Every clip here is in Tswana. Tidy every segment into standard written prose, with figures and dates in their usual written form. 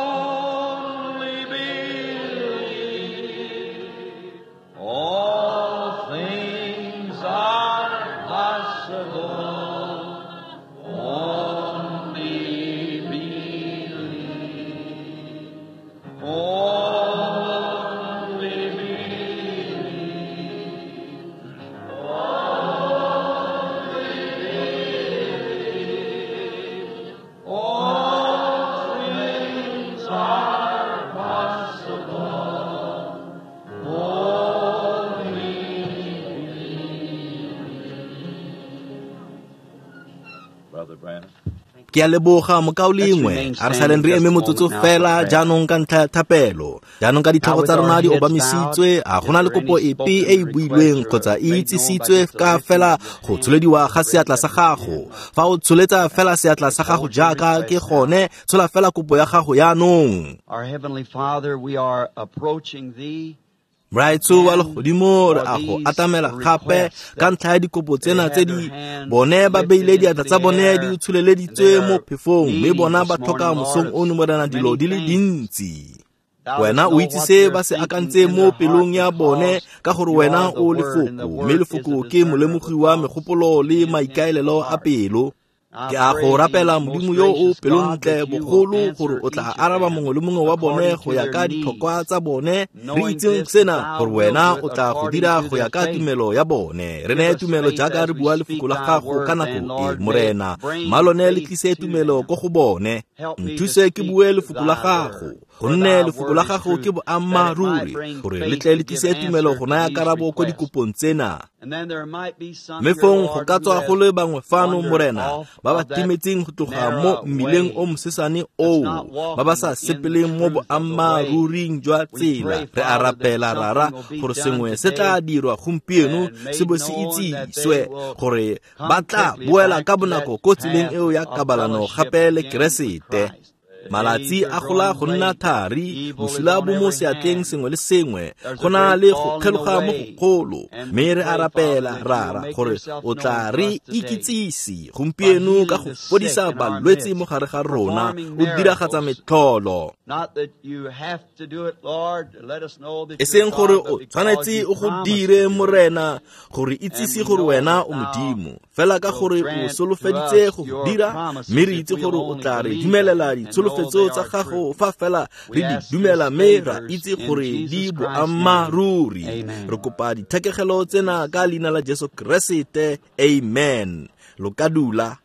Only believe, all things are possible. Only believe, only believe, only believe, all things are possible. Only believe. Brother Branham. Ke a leboga mokaulengwe, a re saleng re eme motsotso fela jaanong ka ntlha ya thapelo. Jaanong ka ditlhogo tsa rona di obamisitswe, a gona le kopo epe e e builweng kgotsa e itsisitswe ka fela go tsholediwa ga seatla sa gago? Fa o tsholetsa fela seatla sa gago jaaka ke gone, tshola fela kopo ya gago jaanong. Our Heavenly Father, we are approaching Thee. Moraetsho wa legodimo, re a go atamela gape ka ntlha ya dikopo tsena tse di bone ba beile diatla tsa bone di tsholeleditswe mo phefong, mme bona ba tlhoka mosong ono, Morena, dilo di le dintsi. Wena o itse se ba se akantseng mo pelong ya bone, ka gore wena o lefoko, mme lefoko ke molemogi wa megopolo le maikaelelo a pelo. Ke a go rapela, Modimo yo o pelontle bogolo, gore o tla araba mongwe le mongwe wa bone go ya ka ditlhokwa tsa bone, re itseng sena gore wena o tla go dira go ya ka tumelo ya bone. Re neye tumelo jaaka re bua lefoko la gago ka nako e, Morena. Mma lone le tlise tumelo ko go bone. Nthuse ke bue lefoko la gago, gonne lefoko la gago ke boammaaruri, gore le tle le tlise tumelo go naya karabo ko dikopong tsena. And then there might be some Mme here, fong go Lord, ka who tswa have go le bangwe fano, wandered Morena, off ba ba of that timetseng go tloga mo narrow mmileng way o mosesane that's oo, not ba ba sa walking in the sepeleng mo truth of the way. boammaaruring jwa We tsela. pray, Re a Father, that rapela, Rara, something will be gore done sengwe se today tla dirwa gompieno and made se bo se known that they itsiswe will gore come ba tla quickly boela back ka to bonako that ko tseleng path eo ya of kabalano fellowship gape le again with Keresete. Christ. The Malatsi days are a gola growing go nna late. thari, Evil is bosula on bo mo every seatleng hand. sengwe le sengwe, There's a go na great le go falling kgeloga mo away. gogolo. And Mme we re a pray, Father, rapela, that you will Rara, make gore yourself o known tla to re us today ikitsise by gompieno ka healing go the sick fodisa in our balwetse midst, mo gare ga rona, performing o diragatsa miracles. metlholo. Not that you have to do it, Lord, to let us know that E you're seng gore God, but o because tshwanetse you o go promised to dire, do it. Morena, gore And itsise we gore know wena that o thou Modimo, fela ka will gore o grant to solofeditse us go go your dira, promises mme re if itse we'll gore o only tla re believe them dumelela and know ditsholofetso they tsa are gago true. fa fela We re di ask dumela these mme ra favors itse in gore di Jesus Christ's name. boammaaruri. Amen. Re kopa dithekegelo tsena ka leina la Jesu Keresete, amen. Lo ka dula.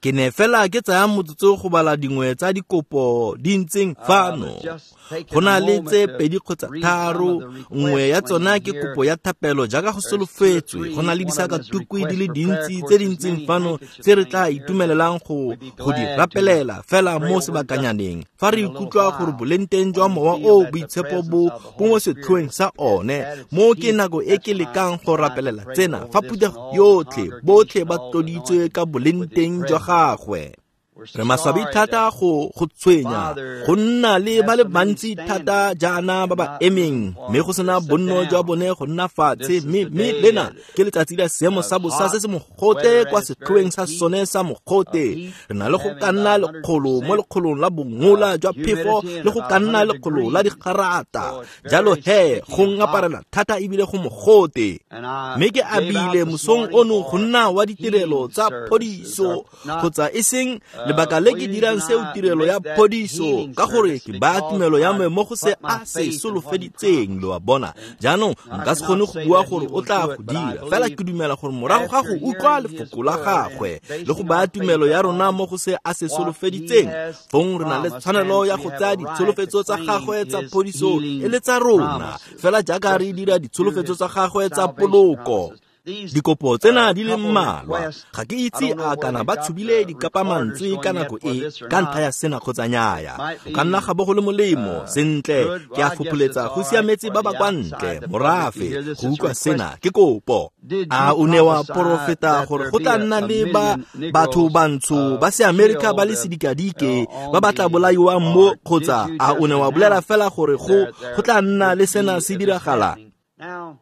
Ke ne fela ke tsaya motsotso go bala dingwe tsa dikopo di ntseng I was fano. just Go taking a na le moment tse to pedi kgotsa read some of tharo, the nngwe ya requests tsona laying ke here. kopo ya thapelo jaaka go There's two or solofetswe. Go three. na le One of them is a disakatukwi di request le for prayer. dintsi Of course, tse di there's ntseng many fano handkerchiefs tse re laying tla here that itumelelelang go we'd be go di glad to rapelela fela pray mo over just sebakanyaneng. Fa re in a little ikutlwa gore while. bolengteng jwa When we mowa feel o that the boitshepo presence bo of the bo mo Holy Spirit setlhoeng sa one, at its mo ke peak, nako e that's ke when I lekang go try to rapelela pray tsena over fa this and phuthego all the yotlhe, botlhe congregation, ba all the tloditswe anointed ka with His bolengteng jwa presence. gagwe. We're Re maswabi sorry thata to go tshwenya bother, go nna le have ba le so many bantsi thata standing jaana ba and ba not emeng, room for mme go them to sena sit bonno jwa down. bone go nna fatshe. This is Mme the mme day lena that ke letsatsi la seemo of sa bosa hot se se mogote weather kwa and it's very setlhoeng sa heat, sone sa of mogote. heat, Re na le go having ka nna about lekgolo mo 100% lekgolong la bongola jwa phefo humidity and le go about ka nna 100 lekgolo la degrees. digarata. So it's Jalo very he sticky go and hot. ngaparela thata ebile go mogote. And I Mme ke gave out abile this mosong morning ono go for nna wa ditirelo healing tsa services. phodiso Or not kgotsa e seng lebaka le ke please dirang seo not tirelo ya make that phodiso, healing ka gore service ke baya because tumelo ya I me mo go se put my a se faith in what he solofeditseng, promised. lo a bona. And Jaanong I nka se kgone cannot go say bua that he gore o will tla do go it, but I dira, fela believe ke dumela gore morago ga after go utlwa hearing his lefoko la word and gagwe le go basing baya our faith tumelo ya rona upon mo go se a se what he solofeditseng, has fong re na le promised, tshwanelo then ya we go have tsaya a right to ditsholofetso tsa claim gagwe tsa his phodiso e healing le tsa rona, promises, fela jaaka re just as dira we do ditsholofetso his tsa gagwe tsa salvation poloko. promises. These Dikopo tsena di le couple mmalwa, requests, ga ke I itse don't know a whether kana they ba got tshubile the recorders dikapamantswe ka going yet nako for e this or ka ntlha not. ya sena kgotsa nnyaya. Might Go ka nna be ga bo go le molemo. Sentle, good. ke Well, a I guess it's fopholetsa go all right siametse for ba ba the kwa outside, ntle the public to morafe hear this. go It's a utlwa request. sena ke kopo. Did A you o ne wa prophesy porofeta that gore there go be tla nna a le ba million batho Negroes bantsho ba seamerika ba le killed sedikadike on ba ba tla the, bolaiwang mo, or did kgotsa you a o just ne wa bolela announce fela gore go there go tla nna would le sena be se this diragala? happening? Now,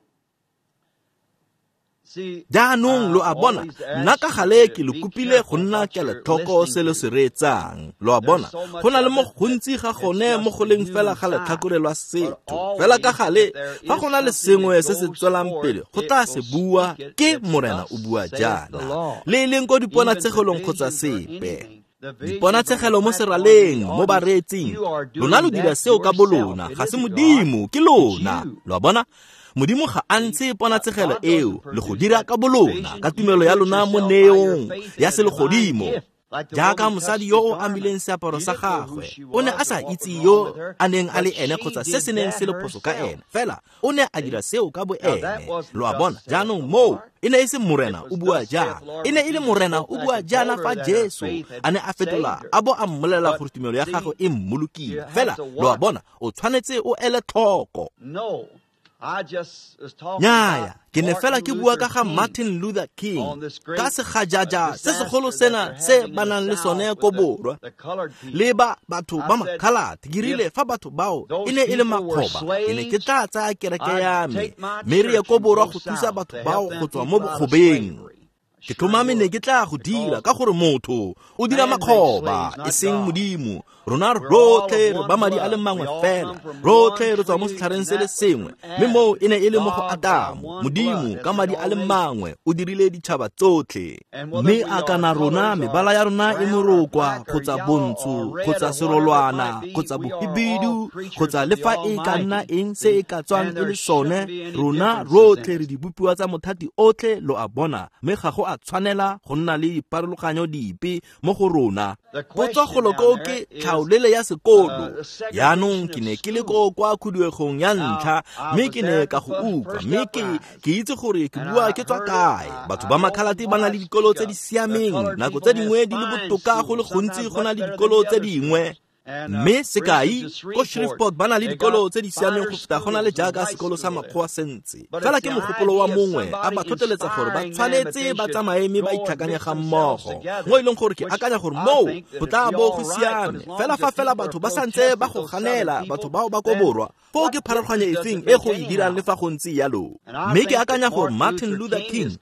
Jaanong lo a bona, nna ka gale ke lo kopile go nna kelotlhoko se lo se reetsang. Lo a bona, go na le mo gontsi ga gone mo go leng fela ga letlhakore lwa setho. Fela ka gale, fa go na le sengwe se se tswelang pele, go tla se bua ke Morena o bua jaana. Le e leng ko diponatshegelong kgotsa sepe. Diponatshegelo mo seraleng, mo bareetsing, lona lo dira seo ka bolona, ga se Modimo, ke lona. Lo a bona? Modimo ga a ntshe ponatshegelo eo, le go dira ka bolona, ka tumelo ya lona mo neong ya selegodimo. Jaaka mosadi yo o amileng seaparo sa gagwe, o ne a sa itse yo a neng a le ene kgotsa se se neng se le phoso ka ene, fela o ne a dira seo ka bo ene. Lo a bona? Jaanong moo e ne e se Morena o bua jaana, e ne e le Morena o bua jaana fa Jesu a ne a fetola a bo a mmolelela gore tumelo ya gagwe e mmolokile. Fela lo a bona, o tshwanetse o ele tlhoko. Nnyaya, ke ne fela ke bua ka ga Martin Luther King, ka segajaja se segolo sena se ba nang le sone ko borwa, le ba batho ba makhalate. Ke rile fa batho bao e ne e le makgoba, ke ne ke tla tsaya kereke ya me mme re ye ko borwa go thusa batho bao go tswa mo bokgobeng. Ke tlhomame ne ke tla go dira, ka gore motho o dira makgoba, e seng Modimo. Rona rotlhe re ba madi a le mangwe fela, rotlhe re tswa mo setlhareng se le sengwe, mme moo e ne e le mo go Adamo. Modimo ka madi a le mangwe o dirile ditšhaba tsotlhe. Mme a kana rona mebala ya rona e morokwa kgotsa bontsho kgotsa serolwana kgotsa bohibidu kgotsa le fa e ka nna eng se e ka tswang e le sone, rona rotlhe re dibopiwa tsa mothati otlhe, lo a bona, mme ga go a tshwanela go nna le diparologanyo dipe mo go rona. Potso golo koo ke tlhaolele ya sekolo. Jaanong ke ne ke le ko kwa khuduegong ya ntlha, mme ke ne ka go utlwa, mme ke itse gore ke bua ke tswa kae. Batho ba makhalate ba na le dikolo tse di siameng, nako tse dingwe di le botoka go le gontsi go na le dikolo tse dingwe. Mme sekai, ko Shreveport ba na le dikolo tse di siameng go feta go na le jaaka sekolo sa makgowa sentse. Fela ke mogopolo wa mongwe a ba tlhotlheletsa gore ba tshwanetse ba tsamaye mme ba itlhakanye ga mmogo, mo e leng gore ke akanya gore moo go tla bo go siame. Fela fa fela batho ba santse ba go ganela, batho bao ba ko borwa, foo ke pharologanyo efeng e go e dirang le fa go ntse yalo. Mme ke akanya gore Martin Luther King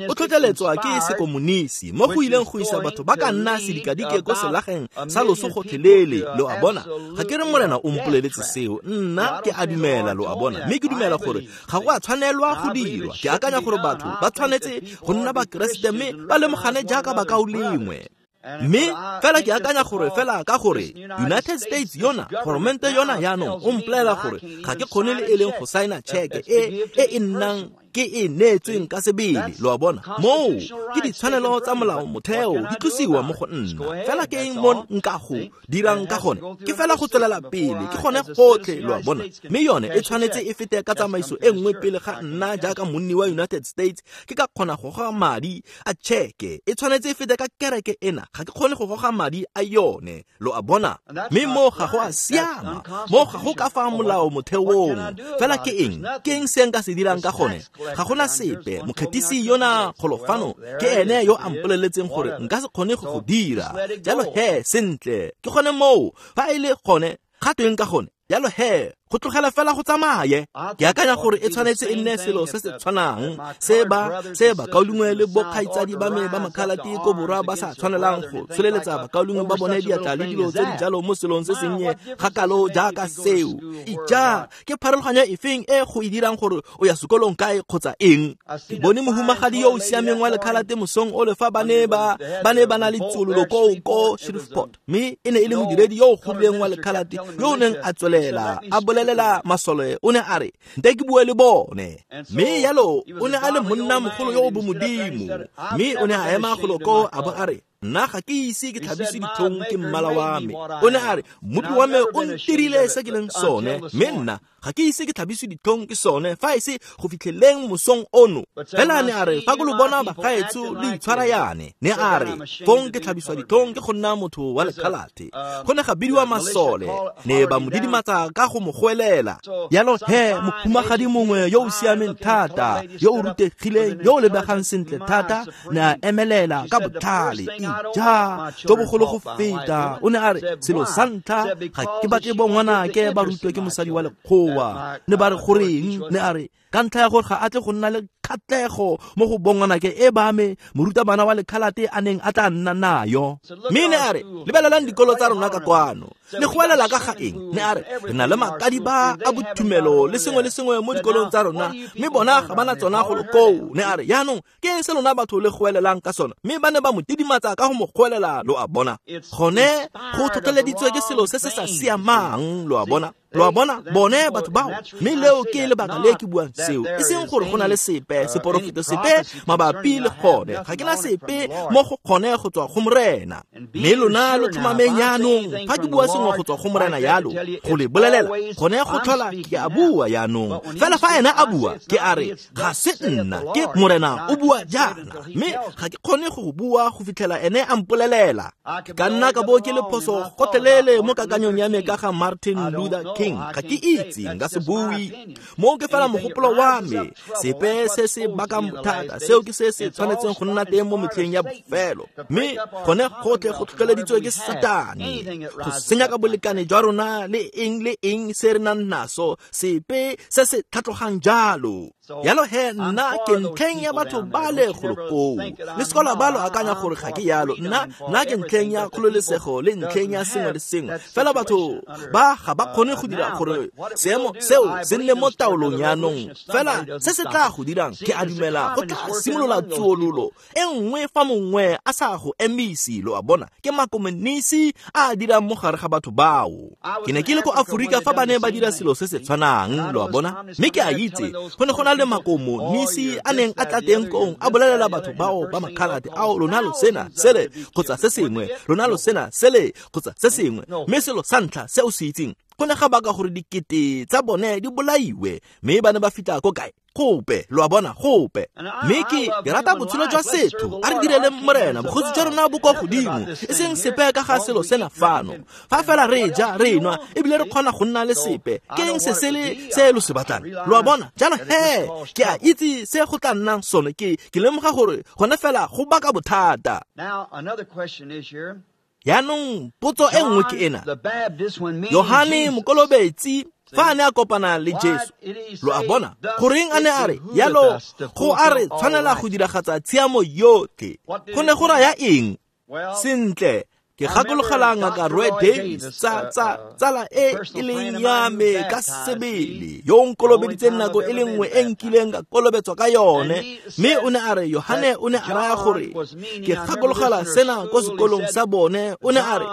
o tlhotlheletswa ke sekomonisi mo go ileng go isa batho ba ka nna sedikadike ko selageng sa loso gotlhelele. Lo a bona? Ga ke re Morena o mpoleletse seo, nna ke a dumela, lo a bona. Mme ke dumela gore ga go a tshwanelwa go dirwa. Ke akanya gore batho ba tshwanetse go nna Bakeresete mme ba lemogane jaaka bakaulengwe. Mme fela ke akanya gore fela ka gore United States yona, goromente yona jaanong o mpolelela gore ga ke kgone le e leng go saena tšheke e e nnang ke e neetsweng ka sebele. Lo a bona? Moo ke ditshwanelo tsa molao motheo di tlosiwa mo go nna. Fela ke eng mo nka go dirang ka gone? Ke fela go tswelela pele, ke gone gotlhe, lo a bona. Mme yone e tshwanetse e fete ka tsamaiso e nngwe pele ga nna jaaka monni wa United States ke ka kgona go goga madi a tšheke. E tshwanetse e fete ka kereke ena, ga ke kgone go goga madi a yone, lo a bona. Mme mo ga go a siama, mo ga go ka fa molao motheong. Fela ke eng? Ke eng se nka se dirang ka gone? Ga gona sepe. Mokgethisi yona golofano ke ene yo a mpoleletseng gore nka se kgone go go dira. Jalo he, sentle, ke gone moo. Fa e le gone, ga tweng ka gone? Jalo he, go tlogela fela go tsamaye. Ke akanya gore e tshwanetse e nne selo se se tshwanang se bakaulengwe le bokgaitsadi ba me ba makhalate ko borwa ba sa tshwanelang go tsholeletsa bakaulengwe ba bone diatla le dilo tse di jalo mo selong se sennye ga kalo jaaka seo. Ija, ke pharologanyo efeng e go e dirang gore o ya sekolong kae kgotsa eng? Ke bone mohumagadi yo o siameng wa lekhalate mosong o le fa ba ne ba na le tsololo koo ko Shreveport, mme e ne e le modiredi yo o godileng wa lekhalate yo o neng a tswelela a bolelela masole. O ne a re, nte ke bue le bone. Mme yalo o ne a le monna mogolo yo o bomodimo, mme o ne a ema golo koo a bo a re, nna ga ke ise ke tlhabise ditlhong ke mmala wa me. O ne a re, mmopi wa me o ntirile se ke leng sone, mme nna ga ke ise ke tlhabise ditlhong ke sone fa e se go fitlheleng mosong ono. Fela ne a re, fa ke lo bona bagaetsho le itshwara yane, ne a re, fong ke tlhabiswa ditlhong ke go nna motho wa lekhalate. Go ne ga bidiwa masole, ne ba mo didimatsa ka go mo goelela. Yalo he, mohumagadi mongwe yo o siameng thata, yo o rutegileng, yo o lebegang sentle thata, ne a emelela ka botlhale. Ija, jo bogolo go feta. O ne a re, selo sa ntlha, ga ke batle bo ngwanake ba rutwe ke mosadi wa lekgowa. Ne ba re goreng? Ne a re, Ka ntlha ya gore ga a tle go nna le kgatlhego mo go bongwanake e ba me morutabana wa lekhalate a neng a tla nna nayo. Mme ne a re, lebelelang dikolo tsa rona ka kwano, le goelela ka ga eng? Ne a re, re na le makadiba a bothumelo le sengwe le sengwe mo dikolong tsa rona, mme bona ga ba na tsona go koo. Ne a re, yaanong ke eng se lona batho le goelelang ka sona? Mme ba ne ba mo tidimatsa ka go mo goelela, lo a bona. Gone go tlhotlheleditswe ke selo se se sa siamang, lo a bona. Lo a bona, bone batho bao. Mme leo ke lebaka le ke buang seo, e seng gore go na le sepe seporofeto sepe mabapi le gone. Ga ke na sepe mo go gone go tswa go Morena. Mme lona lo tlhomameng yaanong, fa ke bua sengwe go tswa go Morena yalo, go le bolelela, gone go tlhola ke a bua yaanong. Fela fa ena a bua, ke a re, ga se nna, ke Morena o bua jaana. Mme ga ke kgone go bua go fitlhela ene a mpolelela. Ka nna ka bo ke le phoso gotlhelele mo kakanyong ya me ka ga Martin Luther King. Ga ke itse, nka se bue. Mo ke fela mogopolo wa me, sepe se se bakang bothata, seo ke se se tshwanetseng go nna teng mo metlheng ya bofelo. Mme gone gotlhe go tlhotlheleditswe ke Satane, go senya ka bolekane jwa rona le eng se re nang naso, sepe se se tlhatlogang jalo. Yalo he, nna ke ntlheng ya batho ba le golo koo. Le sekola ba lo akanya gore ga ke yalo. Nna ke ntlheng ya kgololesego le ntlheng ya sengwe le sengwe. Fela batho ba ga ba kgone go dira gore seemo seo se nne mo taolong yaanong. Fela se se tla go dirang, ke a dumela go tla simolola tsuololo e nngwe fa mongwe a sa go emise, lo a bona. Ke makomonisi a a dirang mo gare ga batho bao. Ke ne ke le ko Aforika fa ba ne ba dira selo se se tshwanang, lo a bona. Mme ke a itse go ne go na le makomonisi a neng a tla teng kong a bolelela batho bao ba makhalate, ao lona lo sena sele kgotsa se sengwe, lona lo sena sele kgotsa se sengwe. Mme selo sa ntlha se o se itseng, go ne ga baka gore dikete tsa bone di bolaiwe. Mme ba ne ba fitlha ko kae? Gope, lo a bona, gope. Mme ke rata botshelo jwa setho, a re direleng Morena, bogosi jwa rona bo kwa godimo, e seng sepe ka ga selo sena fano. Fa fela re ja, re nwa, ebile re kgona go nna le sepe, ke eng se sele se lo se batlang? Lo a bona? Jalo he, ke a itse se go tla nnang sone, ke lemoga gore gone fela go baka bothata. Yaanong potso e nngwe ke ena. Yohane Mokolobetsi fa a ne a kopana le Jesu, lo a bona, goreng a ne a re, yalo go a re tshwanela go diragatsa tshiamo yotlhe? Go ne go raya eng? Sentle, ke gakologela ngaka Roy Davis, tsala e e leng ya me ka sebele, yo o nkolobeditseng nako e le nngwe e nkileng ka kolobetswa ka yone. Mme o ne a re, Yohane o ne a raya gore, ke gakologela sena ko sekolong sa bone, o ne a re,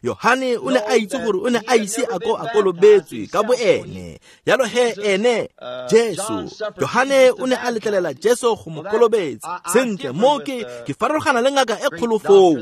Yohane o ne a itse gore o ne a ise a ko a kolobetswe ka boene. Yalo he ene, Jesu, Yohane o ne a letlelela Jesu go mo kolobetsa. Sentle, mo ke farologana le ngaka e kgolo foo.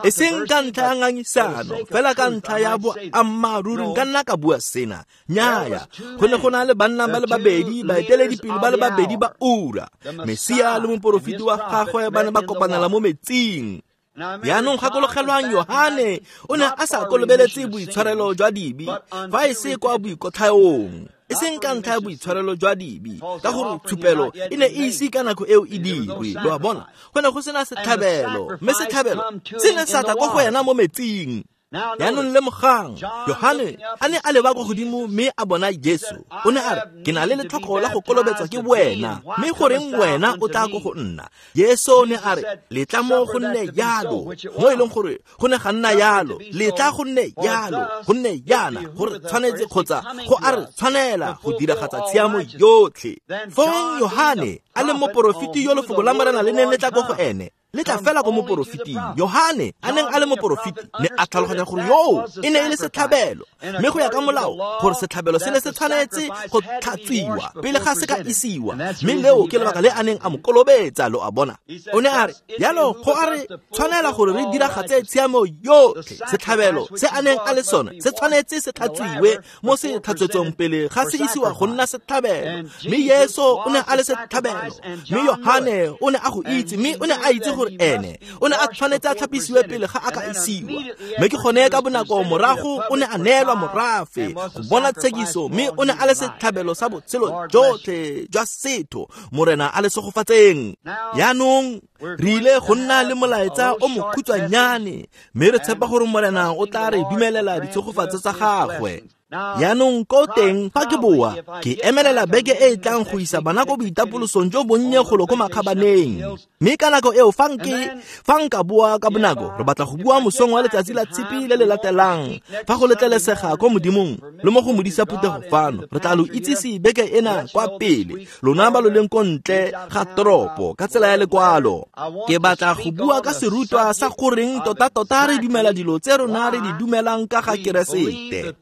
E seng ka ntlha ya ngangisano, fela ka ntlha ya boammaaruri nka nna ka bua sena. Nnyaya, go ne go na le banna ba le babedi, baeteledipele ba le babedi ba ura. Mesia le moporofeti wa gagwe ba ne ba kopanela mo metsing. Yaanong gakologelwang, Yohane o ne a sa kolobeletse boitshwarelo jwa dibe fa e se kwa boikotlhaong, e seng ka ntlha ya boitshwarelo jwa dibe, ka gore tshupelo e ne e ise ka nako eo e dirwe, lo a bona. Go ne go sena setlhabelo, mme setlhabelo se ne sa tla kwa go ena mo metsing. Yaanong lemogang, Yohane a ne a leba kwa godimo mme a bona Jesu. O ne a re, ke na le letlhoko la go kolobetswa ke wena, mme goreng wena o tla ko go nna? Jesu ne a re, letla mo go nne yalo, mo e leng gore go ne ga nna yalo, letla go nne yalo, go nne yana, gore tshwanetse kgotsa go a re tshwanela go diragatsa tshiamo yotlhe. Fong Yohane a le moporofeti yo lefoko la Morena le neng le tla ko go ene, le tla fela ko moporofeting. Yohane a neng a le moporofeti ne a tlhaloganya gore yoo e ne e le setlhabelo, mme go ya ka molao gore setlhabelo se ne se tshwanetse go tlhatswiwa pele ga se ka isiwa. Mme leo ke lebaka le a neng a mo kolobetsa, lo a bona. O ne a re, yalo go a re tshwanela gore re diragatse tshiamo yotlhe. Setlhabelo se a neng a le sone se tshwanetse se tlhatswiwe mo se tlhatswetsong pele ga se isiwa go nna setlhabelo. Mme Jesu o ne a le setlhabelo, mme Yohane o ne a go itse, mme o ne a itse gore ene o ne a tshwanetse a tlhapisiwe pele ga a ka isiwa. Mme ke gone ka bonako morago o ne a neelwa morafe go bona tshekiso, mme o ne a le setlhabelo sa botshelo jotlhe jwa setho. Morena a le segofatseng. Yaanong re ile go nna le molaetsa o mokhutshwanyane, mme re tshepa gore Morena o tla re dumelela ditshegofatso tsa gagwe. Jaanong ko teng fa ke boa, ke emelela beke e e tlang go isa bana ko boitapolosong jo bonnye golo ko makgabaneng. Mme ka nako eo fa nka boa ka bonako, re batla go bua mosong wa letsatsi la tshipi le le latelang, fa go letlelesega ko Modimong le mo go modisa phuthego fano. Re tla lo itsise beke ena kwa pele, lona ba lo leng ko ntle ga toropo ka tsela ya lekwalo. Ke batla go bua ka serutwa sa goreng tota-tota re dumela dilo tse rona re di dumelang ka ga Keresete.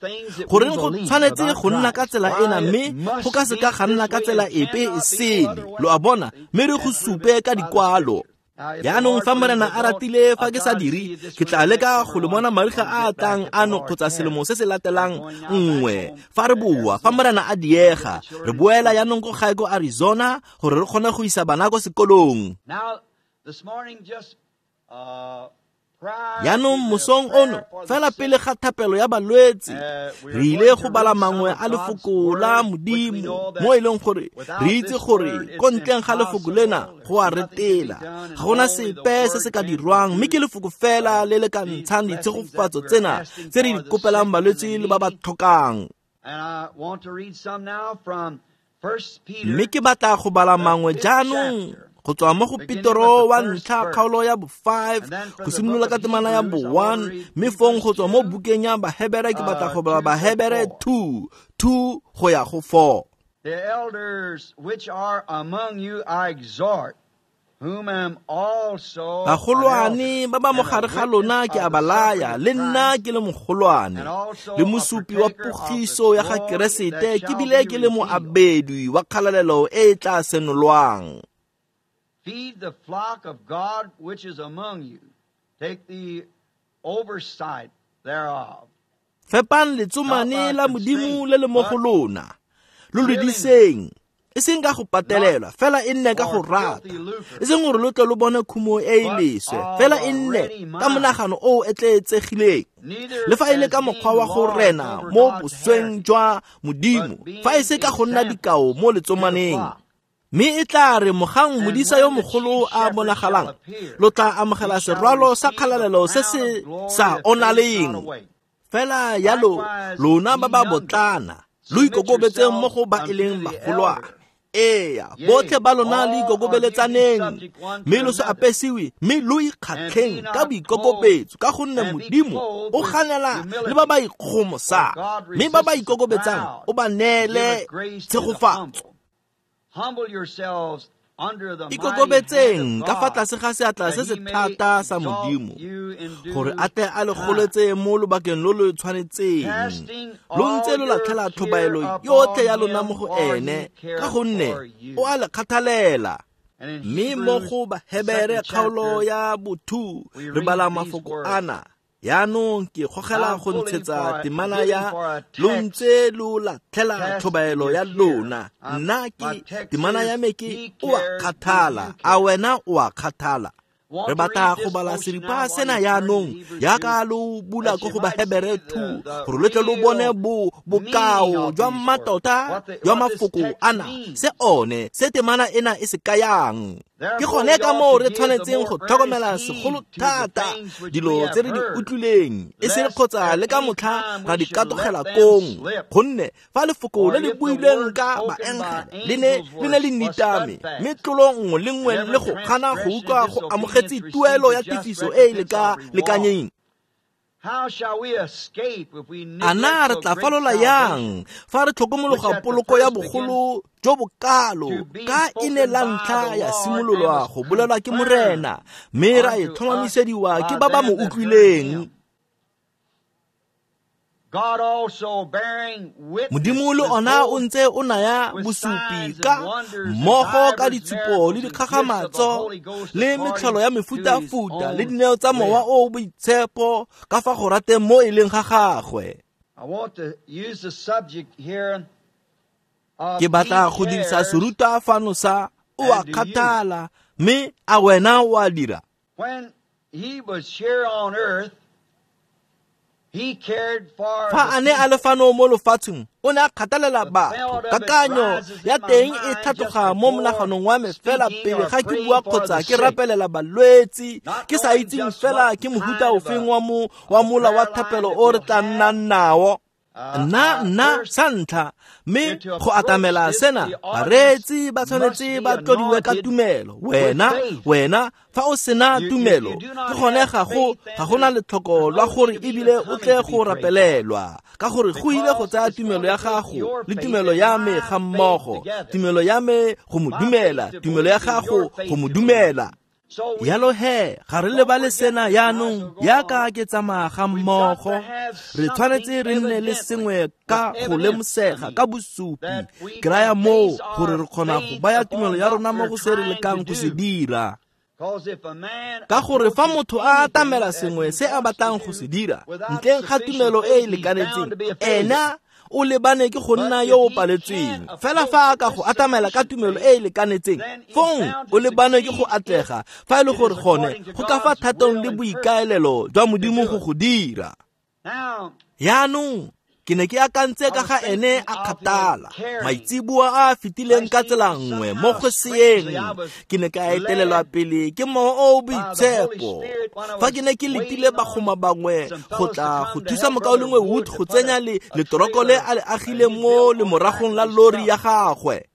Goreng go tshwanetse go nna ka tsela ena mme go ka seka ga nna ka tsela epe e sele, lo a bona, mme re go supe ka dikwalo. Jaanong fa Morena a ratile, fa ke sa dire, ke tla leka go le bona mariga a a tlang ano kgotsa selemo se se latelang nngwe. Fa re boa, fa Morena a diega, re boela jaanong ko gae ko Arizona gore re kgone go isa bana ko sekolong. Jaanong mosong ono, fela pele ga thapelo ya balwetse, re ile go bala mangwe a lefoko la Modimo, mo e leng gore re itse gore ko ntleng ga lefoko lena go a retela. Ga gona sepe se se ka dirwang, mme ke lefoko fela le le ka ntshang ditshegofatso tsena tse re di kopelang balwetse le ba ba tlhokang. Mme ke batla go bala mangwe jaanong go tswa mo go Petro wa ntlha kgaolo ya bo 5 go simolola ka temana ya bo 1, mme fong go tswa mo bukeng ya Bahebere ke batla go bala Bahebere 2 2 go ya go 4. The elders which are among you I exhort, whom am also bagolwane ba ba mo gare ga lona ke a ba laya, le nna ke le mogolwane le mosupi wa pogiso ya ga Keresete, ke bile ke le moabedwi wa kgalalelo e e tla senolwang. Feed the flock of God which is among you. Take the oversight thereof. Fepang letsomane la Modimo le le mo go lona, lo le diseng, e seng ka go patelelwa, fela e nne ka go rata, e seng gore lo tle lo bone khumo e e leswe, fela e nne ka monagano o o etleetsegileng, le fa e le ka mokgwa wa go rena mo bosweng jwa Modimo, fa e se ka go nna dikao mo letsomaneng. Mme e tla re mogang modisa yo mogolo a bonagalang, lo tla amogela serwalo sa kgalalelo se se sa onaleng. Fela yalo lona ba ba botlana, lo ikokobetseng mo go ba e leng bagolwane. Eya, botlhe ba lona le ikokobeletsaneng, mme lo se apesiwe, mme lo ikgatlheng ka boikokobetso, ka gonne Modimo o ganela le ba ba ikgomosang, mme ba ba ikokobetsang o ba neele tshegofatso. Ikokobetseng ka fa tlase ga seatla se se thata sa Modimo, gore a tle a le goletse mo lobakeng lo lo tshwanetseng, lo ntse lo latlhela tlhobaelo yotlhe ya lona mo go ene, ka gonne o a le kgathalela. Mme mo go Bahebere kgaolo ya bo 2 re bala mafoko ana. Jaanong ke gogela go ntshetsa temana ya lo ntse lo latlhela tlhobaelo ya lona. Nna ke temana ya me ke o a kgathala, a wena o a kgathala. Re batla go bala seripa sena jaanong jaaka lo bula ko go Bahebere 2 gore lo tle lo bone bokao jwa mmatota jwa mafoko ana, se one se temana ena e se kayang. Ke gone ka moo re tshwanetseng go tlhokomela segolo thata dilo tse re di utlwileng, e se kgotsa le ka motlha ra di katogela kong, gonne fa lefoko le le builweng ka baengele le ne le nitame, mme tlolo nngwe le nngwe le go gana go utlwa go amogetse tuelo ya tefiso e e lekanyeng. A na re tla falola yang fa re tlhokomologa poloko ya bogolo jo bokalo, ka e ne la ntlha ya simololwa go bolelwa ke Morena, mme ra e tlhomamisediwa ke ba ba mo utlwileng? Modimo le ona o ntse o naya bosupi ka mmogo ka ditshupo le dikgakgamatso le metlholo ya mefutafuta le dineo tsa mowa o boitshepo ka fa go rateng mo e leng ga gagwe. Ke batla go dirisa serutwa fano sa o a kgathala, mme a wena o a dira. Fa a ne a le fano mo lefatsheng, o ne a kgathalela batho. Kakanyo ya teng e tlhatloga mo monaganong wa me fela pele ga ke bua kgotsa ke rapelela balwetse, ke sa itseng fela ke mohuta ofeng wa mola wa thapelo o re tla nnang nao. Nna sa ntlha, mme go atamela sena, bareetsi ba tshwanetse ba tlodiwe ka tumelo. Wena fa o sena tumelo, ke gone ga gona letlhoko lwa gore ebile o tle go rapelelwa, ka gore go ile go tsaya tumelo ya gago le tumelo ya me ga mmogo, tumelo ya me go mo dumela, tumelo ya gago go mo dumela. Yalo he, ga re lebale sena yaanong, yaka ke tsamaya ga mmogo, re tshwanetse re nne le sengwe ka go lemosega ka bosupi, ke raya moo gore re kgona go baya tumelo ya rona mo go se re lekang go se dira. Ka gore fa motho a atamela sengwe se a batlang go se dira, ntleng ga tumelo e e lekanetseng, ena o lebane ke go nna yo o paletsweng. Fela fa a ka go atamela ka tumelo e e lekanetseng, fong o lebane ke go atlega, fa e le gore gone go ka fa thatong le boikaelelo jwa Modimo go go dira. Yaanong ke ne ke akantse ka ga ene a kgathala maitseboa a fetileng ka tsela nngwe mo go seeng, ke ne ka etelelwa pele ke Mowa o o Boitshepo. Fa ke ne ke letile bagoma bangwe go tla go thusa mokaulengwe Wood go tsenya letoroko le a le agileng mo lemoragong la lori ya gagwe.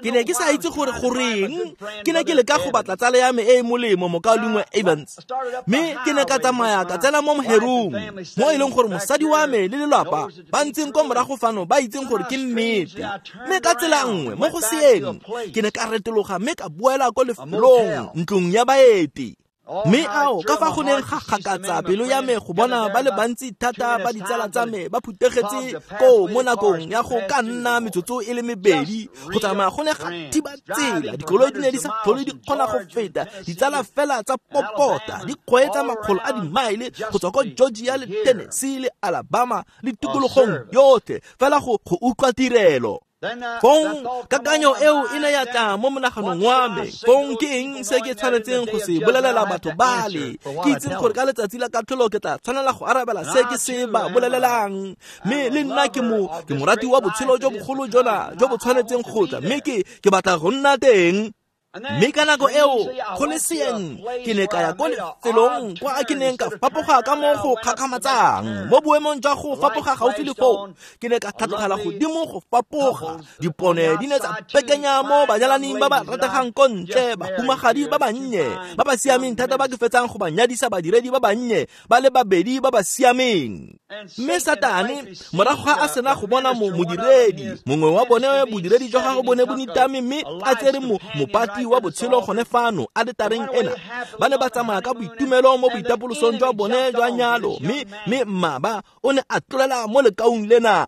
Ke ne ke sa itse gore goreng ke ne ke leka go batla tsala ya me e e molemo, mokaulengwe Evans, mme ke ne ka tsamaya ka tsena mo moherong, mo e leng gore mosadi wa me le lelapa ba ntseng kwa morago fano ba itseng gore ke nnete. Mme ka tsela nngwe mo go seeng ke ne ka retologa mme ka boela ko lefelong, ntlong ya baeti. Mme ao ka fa go neng ga gakatsa pelo ya me go bona ba le bantsi thata ba ditsala tsa me ba phutegetse koo mo nakong ya go ka nna metsotso e le mebedi, go tsamaya go ne ga thiba tsela, dikoloi di ne di sa tlhole di kgona go feta, ditsala fela tsa popota di kgweetsa makgolo a dimaele go tswa ko Georgia le Tennessee le Alabama le tikologong yotlhe fela go utlwa tirelo. Fong kakanyo eo e ne ya tla mo monaganong wa me. Fong ke eng se ke tshwanetseng go se bolelela batho bale? Ke itseng gore ka letsatsi la katlholo ke tla tshwanela go arabela se ke se ba bolelelang. Mme le nna ke morati wa botshelo jo bogolo jona jo bo tshwanetseng go tla, mme ke batla go nna teng. Mme ka nako eo go le seeng ke ne ka ya ko lefelong kwa ke neng ka fapoga ka mo go kgakgamatsang. Mo boemong jwa go fapoga gaufi le foo, ke ne ka tlhatlogela godimo go fapoga. Dipone di ne tsa pekenya mo banyalaning ba ba rategang ko ntle, bahumagadi ba bannye ba ba siameng thata ba ke fetsang go ba nyadisa badiredi ba bannye ba le babedi ba ba siameng. Mme Satane morago ga a sena go bona modiredi mongwe wa bone, bodiredi jwa gagwe bone bo nitame, mme a tsere mopati wa botshelo gone fano aletareng ena. Ba ne ba tsamaya ka boitumelo mo boitapolosong jwa bone jwa nyalo, mme mmaba o ne a tlolela mo lekaung lena.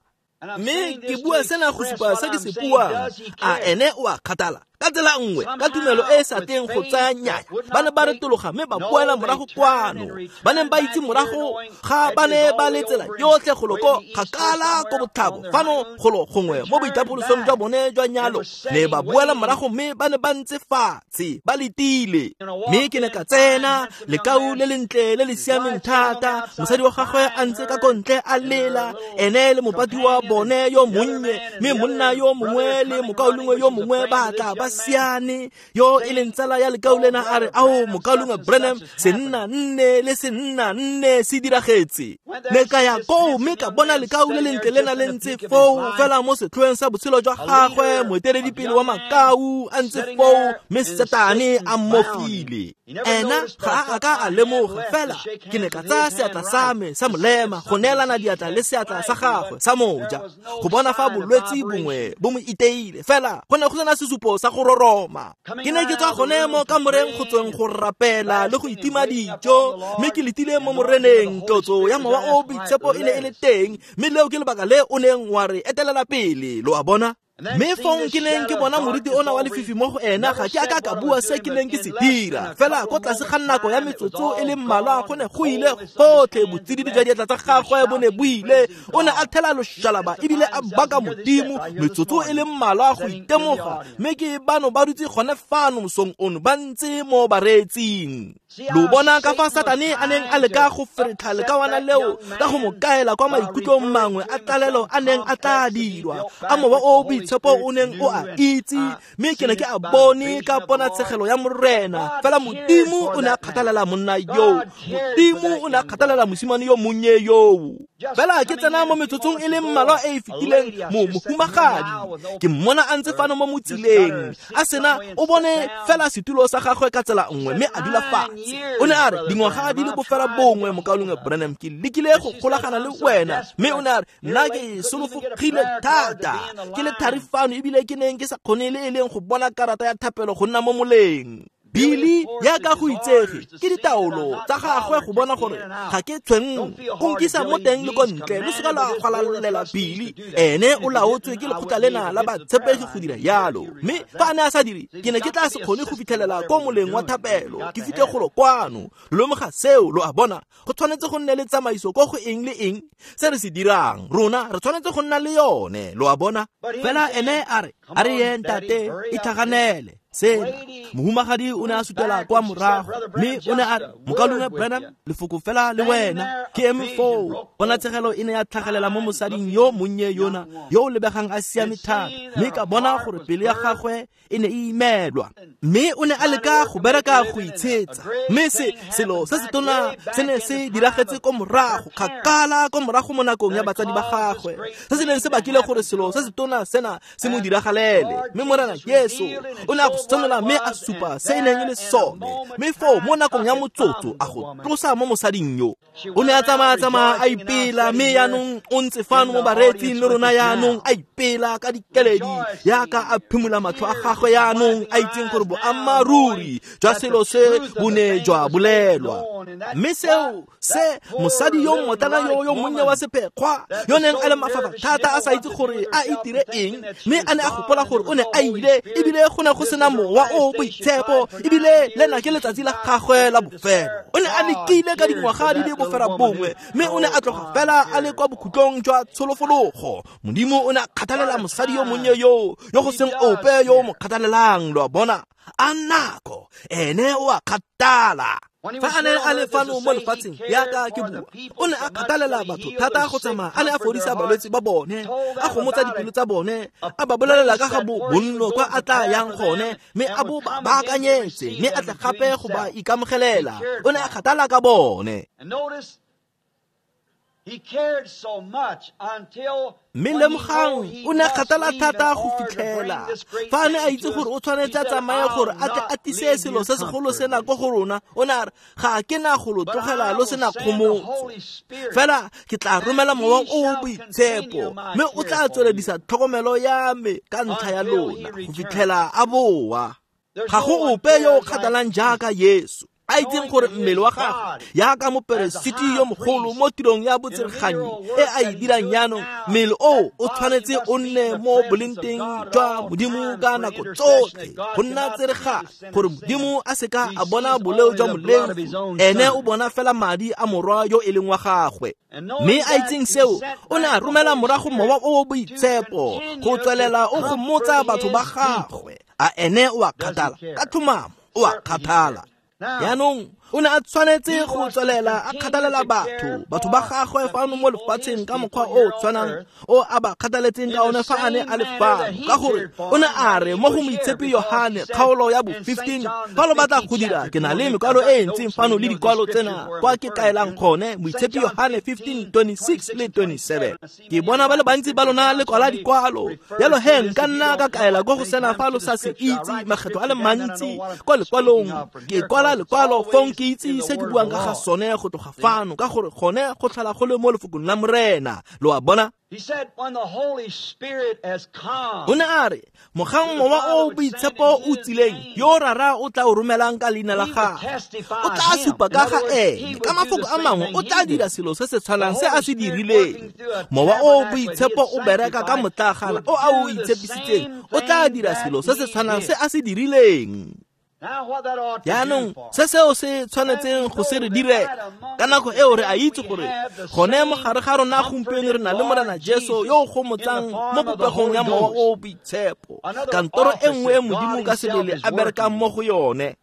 Mme ke bua sena go supa se ke se buang. A ene o a kgathala ka tsela nngwe, ka tumelo e e sa teng go tsaya nyaya. Ba ne ba retologa mme ba boela morago kwano. Ba neng ba itse morago ga ba ne ba le tsela yotlhe golo ko kgakala ko botlhabo fano golo gongwe mo boitapolosong jwa bone jwa nyalo, ne ba boela morago mme ba ne ba ntse fatshe ba letile. Mme ke ne ka tsena, lekau le lentle le le siameng thata, mosadi wa gagwe a ntse ka kontle a lela, ene le mopati wa bone yo monnye, mme monna yo mongwe le mokaulengwe yo mongwe ba tla ba siane, yo e leng tsala ya lekau lena a re, ao mokaulengwe Branham, senna nne le senna nne se diragetse. Ne ka ya koo mme ka bona lekau le lentle lena le ntse foo fela mo setlhoeng sa botshelo jwa gagwe, moeteledipele wa makau a ntse foo, mme Satane a mmofile. Ena ga a ka a lemoga, fela ke ne ka tsaya seatla sa me sa molema go neelana diatla le seatla sa gagwe sa moja go bona fa bolwetse bongwe bo mo iteile, fela go ne go sena sesupo sa go roroma. Ke ne ke tswa gone mo kamoreng go tsweng go rapela le go itima dijo, mme ke letile mo moreneng. Tlotso ya Mowa o Boitshepo e ne e le teng, mme leo ke lebaka le o neng wa re etelela pele, lo a bona. Mme fong ke neng ke bona moriti ona wa lefifi mo go ena, ga ke a ka ka bua se ke neng ke se dira. Fela ko tlase ga nako ya metsotso e le mmalwa go ne go ile gotlhe, botsididi jwa diatla tsa gagwe bo ne bo ile. O ne a thela loshalaba ebile a baka Modimo metsotso e le mmalwa go itemoga. Mme ke bano ba dutse gone fano mosong ono ba ntse mo bareetsing. Lo bona ka fa Satane a neng a leka go feretlha lekawana leo ka go mo kaela kwa maikutlong mangwe a tlalelo a neng a tla dirwa, a Mowa o o Boitshepo o neng o a itse, mme ke ne ke a bone ka ponatshegelo ya Morena. Fela Modimo o ne a kgathalela monna yoo, Modimo o ne a kgathalela mosimane yo monnye yoo. Fela ke tsena mo metsotsong e le mmalwa e e fetileng, mo mohumagadi ke mmona a ntse fano mo motsileng, a sena o bone fela setulo sa gagwe ka tsela nngwe, mme a dula fatshe. O ne a re, dingwaga di le bofela bongwe, mokaulengwe Branham, ke lekile go golagana le wena. Mme o ne a re, nna ke solofogile thata, ke le thari fano, ebile ke neng ke sa kgone le e leng go bona karata ya thapelo go nna mo moleng. Billy yaka go itsege ke ditaolo tsa gagwe go bona gore ga ke tshwenngwe, o nkisa mo teng le ko ntle, lo seka la gwalalela Billy. Ene o laotswe ke lekgotla lena la batshepegi go dira yalo, mme fa a ne a sa dire, ke ne ke tla se kgone go fitlhelela ko moleng wa thapelo, ke fitlhe golo kwano. Lo lemoga seo, lo a bona, go tshwanetse go nne le tsamaiso ko go eng le eng se re se dirang, rona re tshwanetse go nna le yone, lo a bona. Fela ene a re, a re ye ntate, itlhaganele. Sena mohumagadi o ne a sutela kwa morago, mme o ne a re, mokaulengwe Branham, lefoko fela le wena, ke eme foo. Ponatshegelo e ne ya tlhagelela mo mosading yo monnye yona, yo o lebegang a siame thata, mme ka bona gore pelo ya gagwe e ne e imelwa, mme o ne a leka go bereka go itshetsa. Mme se selo se se tona se ne se diragetse ko morago, kgakala ko morago mo nakong ya batsadi ba gagwe, se se neng se bakile gore selo se se tona sena se mo diragalele. Mme Morena Jesu o ne a go senola mme a supa se e neng e le sone, mme foo mo nakong ya motsotso a go tlosa mo mosading yo. O ne a tsamaya-tsamaya a ipela, mme yaanong o ntse fano mo bareetsing le rona yaanong a ipela ka dikeledi, yaka a phimola matlho a gagwe yaanong a itseng gore boammaaruri jwa selo se bo ne jwa bolelwa. Mme seo se mosadi yo mmotlana yo yo monnye wa sephekgwa, yo neng a le mafafa thata a sa itse gore a itire eng, mme a ne a gopola gore o ne a ile, ebile go ne go sena Mowa o Boitshepo, ebile lena ke letsatsi la gagwe la bofelo. O ne a lekile ka dingwaga di le bofera bongwe, mme o ne a tloga fela a le kwa bokhutlong jwa tsholofologo. Modimo o ne a kgathalela mosadi yo monnye yo, yo go seng ope yo o mo kgathalelang, lo a bona. A nako ene o a kgathala. Fa a ne a le fano mo lefatsheng yaka ke bua, o ne a kgathalela batho thata go tsamaya a ne a fodisa balwetse ba bone, a gomotsa dipelo tsa bone, a ba bolelela ka ga bonno kwa a tla yang gone, mme a bo ba baakanyetse, mme a tle gape go ba ikamogelela. O ne a kgathala ka bone. Mme lemogang, o ne a kgathala thata go fitlhela fa a ne a itse gore o tshwanetse a tsamaye gore a tle a tlise selo se segolo sena ko go rona. O ne a re, ga ke na go lo tlogela lo sena kgomotso, fela ke tla romela Mowa o o Boitshepo, mme o tla tsweledisa tlhokomelo ya me ka ntlha ya lona go fitlhela a boa. Ga go ope yo o kgathalang jaaka Yesu, a itseng gore mmele wa gagwe yaka moperesiti yo mogolo mo tirong ya botsereganyi e a e dirang yaanong, mmele o o tshwanetse o nne mo bolengteng jwa Modimo ka nako tsotlhe, go nna tsereganyi, gore Modimo a seka a bona boleo jwa moleofi, ene o bona fela madi a morwa yo e leng wa gagwe. Mme a itseng seo, o ne a romela morago Mowa o o Boitshepo go tswelela o gomotsa batho ba gagwe. A ene o a kgathala ka tlhomamo, o a kgathala. Yaanong o ne a tshwanetse go tswelela a kgathalela batho ba gagwe fano mo lefatsheng ka mokgwa o tshwanang o a ba kgathaletseng ka one fa a ne a le fano, ka gore o ne a re mo go Moitshepi Yohane kgaolo ya bo 15, fa lo batla go dira, ke na le mekwalo e e ntseng fano le dikwalo tsena kwa ke kaelang gone, Moitshepi Yohane 15 26 le 27. Ke bona ba le bantsi ba lona le kwala dikwalo, jalo he nka nna ka kaela ko go sena fa lo sa se itse makgetho a le mantsi kwa lekwalong. Ke kwala lekwalo fong ke itse se ke buang ka ga sone go tloga fano, ka gore gone go tlhola go le mo lefokong la Morena, lo a bona. O ne a re, mogang Mowa o o Boitshepo o tsileng, yo Rara o tla o romelang ka leina la gagwe, o tla supa ka ga ene. Ka mafoko a mangwe, o tla dira selo se se tshwanang se a se dirileng. Mowa o o Boitshepo o bereka ka motlagana o a o itshepisitseng, o tla dira selo se se tshwanang se a se dirileng. Yaanong se seo se tshwanetseng go se re dire ka nako eo, re a itse gore gone mo gare ga rona gompieno re na le Morena Jesu yo o gomotsang mo popegong ya Mowa o o Boitshepo, kantoro e nngwe e Modimo ka sebele a berekang mo go yone.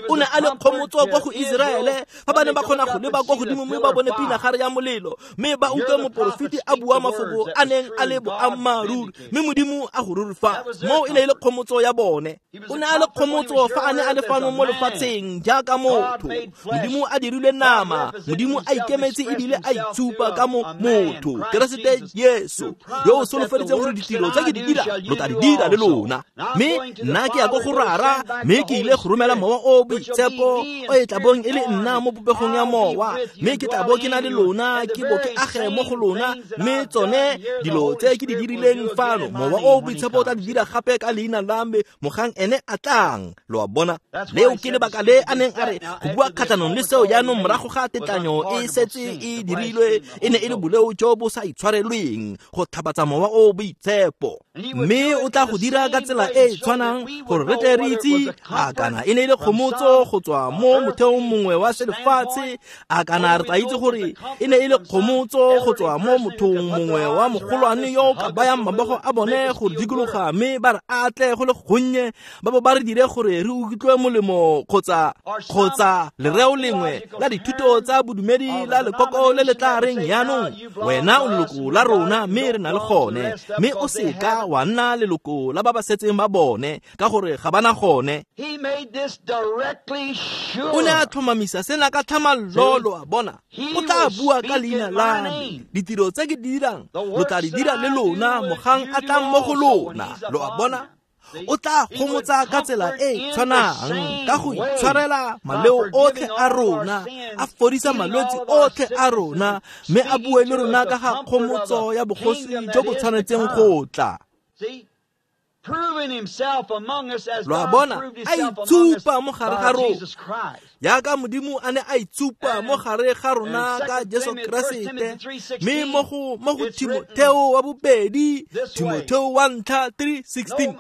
O ne a le kgomotso kwa go Iseraele fa ba ne ba kgona go leba kwa godimo mme ba bone pinagare ya molelo, mme ba utlwe moporofeti a bua mafoko a neng a le boammaaruri, mme Modimo a go rurifa. Moo e ne e le kgomotso ya bone. O ne a le kgomotso fa a ne a le fano mo lefatsheng jaaka motho. Modimo a dirilwe nama, Modimo a ikemetse ebile a itshupa ka motho, Keresete Jesu, yo o solofeditseng gore ditiro tse ke di dira lo tla di dira le lona. Mme nna ke ya ko go Rara, mme ke ile go romela Mowa o Boitshepo o e tla bong e le nna mo popegong ya Mowa, mme ke tla bo ke na le lona, ke bo ke age mo go lona, mme tsone dilo tse ke di dirileng fano, Mowa o Boitshepo o tla di dira gape ka leina la me mogang ene a tlang. Lo a bona? Leo ke lebaka le a neng a re go bua kgatlhanong le seo jaanong morago ga tetlanyo e setse e dirilwe, e ne e le boleo jo bo sa itshwarelweng go tlhabatsa Mowa o Boitshepo. Mme o tla go dira ka tsela e e tshwanang gore re tle re itse a kana e ne e le kgomotso go tswa mo motheong mongwe wa selefatshe, a kana re tla itse gore e ne e le kgomotso go tswa mo mothong mongwe wa mogolwane yo o ka bayang mabogo a bone go dikologa mme ba re atle go le gonnye, ba bo ba re dire gore re utlwe molemo, kgotsa lereo lengwe la dithuto tsa bodumedi la lekoko le le tla reng jaanong wena o leloko la rona mme re na le gone, mme o seka wa nna leloko la ba ba setseng ba bone ka gore ga ba na gone. O ne a tlhomamisa sena ka tlhamallo, lo a bona. O tla bua ka leina la me, ditiro tse ke di dirang lo tla di dira le lona mogang a tlang mo go lona. Lo a bona? O tla gomotsa ka tsela e tshwanang ka go itshwarela maleo otlhe a rona, a fodisa malwetse otlhe a rona, mme a bue le rona ka ga kgomotso ya bogosi jo bo tshwanetseng go tla. Lo a bona? A itsupa mo gare ga rona jaaka Modimo a ne a itsupa mo gare ga rona ka Jesu Keresete. Mme mo go Timotheo wa bobedi, Timotheo wa ntlha 3:16,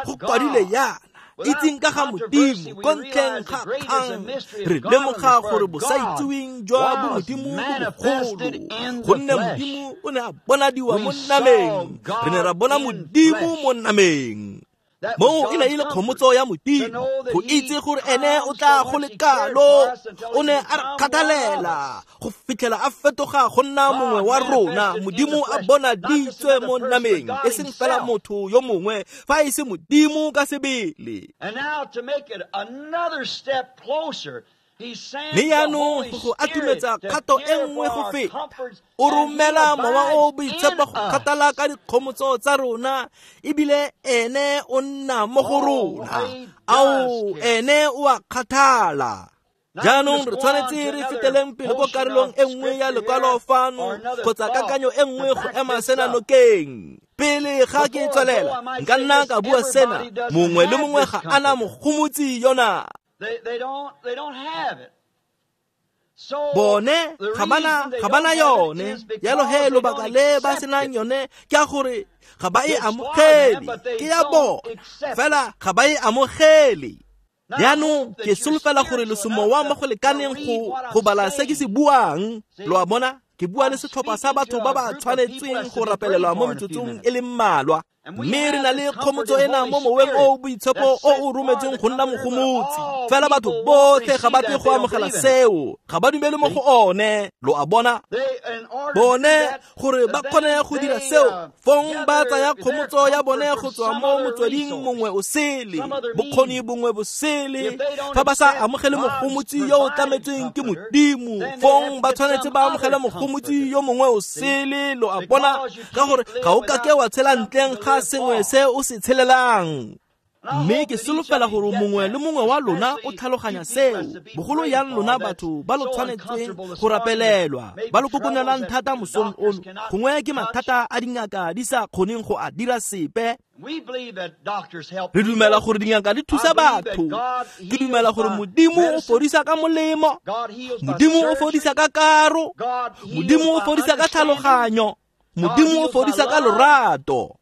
go kwadile yana: itseng ka ga Modimo ko ntleng ga kgang, re lemoga gore bosaitseweng jwa bomodimo bo bogolo, gonne Modimo o ne a bonadiwa mo nameng. Re ne ra bona Modimo mo nameng. Moo e ne e le kgomotso ya Modimo go itse gore ene o tla go le kalo. O ne a re kgathalela go fitlhela a fetoga go nna mongwe wa rona. Modimo a bonaditswe mo nameng, e seng fela motho yo mongwe, fa e se Modimo ka sebele. Mme jaanong go go atumetsa kgato e nngwe go feta, o romela Mowa o Boitshepo go kgathala ka dikgomotso tsa rona, ebile ene o nna mo go rona. Ao, ene o a kgathala. Jaanong re tshwanetse re feteleng pele ko karolong e nngwe ya lekwalo fano, kgotsa kakanyo e nngwe go ema sena nokeng. Pele ga ke tswelela, nka nna ka bua sena: mongwe le mongwe ga ana mogomotsi yona. Bone ga bana yone. Jalo he lobaka le ba senang yone ke a gore ga ba e amogele, ke ya bona fela ga ba e amogele. Jaanong ke solofela gore lo semowa mo go lekaneng go bala se ke se buang. Lo a bona? Ke bua le setlhopha sa batho ba ba tshwanetseng go rapelelwa mo metsotsong e le mmalwa. Mme re na le kgomotso ena mo Moweng o Boitshepo o o rometseng go nna mogomotsi. Fela batho botlhe ga ba tle go amogela seo, ga ba dumele mo go one. Lo a bona? Bone gore ba kgone go dira seo, fong ba tsaya kgomotso ya bone go tswa mo motsweding mongwe o sele, bokgoni bongwe bo sele. Fa ba sa amogele mogomotsi yo o tlametsweng ke Modimo, fong ba tshwanetse ba amogele mogomotsi yo mongwe o sele. Lo a bona? Ka gore ga o kake wa tshela ntleng ga sengwe se o se tshelelang. Mme ke solofela gore mongwe le mongwe wa lona o tlhaloganya seo, bogolo yang lona batho ba lo tshwanetseng go rapelelwa, ba lo kokonelang thata mosong ono. Gongwe ke mathata a dingaka di sa kgoneng go a dira sepe. Re dumela gore dingaka di thusa batho. Ke dumela gore Modimo o fodisa ka molemo, Modimo o fodisa ka karo, Modimo o fodisa ka tlhaloganyo, Modimo o fodisa ka lorato.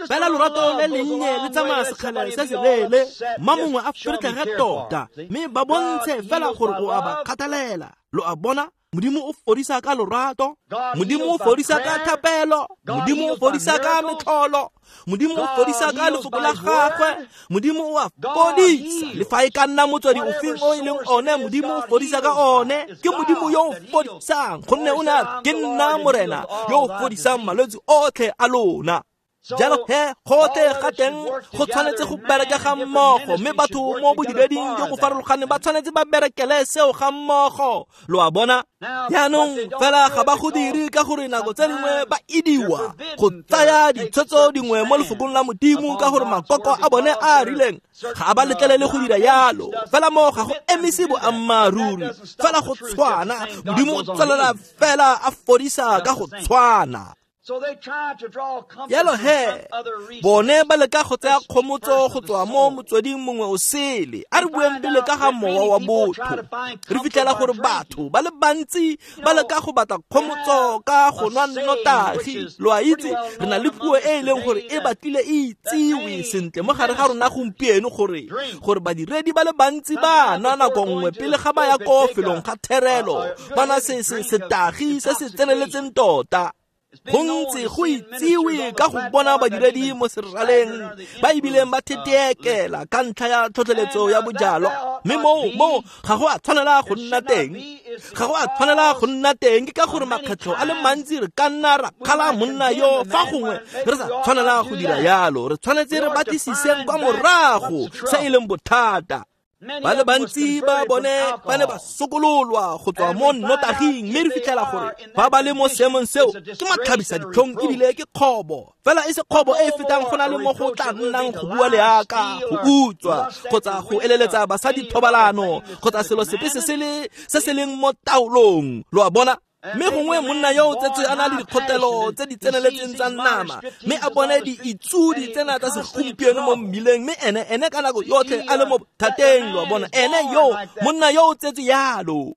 Fela lorato le lennye le tsamaya sekgala se se leele, mma mongwe a feretlhege tota, mme ba bontshe fela gore o a ba kgathalela. Lo a bona? Modimo o fodisa ka lorato, Modimo o fodisa ka thapelo, Modimo o fodisa ka metlholo, Modimo o fodisa ka lefoko la gagwe, Modimo o a fodisa. Le fa e ka nna motswedi ofeng o e leng one, Modimo o fodisa ka one. Ke Modimo yo o fodisang, gonne o ne a ke nna Morena yo o fodisang malwetse otlhe a lona. Jalo he gotlhe ga teng go tshwanetse go bereka ga mmogo, mme batho mo bodireding jo bo farologaneng ba tshwanetse ba berekele seo ga mmogo. Lo a bona? Jaanong fela ga ba go dire ka gore nako tse dingwe ba idiwa go tsaya ditshwetso dingwe mo lefokong la Modimo ka gore makoko a bone a a rileng ga a ba letlelele go dira yalo. Fela mo ga go emise boammaaruri, fela go tshwana Modimo o tswelela fela a fodisa ka go tshwana. Jalo he bone ba leka go tsaya kgomotso go tswa mo motsweding mongwe o sele. A re bueng pele ka ga mowa wa botho. Re fitlhela gore batho ba le bantsi ba leka go batla kgomotso ka go nwa nnotagi. Lo a itse, re na le puo e e leng gore e batlile e itsiwe sentle mo gare ga rona gompieno gore badiredi ba le bantsi ba nwa nako nngwe pele ga ba ya ko felong ga therelo, ba nwa setagi se se tseneletseng tota. Go ntse go itsiwe ka go bona badiredi mo seraleng ba ebileng ba theteekela ka ntlha ya tlhotlheletso ya bojalwa, mme moo ga go a tshwanela go nna teng. Ga go a tshwanela go nna teng ke ka gore makgetlho a le mantsi re ka nna ra kgala monna yo fa gongwe re sa tshwanela go dira yalo. Re tshwanetse re batlisiseng kwa morago se e leng bothata. Ba le bantsi ba bone ba ne ba sokololwa go tswa mo nnotaging, mme re fitlhela gore fa ba le mo seemong seo ke matlhabisa ditlhong ebile ke kgobo. Fela e se kgobo e e fetang go na le mo go tla nnang go bua leaka, go utswa, kgotsa go eleletsa basadi thobalano, kgotsa selo sepe se se leng mo taolong. Lo a bona? Mme gongwe monna yo o tsetswe a na le dikgotelo tse di tseneletseng tsa nama, mme a bone diitsudi tsena tsa segompieno mo mmileng, mme ene ka nako yotlhe a le mo thateng. Lo a bona? Ene yo monna yo o tsetswe yalo.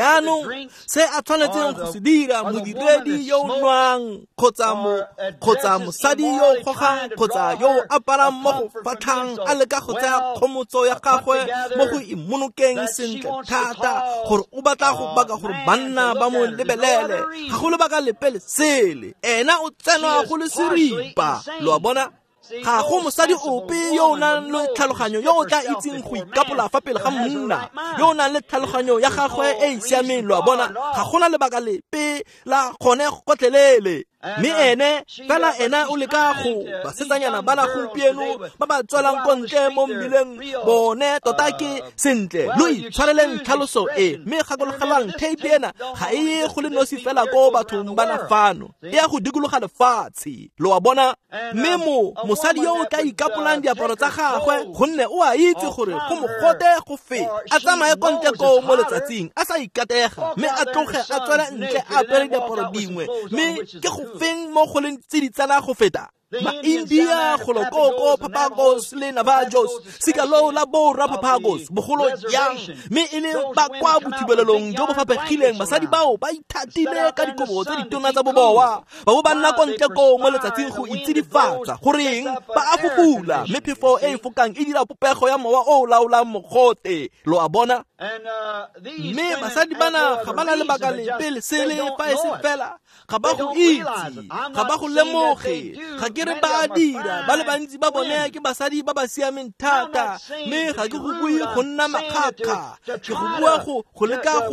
Jaanong se a tshwanetseng go se dira modiredi yo o nwang kgotsa mosadi yo o gogang kgotsa yo o aparang mo go fatlhang a leka go tsaya kgomotso ya gagwe mo go imonokeng sentle thata gore o batla go baka gore banna ba mo lebelele, ga go lebaka lepe le sele. Ena o tsenwa go le seripa. Lo a bona? Ga go mosadi ope yo o nang le tlhaloganyo yo o tla itseng go ikapola fa pele ga monna yo o nang le tlhaloganyo ya gagwe e e siameng. Lo a bona? Ga gona lebaka lepe la gone gotlhelele. Mme ene fela ena o leka go basetsanyana ba la gompieno ba ba tswelang ko ntle mo mmileng bone tota ke sentle. Lo itshwareleng tlhaloso e, mme gakologelwang tape ena ga e ye go le nosi fela ko bathong ba na fano, e ya go dikologa lefatshe. Lo a bona? Mme mosadi yo o tla ikapolang diaparo tsa gagwe gonne o a itse gore go mogote go feta, a tsamaye ko ntle koo mo letsatsing a sa ikatega, mme a tloge a tswele ntle a apere diaparo dingwe, mme ke go feng mo go leng tse di tsena go feta? Ma-India golo koko Papagos le Navajos, sika loo la borra Papagos bogolo jang, mme e le ba kwa bothibelelong jo bo faphegileng. Basadi bao ba ithatile ka dikobo tse ditona tsa boboa, ba bo ba nna ko ntle koo mo letsatsing go itsidifatsa. Goreng ba a fufula, mme phefo e e fokang e dira popego ya mowa o o laolang mogote. Lo a bona? Mme basadi bana ga ba na lebaka lepe le sele fa e se fela ga ba go itse, ga ba go lemoge. Ga ke re ba a dira, ba le bantsi ba bone ke basadi ba ba siameng thata, mme ga ke go bue go nna makgakga, ke go bua go leka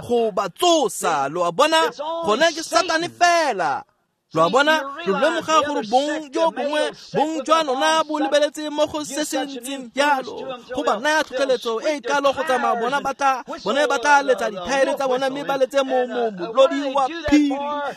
go ba tsosa. Lo a bona? Gone ke Satane fela. Lo a bona? Lo lemoga gore bong jo bongwe bong jwa lona bo lebeletse mo go se se ntseng jalo, go ba naya tlhotlheletso e e kalo go tsamaya bona ba tla letsa dithaere tsa bona mme ba letse molodi wa phiri.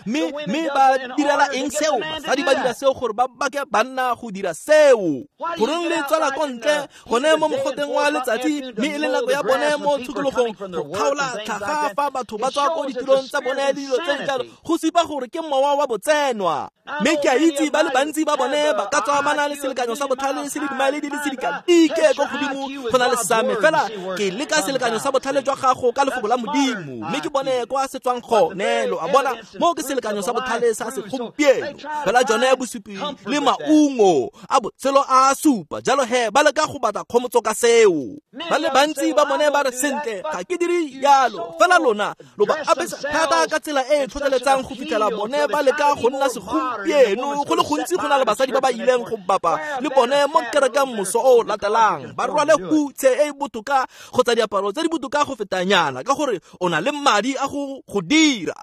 Mme ba direla eng seo? Basadi ba dira seo gore ba bake banna go dira seo. Goreng le tswela ko ntle gone mo mogoteng wa letsatsi, mme e le nako ya bone mo tshokologong go kgaola tlhaga fa batho ba tswa ko ditirong tsa bone le dilo tse di jalo, go supa gore ke mowa wa botse. tsenwa. Mme ke a itse ba le bantsi ba bone ba ka tswa ba na le selekanyo sa botlhale se le dimaele di le sedikadike ko godimo go na le sa me, fela ke leka selekanyo sa botlhale jwa gago ka lefoko la Modimo, mme ke bone kwa se tswang gone. Lo a bona, mo ke selekanyo sa botlhale sa segompieno, fela jone bosupi le maungo a botshelo a supa. Jalo he ba leka go batla kgomotso ka seo. Ba le bantsi ba bone ba re, sentle, ga ke dire jalo, fela lona lo ba apesa thata ka tsela e e tlhotlheletsang go fitlhela bone ba leka go nna segompieno. Go le gontsi go na le basadi ba ba ileng go bapa le bone mo kerekeng moso o latelang, ba rwale hutshe e e botoka kgotsa diaparo tse di botoka go fetanyana, ka gore o na le madi a go dira.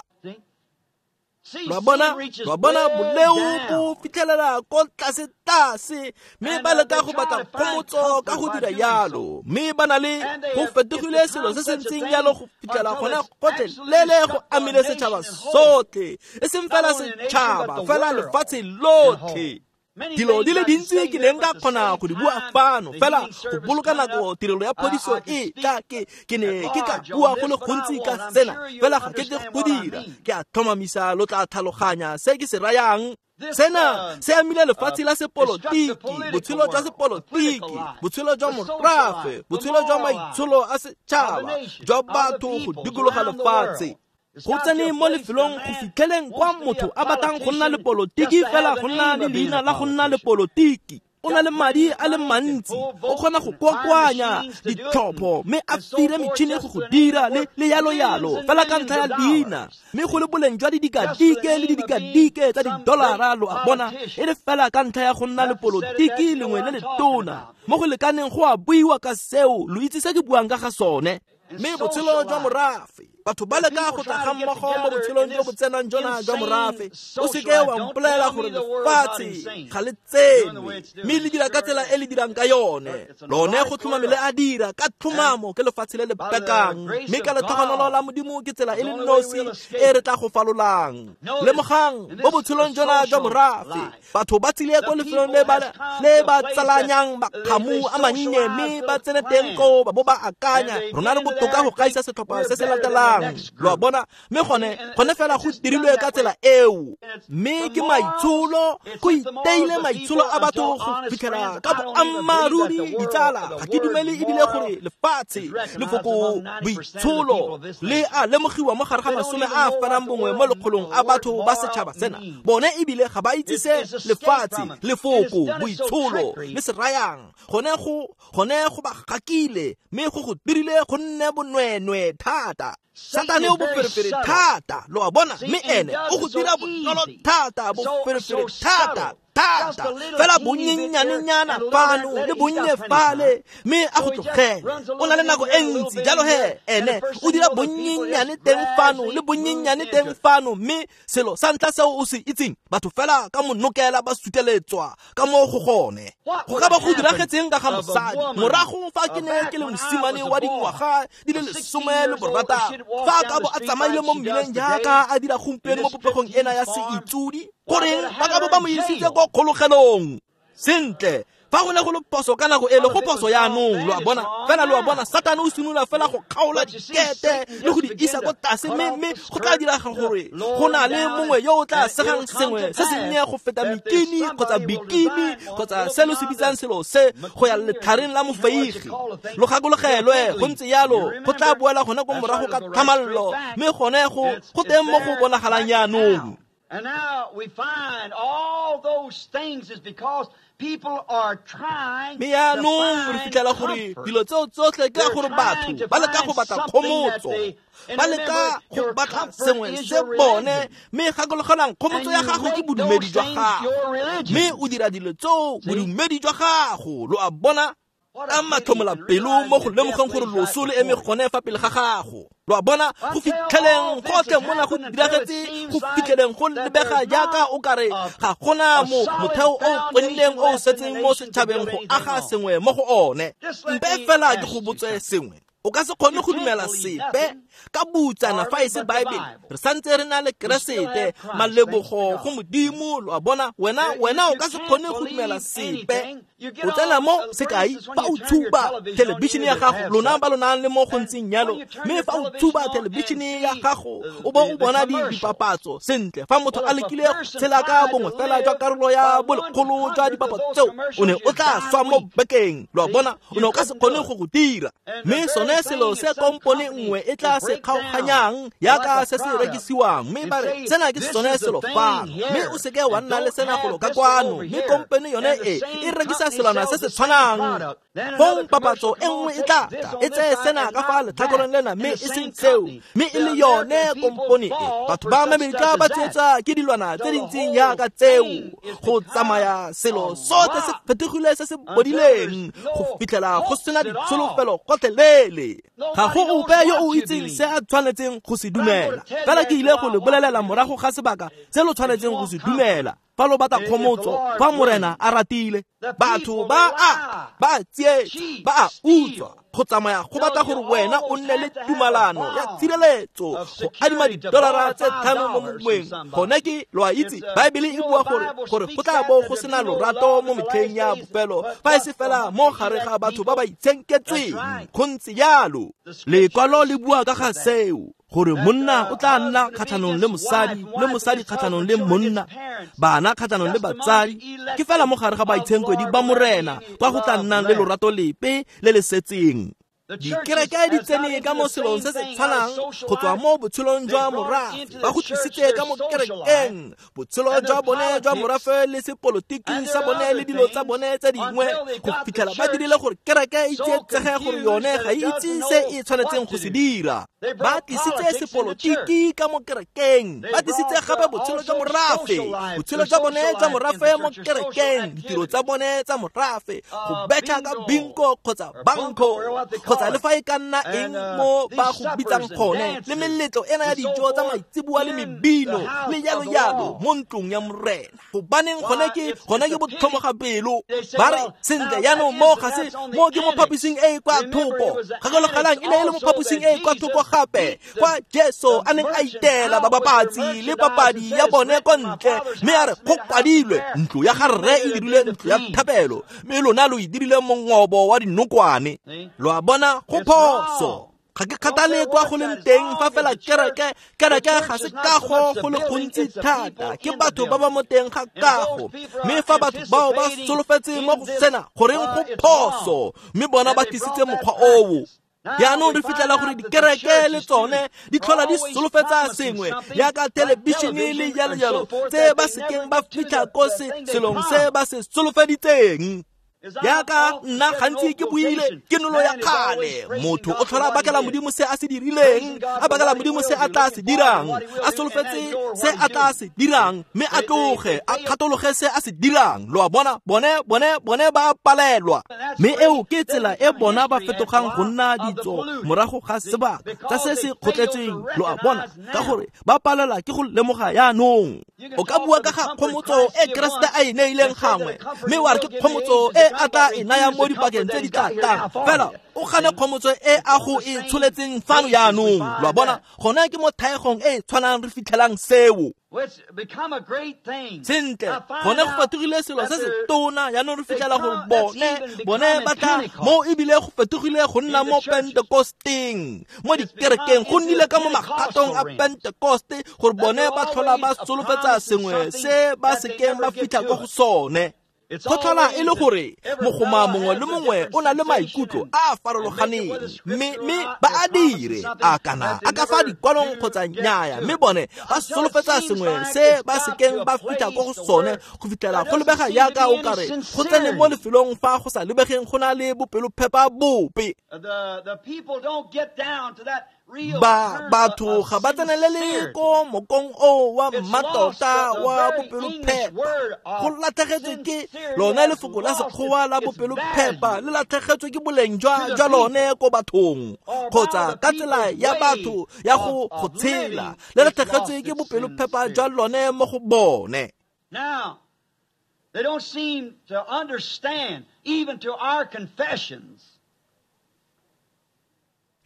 Lo bona, boleo bo fitlhelela ko tlase tlase, mme ba leka go batla kgomotso ka go dira yalo, mme ba na le go fetogile selo se se ntseng yalo go fitlhela gone gotlhelele go amile setšhaba sotlhe, e seng fela setšhaba, fela lefatshe lotlhe. Dilo di le dintsi ke neng ka kgona go di bua fano, fela go boloka nako tirelo ya phodiso e tla ke ne ke ka bua go le gontsi ka sena, fela ga ke tle go dira. Ke a tlhomamisa lo tla tlhaloganya se ke se rayang. Sena se amile lefatshe la sepolotiki, botshelo jwa sepolotiki, botshelo jwa morafe, botshelo jwa maitsholo a setšhaba, jwa batho go dikologa lefatshe. Go tsene mo lefelong go fitlheleng kwa motho a batlang go nna le polotiki fela go nna le leina la go nna le polotiki. O na le madi a le mantsi, o kgona go kokoanya ditlhopho mme a fire metšhini go go dira le yalo yalo, fela ka ntlha ya leina, mme go le boleng jwa didikadike le didikadike tsa didolara. Lo a bona, e le fela ka ntlha ya go nna le polotiki lengwe le letona mo go lekaneng go a buiwa ka seo. Lo itse se ke buang ka ga sone. Mme botshelo jwa morafe, batho ba leka go tla ga mmogo mo botshelong jo bo tsenang jona jwa morafe. O seke wa mpolelela gore lefatshe ga le tsenwe, mme le dira ka tsela e le dirang ka yone. Lone go tlhomame le a dira ka tlhomamo, ke lefatshe le le bekang, mme ka letlhogonolo la Modimo ke tsela e le nosi e re tla go falolang. Lemogang, mo botshelong jona jwa morafe, batho ba tsile ko lefelong le ba tsalanyang makgamu a mannye, mme ba tsene teng koo ba bo ba akanya rona re botoka go gaisa setlhopha se se latelang. Lo a bona, mme gone fela go dirilwe ka tsela eo. Mme ke maitsholo, go iteile maitsholo a batho go fitlhela ka boammaaruri. Ditsala, ga ke dumele ebile gore lefatshe lefoko boitsholo le a lemogiwa mo gare ga 91 mo lekgolong a batho ba setšhaba sena. Bone ebile ga ba itse se lefatshe lefoko boitsholo le se rayang. Gone go ba gakile, mme go dirile go nne bonwenwe thata. Satane o boferefere thata, lo a bona, mme ene o go dira bonolo thata, boferefere thata thata, fela bonnyennyane-nyana fano le bonnye fale, mme a go tlogele. O na le nako e ntsi, jalo he ene o dira bonnyennyane teng fano le bonnyennyane teng fano, mme selo sa ntlha seo o se itseng, batho fela ka monokela ba suteletswa ka mo go gone. Go ka ba go diragetseng ka ga mosadi morago fa ke ne ke le mosimane wa dingwaga di le 16, fa a ka bo a tsamaile mo mmileng jaaka a dira gompieno mo popegong ena ya seitsudi, goreng ba ka bo ba mo isitse ko kgologelong. Sentle, fa go ne go le phoso ka nako ele, go phoso yaanong. Lo a bona, fela lo a bona, Satane o simolola fela go kgaola dikete le go di isa ko tlase, mme go tla diraga gore go na le mongwe yo o tla segang sengwe se sennye go feta mekini kgotsa bikini kgotsa se lo se bitsang selo se go ya letlhareng la mofeigi. Lo gakologelwe, go ntse yalo, go tla boela gone ko morago ka tlhamallo, mme gone go teng mo go bonagalang yaanong. And now we find all those things is because people are trying to find comfort. They're trying to find something that they, and remember, your comfort is your religion. And you make those things your religion. See? Ka matlhomola pelo mo go lemogeng gore loso le eme gone fa pele ga gago. Lo a bona, go fitlheleng gotlhe mona go diragetse, go fitlheleng go lebega jaaka o kare ga gona motheo o qinileng o setseng mo setšhabeng go aga sengwe mo go one. Mpe fela ke go botse sengwe. O ka se kgone go dumela sepe Ka butsana fa e se Baebele, re santse re na le Keresete, malebogo go Modimo. Lo a bona, wena o ka se kgone go dumela sepe. O tsena mo, sekai, fa o tshuba thelebišene ya gago, lona ba lo nang le mo go ntseng jalo, mme fa o tshuba thelebišene ya gago o bo o bona dipapatso, sentle, fa motho a lekile go tshela ka bongwe fela jwa karolo ya bolekgolo jwa dipapatso tseo, o ne o tla swa mo bekeng. Lo a bona, o ne o ka se kgone go go dira. Mme sone selo se kompone nngwe e tla se kgaoganyang yaka se se rekisiwang, mme ba re sena ke sone selo fano, mme o seke wa nna le sena golo ka kwano, mme kompone yone e rekisa selwana se se tshwanang. Fong papatso e nngwe e tla tla e tseye sena ka fa letlhakoreng lena, mme e seng seo, mme e le yone kompone e. Batho ba Amerika ba tsietswa ke dilwana tse di ntseng yaka tseo, go tsamaya selo sotlhe se fetogile se se bodileng go fitlhela go sena ditsholofelo gotlhelele. Ga go ope yo o itseng se a tshwanetseng go se dumela. Fela ke ile go le bolelela morago ga sebaka se lo tshwanetseng go se dumela. Fa lo batla kgomotso, fa Morena a ratile, batho ba a tsietsa, ba a utswa, go tsamaya go batla gore wena o nne le tumalano ya tshireletso go adima $5 mo mongweng. Gone ke, lo a itse, Baebele e bua gore go tla bo go sena lorato mo metlheng ya bofelo, fa e se fela mo gare ga batho ba ba itshenketsweng. Go ntse jalo. Lekwalo le bua ka ga seo, gore monna o tla nna kgatlhanong le mosadi, le mosadi kgatlhanong le monna, bana kgatlhanong le batsadi. Ke fela mo gare ga baitshenkwedi ba Morena kwa go tla nnang le lorato lepe le le setseng. Dikereke di tsene ka mo selong se se tshwanang go tswa mo botshelong jwa morafe, ba go tlisitse ka mo kerekeng botshelo jwa bone jwa morafe le sepolotiki sa bone le dilo tsa bone tse dingwe, go fitlhela ba dirile gore kereke e tsietsege gore yone ga e itse se e tshwanetseng go se dira. Ba tlisitse sepolotiki ka mo kerekeng, ba tlisitse gape botshelo jwa morafe, botshelo jwa bone jwa morafe mo kerekeng, ditiro tsa bone tsa morafe, go betšha ka bingo kgotsa banko kgotsa le fa e ka nna eng mo ba go bitsang gone, le meletlo ena ya dijo tsa maitseboa le mebino le jalo jalo mo ntlong ya Morena. Gobaneng gone ke botlhomoga pelo. Ba re sentle jaanong mo ga se mo ke mo phaposing e e kwa thoko. Gakologelang e ne e le mo phaposing e e kwa thoko gape, kwa Jesu a neng a itela babapatsi le papadi ya bone ko ntle, mme a re go kwadilwe, ntlo ya ga rre e dirile ntlo ya thapelo, mme lona lo e dirile mongobo wa dinokwane. Lo a bona, go phoso. Ga ke kgathale kwa go leng teng, fa fela kereke ga se kago go le gontsi thata, ke batho ba ba mo teng ga kago. Mme fa batho bao ba solofetse mo go sena, goreng go phoso, mme bona ba tlisitse mokgwa oo. Jaanong re fitlhela gore dikereke le tsone di tlhola di solofetsa sengwe yaka thelebišene le jalo jalo, tse ba sekeng ba fitlha ko selong se ba se solofeditseng. Yaka nna gantsi ke buile, ke nolo ya kgale. Motho o tlhola a bakela Modimo se a se dirileng, a bakela Modimo se a tla se dirang, a solofetse se a tla se dirang, mme a tloge a kgatologe se a se dirang. Lo a bona, bone ba palelwa. Mme eo ke tsela e bona ba fetogang go nna ditso morago ga sebaka tsa se se kgotletsweng. Lo a bona, ka gore ba palelwa ke go lemoga jaanong. O ka bua ka ga kgomotso e Keresete a e neileng gangwe, mme wa re ke kgomotso e a tla e naya mo dipakeng tse di tla tlang, fela o gane kgomotso e a go e tsholetseng fano jaanong. Lo a bona, gone ke mo thaegong e e tshwanang re fitlhelang seo. Sentle, gone go fetogile selo se se tona jaanong re fitlhela gore bone ba tla mo, ebile go fetogile go nna mo Pentekosteng, mo dikerekeng, go nnile ka mo magatong a Pentekoste, gore bone ba tlhola ba solofetsa sengwe se ba sekeng ba fitlha ko go sone. Go tlhola e le gore mogoma mongwe le mongwe o na le maikutlo a a farologaneng, mme ba a dire a kana a ka fa dikwalong kgotsa nnyaya, mme bone ba solofetsa sengwe se ba sekeng ba fitlha ko go sone, go fitlhela go lebega yaka o kare go tsene mo lefelong fa go sa lebegeng go na le bopelophepa bope. Batho ga ba tsenelele ko mokong o wa mmatota wa bopelophepa. Go latlhegetswe ke lone lefoko la Sekgowa la bopelophepa, le latlhegetswe ke boleng jwa lone ko bathong, kgotsa ka tsela ya batho ya go tshela, le latlhegetswe ke bopelophepa jwa lone mo go bone. Now, they don't seem to understand even to our confessions.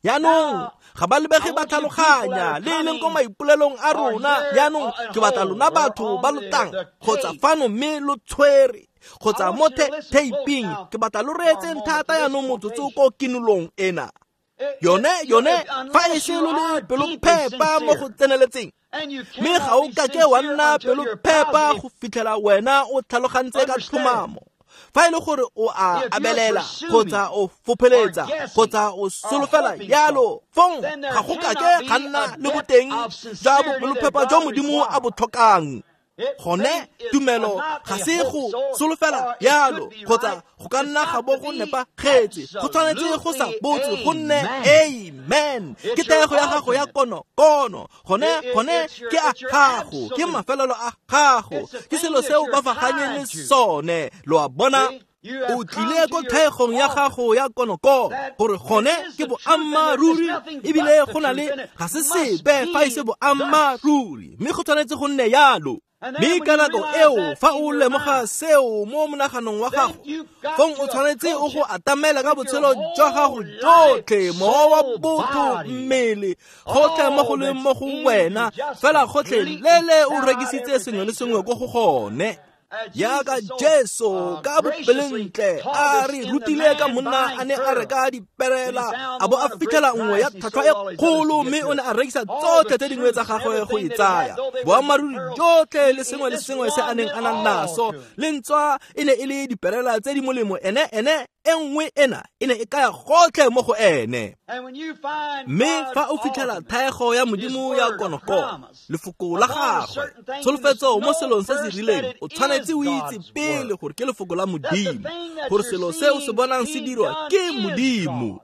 Jaanong ga ba lebege ba tlhaloganya le e leng ko maipolelong a rona. Jaanong ke batla lona batho ba lo tlang kgotsa fano mme lo tshwere kgotsa mo theiping, ke batla lo reetseng thata jaanong motsotso ko kinolong ena. Yone fa e se lo le pelophepa mo go tseneletseng, mme ga o kake wa nna pelophepa go fitlhela wena o tlhalogantse ka tlhomamo. Fa e le gore o a abelela kgotsa o fopheletsa kgotsa o solofela yalo, fong ga go kake ga nna le boteng jwa bopelophepa jwa Modimo a bo tlhokang. Gone tumelo ga se go solofela yalo kgotsa go ka nna ga bo go nepagetse, go tshwanetse go sa botse go nne amen. Ke thego ya gago ya konokono, gone ke a gago, ke mafelelo a gago, ke selo seo ba faganyeng le sone. Lo a bona? O tlile ko thegong ya gago ya konokono gore gone ke boammaaruri, ebile go na le ga se sepe fa e se boammaaruri, mme go tshwanetse go nne yalo. Mme ka nako eo fa o lemoga seo mo monaganong wa gago, fong o tshwanetse o go atamela ka botshelo jwa gago jotlhe, mowa wa botho, mmele, gotlhe mo go leng mo go wena, fela gotlhe lele o rekisitse sengwe le sengwe ko go gone. Jaaka Jesu ka bopelentle a re rutile ka monna a ne a reka diperela, a bo a fitlhela nngwe ya tlhwatlhwa e kgolo, mme o ne a rekisa tsotlhe tse dingwe tsa gagwe go e tsaya. Boammaaruri jotlhe le sengwe le sengwe se a neng a na naso, le ntswa e ne e le diperela tse di molemo, ene e nngwe ena e ne e kaya gotlhe mo go ene. Mme fa o fitlhela thaego ya Modimo ya konokono, lefoko la gagwe, tsholofetso mo selong se se rileng, o tshwanetse o itse pele gore ke lefoko la Modimo, gore selo se o se bonang se dirwa ke Modimo.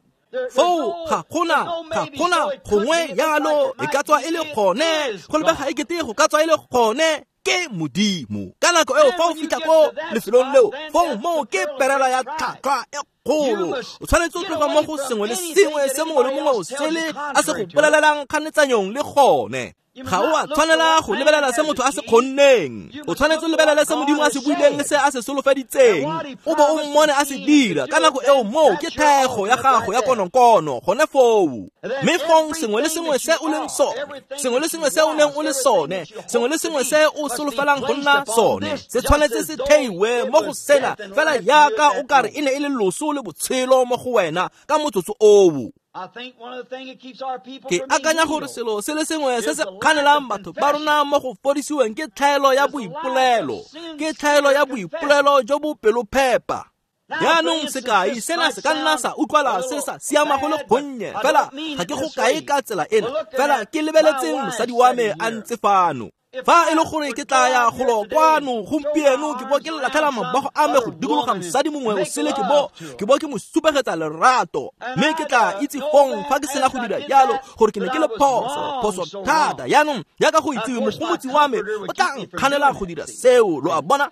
Foo ga gona gongwe yalo, e ka tswa e le gone, go lebega e kete go ka tswa e le gone, ke Modimo. Ka nako eo fa o fitlha ko lefelong leo, fong moo ke perela ya tlhwatlhwa e kgolo. O tshwanetse o tloga mo go sengwe le sengwe se mongwe le mongwe o sele a se go bolelelang kganetsanyong le gone. Ga o a tshwanela go lebelela se motho a se kgonneng, o tshwanetse o lebelele se Modimo a se buileng le se a se solofeditseng, o bo o mmone a se dira. Ka nako eo moo ke thego ya gago ya konokono gone foo. Mme fong sengwe le sengwe se o leng sone, sengwe le sengwe se o neng o le sone, sengwe le sengwe se o solofelang go nna sone, se tshwanetse se theiwe mo go sena fela jaaka o kare e ne e le loso le botshelo mo go wena ka motsotso oo. Ke akanya gore selo se le sengwe se se kganelang batho ba rona mo go fodisiweng ke tlhaelo ya boipolelo, ke tlhaelo ya boipolelo jo bo pelophepa. Jaanong sekai sena se ka nna sa utlwala se sa siama go le gonnye, fela ga ke go kae ka tsela ena, fela ke lebeletseng mosadi wa me a ntse fano. Fa e le gore ke tla ya golo kwano gompieno, ke bo ke latlhela mabogo a me go dikologa mosadi mongwe o sele, ke bo ke mo supegetsa lerato, mme ke tla itse fong fa ke sena go dira jalo gore ke ne ke le phoso thata. Jaanong jaaka go itsiwe, mogomotsi wa me o tla nkganela go dira seo. Lo a bona?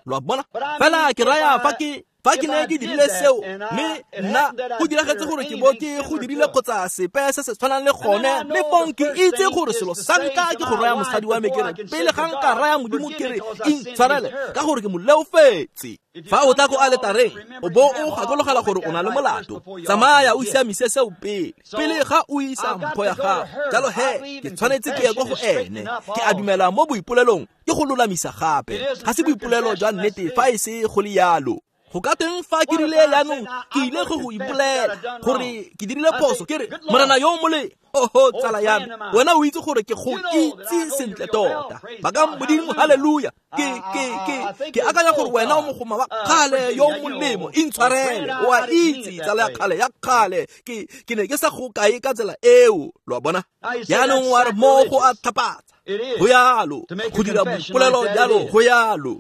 Fela ke raya fa ke ne ke dirile seo, mme nna go diragetse gore ke bo ke go dirile kgotsa sepe se se tshwanang le gone, mme fong ke itse gore selo sa ntlha ke go raya mosadi wa me ke re, pele ga nka raya Modimo ke re intshwarele ka gore ke mo leofetse. Fa o tla ko aletareng o bo o gakologela gore o na le molato, tsamaya o siamise seo pele ga o isa mpho ya gago. Jalo he ke tshwanetse ke ye ko go ene. Ke a dumela mo boipolelong ke go lolamisa gape, ga se boipolelo jwa nnete fa e se go le yalo. Go ka teng fa ke rile jaanong ke ile go ipolela gore ke dirile phoso, ke re Morena yo molemo, oho tsala ya me, wena o itse gore ke go itse sentle tota. Bakang Modimo, haleluya. Ke akanya gore wena o mogoma wa kgale yo molemo, intshwarele, o a itse tsala ya kgale ya kgale, ke ne ke sa go kae ka tsela eo. Lo a bona? Jaanong wa re mo go a tlhapatsa, go yalo, go dira boipolelo jalo, go yalo.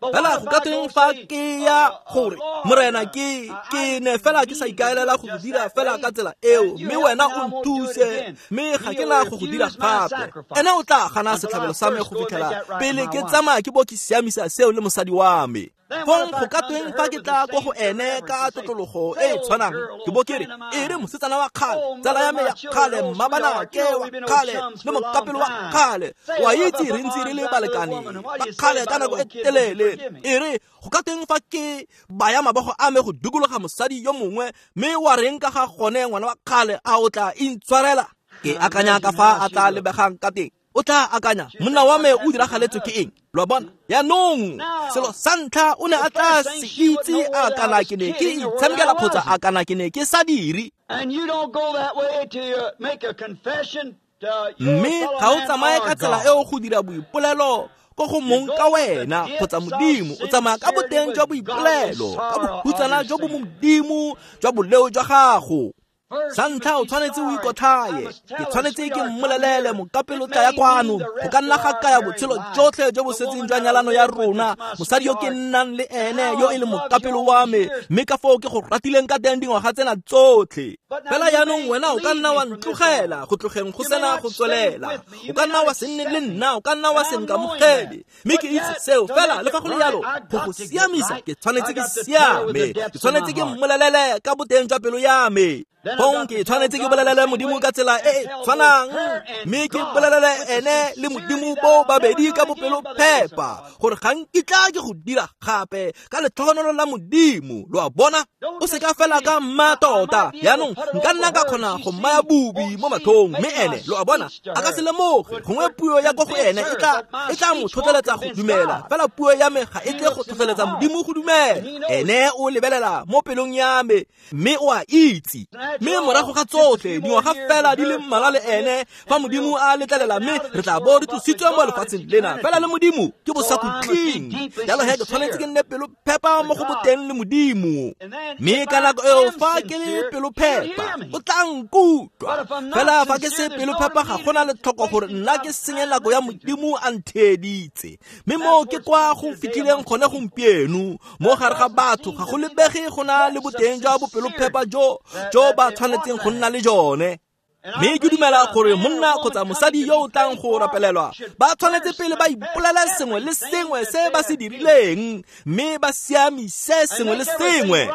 Fela go ka teng fa ke ya gore Morena ke ne fela ke sa ikaelela go dira fela ka tsela eo, mme wena o nthuse, mme ga ke na go go dira gape. Ene o tla gana setlhabelo sa me go fitlhela pele ke tsamaya ke bo ke siamisa seo le mosadi wa me. Fong go ka tweng fa ke tla ko go ene ka tlotlologo e e tshwanang, ke bo ke re, e re mosetsana wa kgale, tsala ya me ya kgale, mmabanake wa kgale le mokapelo wa kgale, wa itse re ntse re le balekane ba kgale ka nako e telele, e re go ka tweng fa ke baya mabogo a me go dikologa mosadi yo mongwe, mme wa reng ka ga gone ngwana wa kgale, a o tla intshwarela? Ke akanya ka fa a tla lebegang ka teng. O tla akanya, monna wa me o diragaletswe ke eng? Lo a bona? Yaanong selo sa ntlha o ne a tla se itse a kana ke ne ke itshamekela kgotsa a kana ke ne ke sa dire. Mme ga o tsamaye ka tsela eo go dira boipolelo ko go mong ka wena kgotsa Modimo, o tsamaya ka boteng jwa boipolelo, ka bohutsana jo bo Modimo jwa boleo jwa gago. Sa ntlha o tshwanetse o ikotlhaye. Ke tshwanetse ke mmolelele mokapelo tla ya kwano, go ka nna ga kaya botshelo jotlhe jo bo setseng jwa nyalano ya rona, mosadi yo ke nnang le ene yo e leng mokapelo wa me, mme ka foo ke go ratileng ka teng dingwaga tsena tsotlhe. Fela yaanong wena o ka nna wa ntlogela go tlogeng go sena go tswelela, o ka nna wa se nne le nna, o ka nna wa se nkamogele, mme ke itse seo. Fela le fa go le yalo, go go siamisa ke tshwanetse ke siame, ke tshwanetse ke mmolelele ka boteng jwa pelo ya me. Fong ke tshwanetse ke bolelele Modimo ka tsela e e tshwanang, mme ke bolelele ene le Modimo bo babedi ka bopelo phepa, gore ga nkitla ke go dira gape ka letlhogonolo la Modimo. Lo a bona? O seka fela ka mma tota. Yaanong nka nna ka kgona go mmaya bubi mo matlhong, mme ene, lo a bona, a ka se lemoge. Gongwe puo ya ko go ene e tla mo tlhotlheletsa go dumela, fela puo ya me ga e tle go tlhotlheletsa Modimo go dumela. Ene o lebelela mo pelong ya me, mme o a itse. Mme morago ga tsotlhe dingwaga fela di le mmalwa le ene, fa Modimo a letlelela, mme re tla bo re tlositswe mo lefatsheng lena, fela le Modimo ke bosakhutleng. Jalo he ke tshwanetse ke nne pelo phepa mo go boteng le Modimo, mme ka nako eo fa ke le pelo phepa o tla nkutlwa. Fela fa ke se pelo phepa, ga gona letlhoko gore nna ke senye nako ya Modimo a ntheeditse. Mme mo ke kwa go fitlhileng gone gompieno, mo gare ga batho ga go lebege go na le boteng jwa bopelo phepa jo ba tshwanetseng go nna le jone. Mme ke dumela gore monna kgotsa mosadi yo o tlang go rapelelwa ba tshwanetse pele ba ipolele sengwe le sengwe se ba se dirileng, mme ba siamise sengwe le sengwe.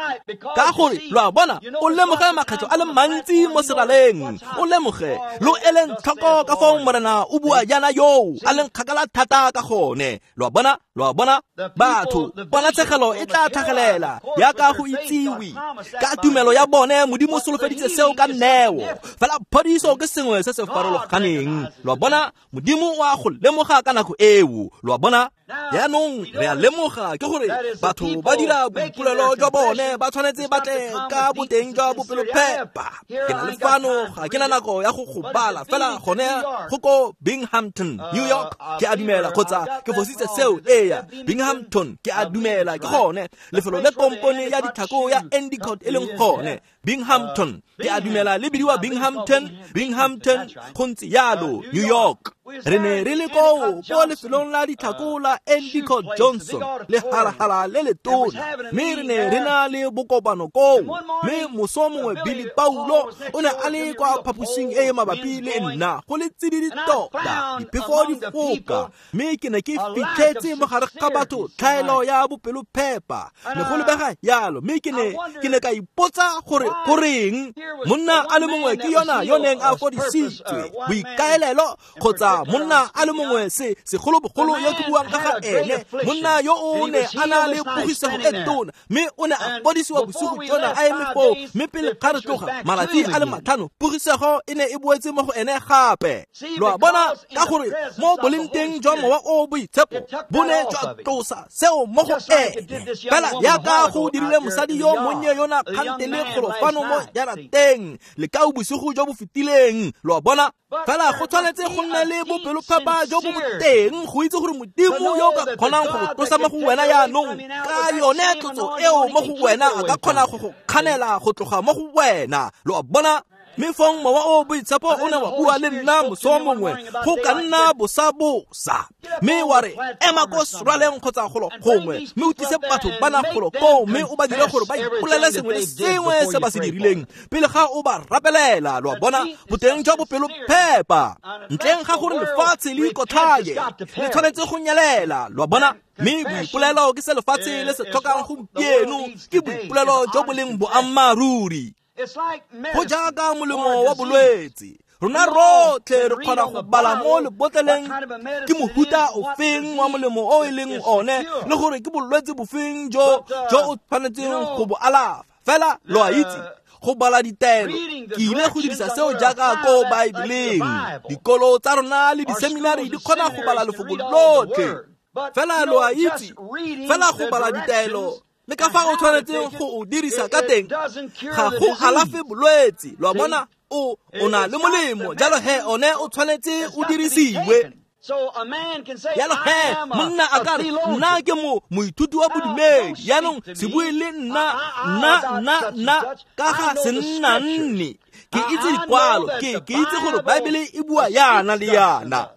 Ka gore lo a bona, o lemoge makgetho a le mantsi mo seraleng, o lemoge lo eleng tlhoko ka foo Morena o bua jaana yoo a leng kgakala thata ka gone. Lo a bona? Lo a bona? Batho, ponatshegelo e tla tlhagelela yaka go itsiwe ka tumelo ya bone. Modimo o solofeditse seo ka neo, fela phodiso ke sengwe se se farologaneng. Lo a bona? Modimo o a go lemoga ka nako eo. Lo a bona? Yaanong re a lemoga ke gore batho ba dira boipolelo jwa bone, ba tshwanetse ba tle ka boteng jwa bopelophepa. Ke na le fano, ga ke na nako ya go go bala, fela gone go ko Binghamton, New York, ke a dumela, kgotsa ke fositse seo, eya, Binghamton, ke a dumela ke gone lefelo le kompone ya ditlhako ya Endicott e leng gone. Binghamton, ke a dumela le bidiwa Binghamton, Binghamton, go ntse yalo, New York. Re ne re le koo ko lefelong la ditlhako la Endicott Johnson, le halahala le letona, mme re ne re na le bokopano koo. Mme moso mongwe Billy Paulo o ne a le kwa phaposing e e mabapi le nna, go le tsididi tota, diphefo di foka, mme ke ne ke fitlhetse mo gare ga batho tlhaelo ya bopelophepa, ne go lebega yalo. Mme ke ne ka ipotsa gore goreng monna a le mongwe ke yona yo neng a fodisitswe boikaelelo, kgotsa monna a le mongwe se segolobogolo yo ke buang ka ga ene, monna yo o ne a na le pogisego e tona, mme o ne a fodisiwa bosigo jona a eme foo. Mme pele ga re tloga malatsi a le 5, pogisego e ne e boetse mo go ene gape. Lo a bona? Ka gore mo boleng teng jwa mowa o boitshepo bo ne jwa tlosa seo mo go ene, fela yaka go dirile mosadi yo monnye yona kgantele kgolofano mo jarateng lekau bosigo jo bo fetileng. Lo a bona? Fela go tshwanetse go nne le bopelophepa jo bo boteng go itse gore Modimo yo o ka kgonang go go tlosa mo go wena yaanong ka yone tlotso eo mo go wena, a ka kgona go go kganela go tloga mo go wena. Lo a bona? Mme fong mowa o boitshepo o ne wa bua le nna moso mongwe go ka nna bosabosa, mme wa re ema ko serwaleng kgotsa golo gongwe, mme o tlise batho bana golo koo, mme o ba dire gore ba ipolele sengwe le sengwe se ba se dirileng pele ga o ba rapelela. Lo a bona, boteng jwa bopelophepa ntleng ga gore lefatshe le ikotlhaye le tshwanetse go nyelela. Lo a bona, mme boipolelo ke se lefatshe le se tlhokang gompieno, ke boipolelo jo bo leng boammaaruri. Go jaaka molemo wa bolwetse, rona rotlhe re kgona go bala mo lebotleleng ke mohuta ofeng wa molemo o e leng one, le gore ke bolwetse bofeng jo o tshwanetseng go bo alafa. Fela lo a itse, go bala ditaelo, ke ile go dirisa seo jaaka ko Baebeleng. Dikolo tsa rona le diseminari di kgona go bala lefoko lotlhe, fela lo a itse, fela go bala ditaelo le ka fa o tshwanetseng go o dirisa ka teng ga go alafe bolwetse. Lo a bona, o na le molemo, jalo he one o tshwanetse o dirisiwe. Jalo he monna a ka re nna ke moithuti wa bodumedi, jaanong se bue le nna nna ka ga se nna nne, ke itse dikwalo, ke itse gore Baebele e bua yana le yana.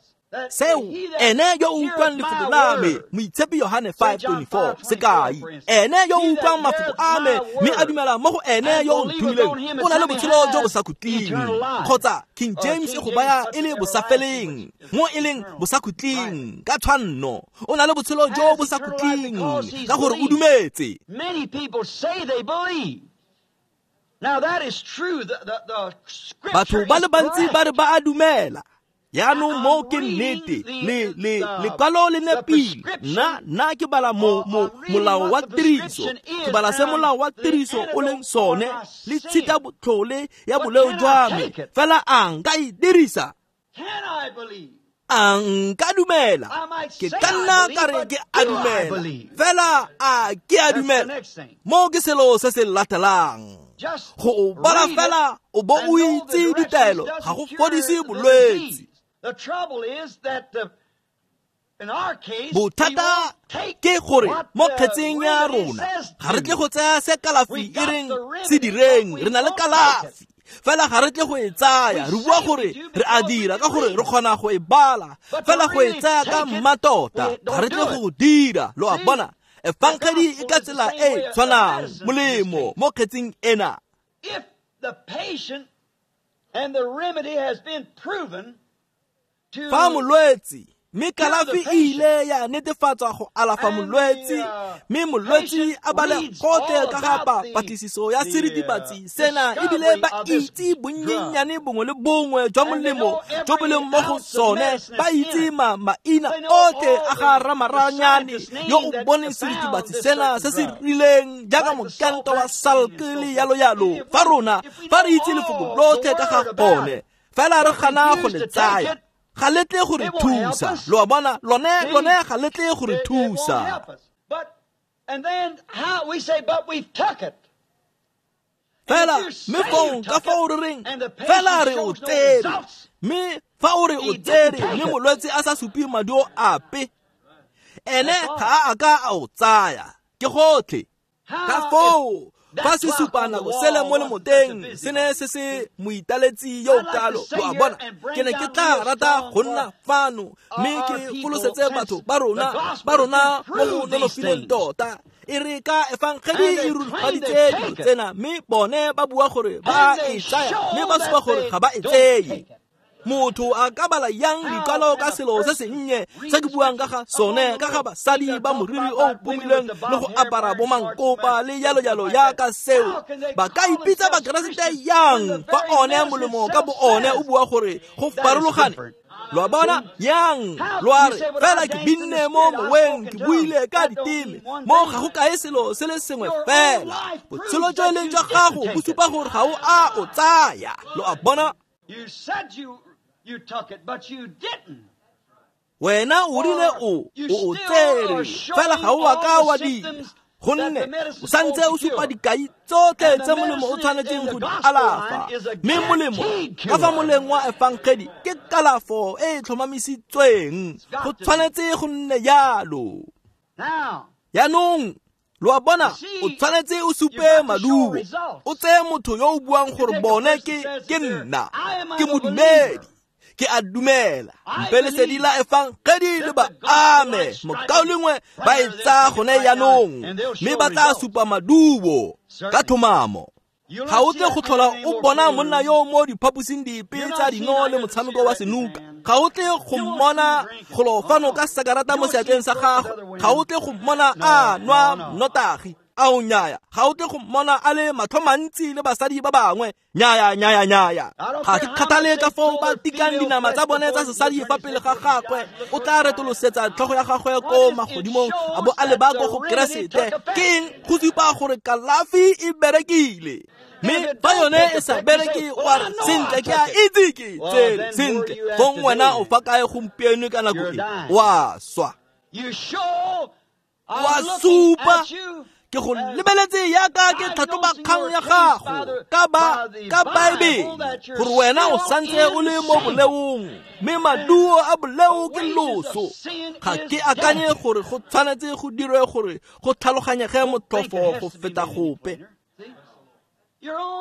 Seo ene yo o utlwang lefoko la me, Moitshepi Yohane 5:24 sekai, ene yo o utlwang mafoko a me mme a dumela mo go ene yo o nthomileng o na le botshelo jo bo sa khutleng. Kgotsa King James e go baya e le bosafeleng, mo e leng bosakhutleng ka tshwanno, o na le botshelo jo bo sa khutleng ka gore o dumetse. Batho ba le bantsi ba re ba a dumela. Yaanong mo ke nnete, lekwalo le nepile. Nna ke bala molao wa tiriso, ke bala se molao wa tiriso o leng sone, le tshita botlhole ya boleo jwa me, fela a nka e dirisa? A nka dumela? Ke ka nna ka re ke a dumela, fela a ke a dumela? Mo ke selo se se latelang. Go o bala fela o bo o itse ditaelo ga go fodise bolwetse. Bothata ke gore mo kgetseng ya rona ga re tle go tsaya se kalafi e reng se direng, re na le kalafi fela ga re tle go e tsaya. Re bua gore re a dira ka gore re kgona go e bala, fela go e tsaya ka mmatota ga re tle go dira. Lo a bona, efangedi e ka tsela e tshwanang molemo mo kgetseng ena. If the patient and the remedy has been proven to fa molwetse mme kalafi e ile ya netefatswa go alafa molwetse, mme molwetse a bale gotlhe ka ga patlisiso ya seritibatsi sena, ebile ba itse bonnyenyane bongwe le bongwe jwa molemo jo bo leng mo go sone, ba itse maina otlhe a ga ramaranyane yo o boneng seritibatsi sena se se rileng jaaka mokento wa Salk le yalo yalo. Fa rona fa re itse lefoko lotlhe ka ga gone, fela re gana go le tsaya, ga le tle go re thusa. Lo a bona, lone ga le tle go re thusa. Fela mme fong ka fa o re reng fela re o tsere, mme fa o re o tsere mme molwetse a sa supe maduo ape, ene ga a ka a o tsaya, ke gotlhe. Ka foo fa se supa nako sele mo lemoteng se ne se se moitaletsi yo kalo. Lo a bona, ke ne ke tla rata go nna fano mme ke folosetse batho ba rona mo go nonofileng tota. E re ka efangedi e rurifaditse dilo tsena, mme bone ba bua gore ba e tsaya, mme ba supa gore ga ba e tseye. Motho a ka bala yang dikwalo ka selo se sennye se ke buang ka ga sone, ka ga basadi ba moriri o pomilweng le go apara bomankopa le yalo yalo yaka seo? Ba ka ipitsa Bakeresete yang fa one molemo ka bo one o bua gore go farologane? Lo a bona yang? Lo a re fela ke binne mo moweng, ke buile ka diteme, mo ga go kae selo se le sengwe fela. Botshelo jo e leng jwa gago bo supa gore ga o a o tsaya. Lo a bona? You said you took it, but you didn't. Wena o rile o tsere, fela ga o a ka wa dira, gonne o santse o supa dikai tsotlhe tse molemo o tshwanetseng go di alafa. Mme molemo ka fa moleng wa efangedi ke kalafo e e tlhomamisitsweng, go tshwanetse go nne jalo. Jaanong Lo a bona, o tshwanetse o supe maduo. O tseye motho yo o buang gore bone ke nna, ke modumedi, ke a dumela. Mpe lesedi la efangedi le ba ame, mokaulengwe ba e tsaya gone jaanong, mme ba tla supa maduo ka tlhomamo. Ga o tle go tlhola o bona monna yo mo diphaposing dipe tsa dino le motshameko wa senuka. Ga o tle go mmona golo fano ka sakarata mo seatleng sa gagwe. Ga o tle go mmona a nwa nnotagi. Ao nnyaya. Ga o tle go mmona a le matlho mantsi le basadi ba bangwe. Nnyaya, nnyaya, nnyaya. Ga ke kgathale ka foo ba tikang dinama tsa bone tsa sesadi fa pele ga gagwe. O tla retolosetsa tlhogo ya gagwe ko magodimong a bo a leba ko go Keresete. Ke eng? Go supa gore kalafi e berekile. Mme fa yone e sa bereke, wa re sentle ke a itse ke tsere sentle. Fong wena o fa kae gompieno ka nako e? Wa swa. Wa supa. Ke go lebeletse yaka ke tlhatlhoba kgang ya gago ka Baebele gore wena o santse o le mo boleong, mme maduo a boleo ke loso. Ga ke akanye gore go tshwanetse go dirwe gore go tlhaloganyege motlhofo go feta gope.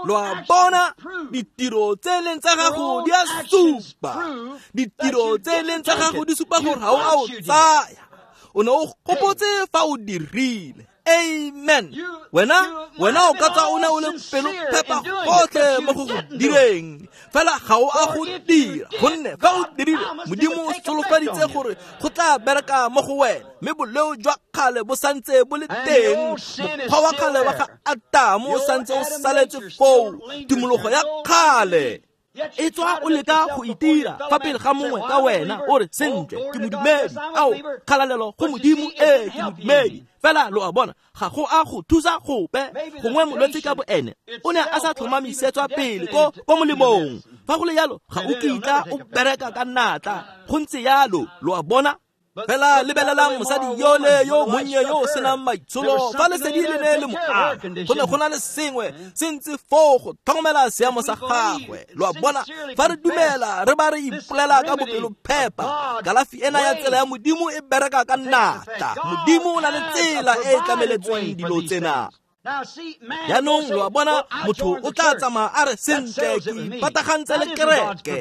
Lo a bona, ditiro tse e leng tsa gago di a supa. Ditiro tse e leng tsa gago di supa gore ga o a o tsaya. O ne o gopotse fa o dirile. Amen. Wena o ka tswa o ne o le pelo phepa gotlhe mo go direng, fela ga o a go dira, gonne fa o dirile, Modimo o solofeditse gore go tla bereka mo go wena, mme boleo jwa kgale bo santse bo le teng. Mokgwa wa kgale wa ga Atamo o santse o saletse foo, tumologo ya kgale. E tswa o leka go itira fa pele ga mongwe ka wena, o re sentle ke modumedi, ao kgalalelo go Modimo, ee ke modumedi. Fela lo a bona, ga go a go thusa gope. Gongwe molwetse ka boene o ne a sa tlhomamisetswa pele ko molemong. Fa go le yalo, ga o kitla o bereka ka natla. Go ntse yalo, lo a bona. Fela lebelelang mosadi yole yo monnye yo o senang maitsholo, fa lesedi le ne le mo ama, go ne go na le sengwe se ntse foo go tlhokomela seemo sa gagwe. Lo a bona, fa re dumela re ba re ipolela ka bopelophepa, kalafi ena ya tsela ya Modimo e bereka ka natla. Modimo o na le tsela e e tlameletsweng dilo tsena. Jaanong lo a bona, motho o tla tsamaya a re sentle ke ipatagantse le kereke,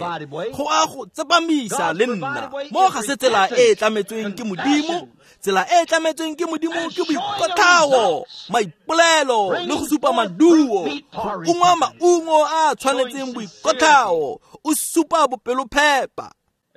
go a go tsepamisa le nna. Mo ga se tsela e e tlametsweng ke Modimo. Tsela e e tlametsweng ke Modimo ke boikotlhao, maipolelo le go supa maduo, go ungwa maungo a tshwanetseng boikotlhao, o supa bopelophepa.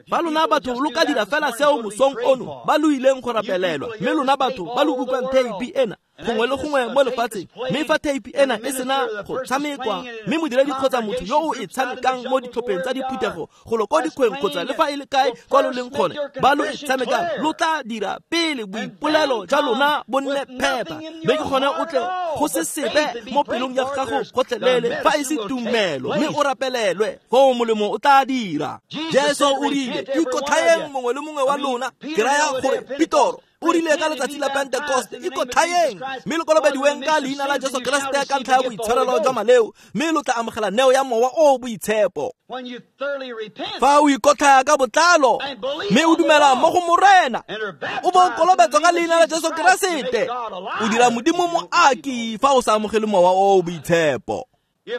Ba lona batho lo ka dira fela seo mosong ono ba lo ileng go rapelelwa, mme lona batho ba lo utlwang theipi ena gongwe le gongwe mo lefatsheng, mme fa theipi ena e sena go tshamekwa, mme modiredi kgotsa motho yo o e tshamekang mo ditlhopheng tsa diphuthego golo ko dikgweng kgotsa le fa e le kae kwa lo leng gone ba lo e tshamekang, lo tla dira pele boipolelo jwa lona bo nne phepa, mme ke gone o tle go se sepe mo pelong ya gago gotlhelele fa e se tumelo, mme o rapelelwe, foo molemo o tla dira. Jesu o rile, ikotlhaeng mongwe le mongwe wa lona. Ke raya gore Petoro o rile ka letsatsi la Pentekoste, ikotlhaeng mme lo kolobediweng ka leina la Jesu Keresete ka ntlha ya boitshwarelo jwa maleo, mme lo tla amogela neo ya Mowa o Boitshepo. Fa o ikotlhaya ka botlalo mme o dumela mo go Morena, o bo o kolobetswa ka leina la Jesu Keresete, o dira Modimo moaki fa o sa amogele Mowa o Boitshepo.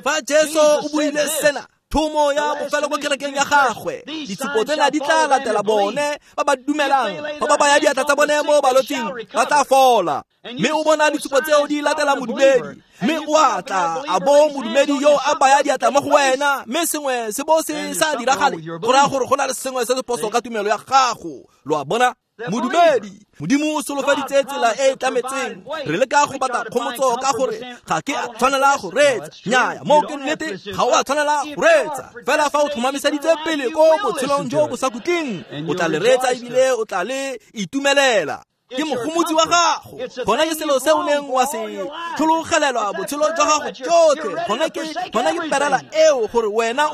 Fa Jesu o buile sena, thomo ya bofelo ko kerekeng ya gagwe, ditshupo tsena di tla latela bone ba ba dumelang, fa ba baya diatla tsa bone mo balwetsing ba tla fola. Mme o bona ditshupo tseo di latela modumedi, mme o a tla a bo modumedi yo a baya diatla mo go wena, mme sengwe se bo se sa diragale, go raya gore go na le sengwe se se phoso ka tumelo ya gago. Lo a bona, modumedi, Modimo o solofeditse tsela e e tlametseng. Re leka go batla kgomotso ka gore ga ke a tshwanela go reetsa. Nnyaya, moo ke nnete, ga o a tshwanela go reetsa. Fela fa o tlhomamiseditse pele ko botshelong jo bo sa khutleng, o tla le reetsa ebile o tla le itumelela. Ke mogomotsi wa gago. Gona ke selo se o neng wa se tlhologelelwa botshelo jwa gago jotlhe. Gona ke perela eo gore wena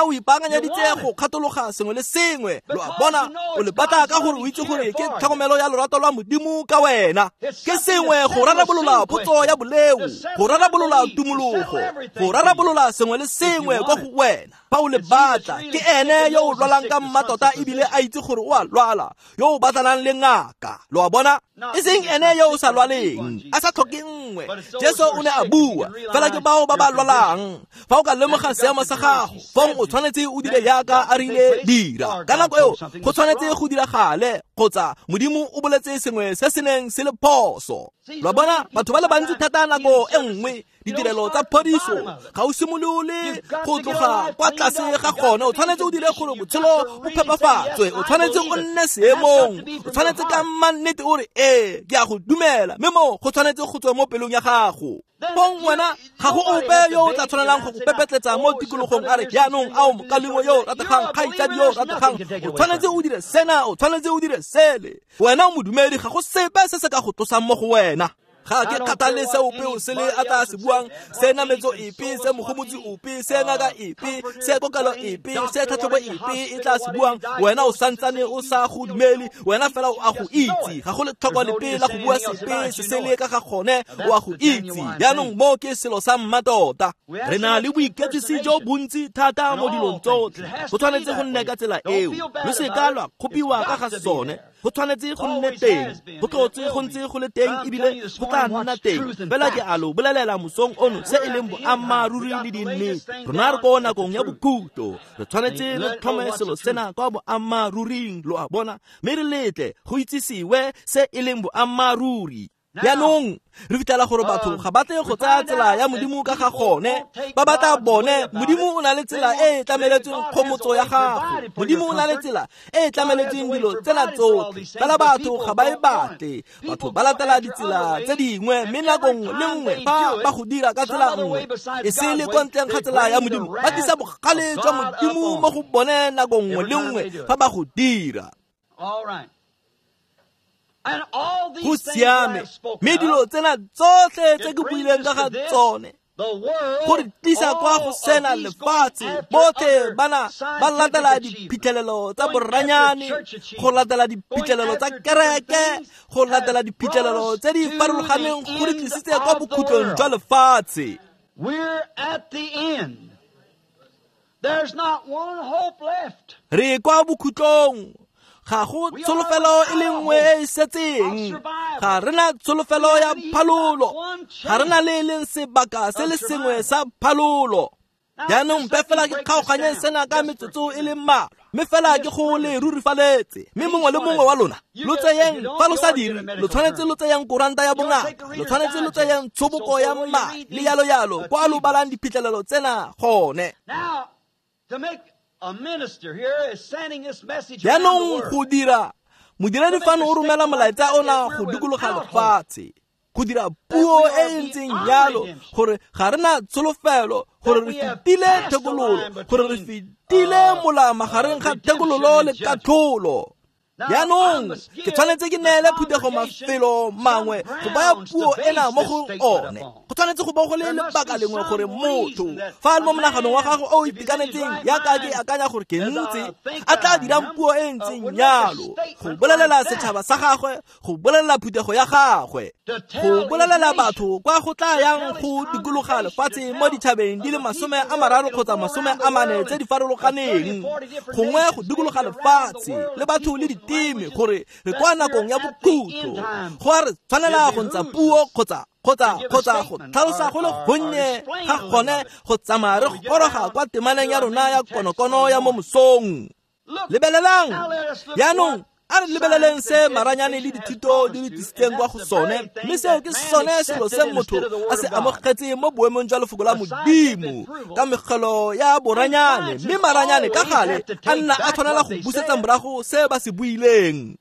o ipaakanyeditse go kgathologa sengwe le sengwe. Lo a bona, o le batla ka gore o itse gore ke tlhokomelo ya lorato lwa Modimo ka wena. Ke sengwe go rarabolola potso ya boleo, go rarabolola tumologo, go rarabolola sengwe le sengwe kwa go wena. Fa o le batla, ke ene yo o lwalang ka mmatota ebile a itse gore o a lwala, yo o batlanang le ngaka. Lo a bona? E seng ene yo o sa lwaleng, a sa tlhoke nngwe. Jesu o ne a bua, fela ke bao ba ba lwalang. Fa o ka lemoga seemo sa gago, fong o tshwanetse o dire jaaka a rile dira. Ka nako eo, go tshwanetse go diragale, kgotsa Modimo o boletse sengwe se se neng se le phoso. Lo a bona, batho ba le bantsi thata nako e nngwe ditirelo tsa phodiso ga o simolole go tloga kwa tlase ga gone. O tshwanetse o dire gore botshelo bo phepafatswe, o tshwanetse o nne seemong, o tshwanetse ka mannete o re ee, ke a go dumela, mme mo go tshwanetse go tswa mo pelong ya gago. Fong wena ga go ope yo o tla tshwanelang go go pepetletsa mo tikologong a re jaanong ao mokalengwe yo o rategang, kgaitsadi yo o rategang, o tshwanetse o dire sena, o tshwanetse o dire sele. Wena o modumedi, ga go sepe se se ka go tlosang mo go wena. Ga ke kgathale se ope o sele a tla se buang, se nametso epe, se mogomotsi ope, se ngaka epe, se kokelo epe, se tlhatlhobo epe e tla se buang. Wena o santsane o sa go dumele, wena fela o a go itse. Ga go letlhoko lepe la go bua sepe se sele ka ga gone, o a go itse. Jaanong mo ke selo sa mmatota. Re na le boiketsisi jo bontsi thata mo dilong tsotlhe. Go tshwanetse go nne ka tsela eo. Lo se ka lwa kgopiwa ka ga sone. Go tshwanetse go nne teng, go tlotse go ntse go le teng, ebile go tla nna teng. Fela ke a lo bolelela mosong ono se e leng boammaaruri le dinnete. Rona re ko nakong ya bokhutlo, re tshwanetse re tlhome selo sena kwa boammaaruring, lo a bona, mme re letle go itsisiwe se e leng boammaaruri. Jaanong re fitlhela gore batho ga ba tle go tsaya tsela ya Modimo ka ga gone, ba batla bone. Modimo o na le tsela e e tlameletsweng kgomotso ya gago. Modimo o na le tsela e e tlameletsweng dilo tsena tsotlhe, fela batho ga ba e batle. Batho ba latela ditsela tse dingwe, mme nako nngwe le nngwe fa ba go dira ka tsela nngwe e se le kwa ntleng ga tsela ya Modimo, ba tlisa bogale jwa Modimo mo go bone nako nngwe le nngwe fa ba go dira. Go siame, mme dilo tsena tsotlhe tse ke buileng ka ga tsone go re tlisa kwa go sena lefatshe. Botlhe bana ba latela diphitlhelelo tsa boranyane, go latela diphitlhelelo tsa kereke, go latela diphitlhelelo tse di farologaneng, go re tlisitse kwa bokhutlong jwa lefatshe. Re kwa bokhutlong. Ga go tsholofelo e le nngwe e e setseng. Ga re na tsholofelo ya phalolo. Ga re na le e leng sebaka se le sengwe sa phalolo. Jaanong mpe fela ke kgaoganye sena ka metsotso e le mmalwa, mme fela ke go le rurifaletse. Mme mongwe le mongwe wa lona lo tseyeng, fa lo sa dire, lo tshwanetse lo tseyeng koranta ya bongaka, lo tshwanetse lo tseyeng tshoboko ya madi le yalo yalo, kwa lo balang diphitlhelelo tsena gone. Jaanong go dira modiredi fano o romela molaetsa ona go dikologa lefatshe, go dira puo e e ntseng jalo gore ga re na tsholofelo, gore re fetile thekololo, gore re fetile mola magareng ga thekololo le katlholo. Jaanong ke tshwanetse ke neele phuthego mafelo mangwe go baya puo ena mo go one. Go tshwanetse go bo go le lebaka lengwe gore motho fa a le mo monaganong wa gagwe o o itekanetseng, jaaka ke akanya gore ke ntse, a tla dirang puo e ntseng jalo go bolelela setšhaba sa gagwe, go bolelela phuthego ya gagwe, go bolelela batho kwa go tla yang go dikologa lefatshe mo ditšhabeng di le 30 kgotsa 40 tse di farologaneng, gongwe go dikologa lefatshe le batho le diteme, gore re kwa nakong ya bokhutlo. Go a re tshwanela go ntsha puo kgotsa go tlhalosa go le gonnye ga gone go tsamaya re goroga kwa temaneng ya rona ya konokono ya mo mosong. Lebelelang jaanong, a re lebeleleng se maranyane le dithuto di re tlisitseng kwa go sone, mme seo ke sone selo se motho a se amogetseng mo boemong jwa lefoko la Modimo ka megelo ya boranyane. Mme maranyane ka gale a nna a tshwanela go busetsa morago se ba se buileng.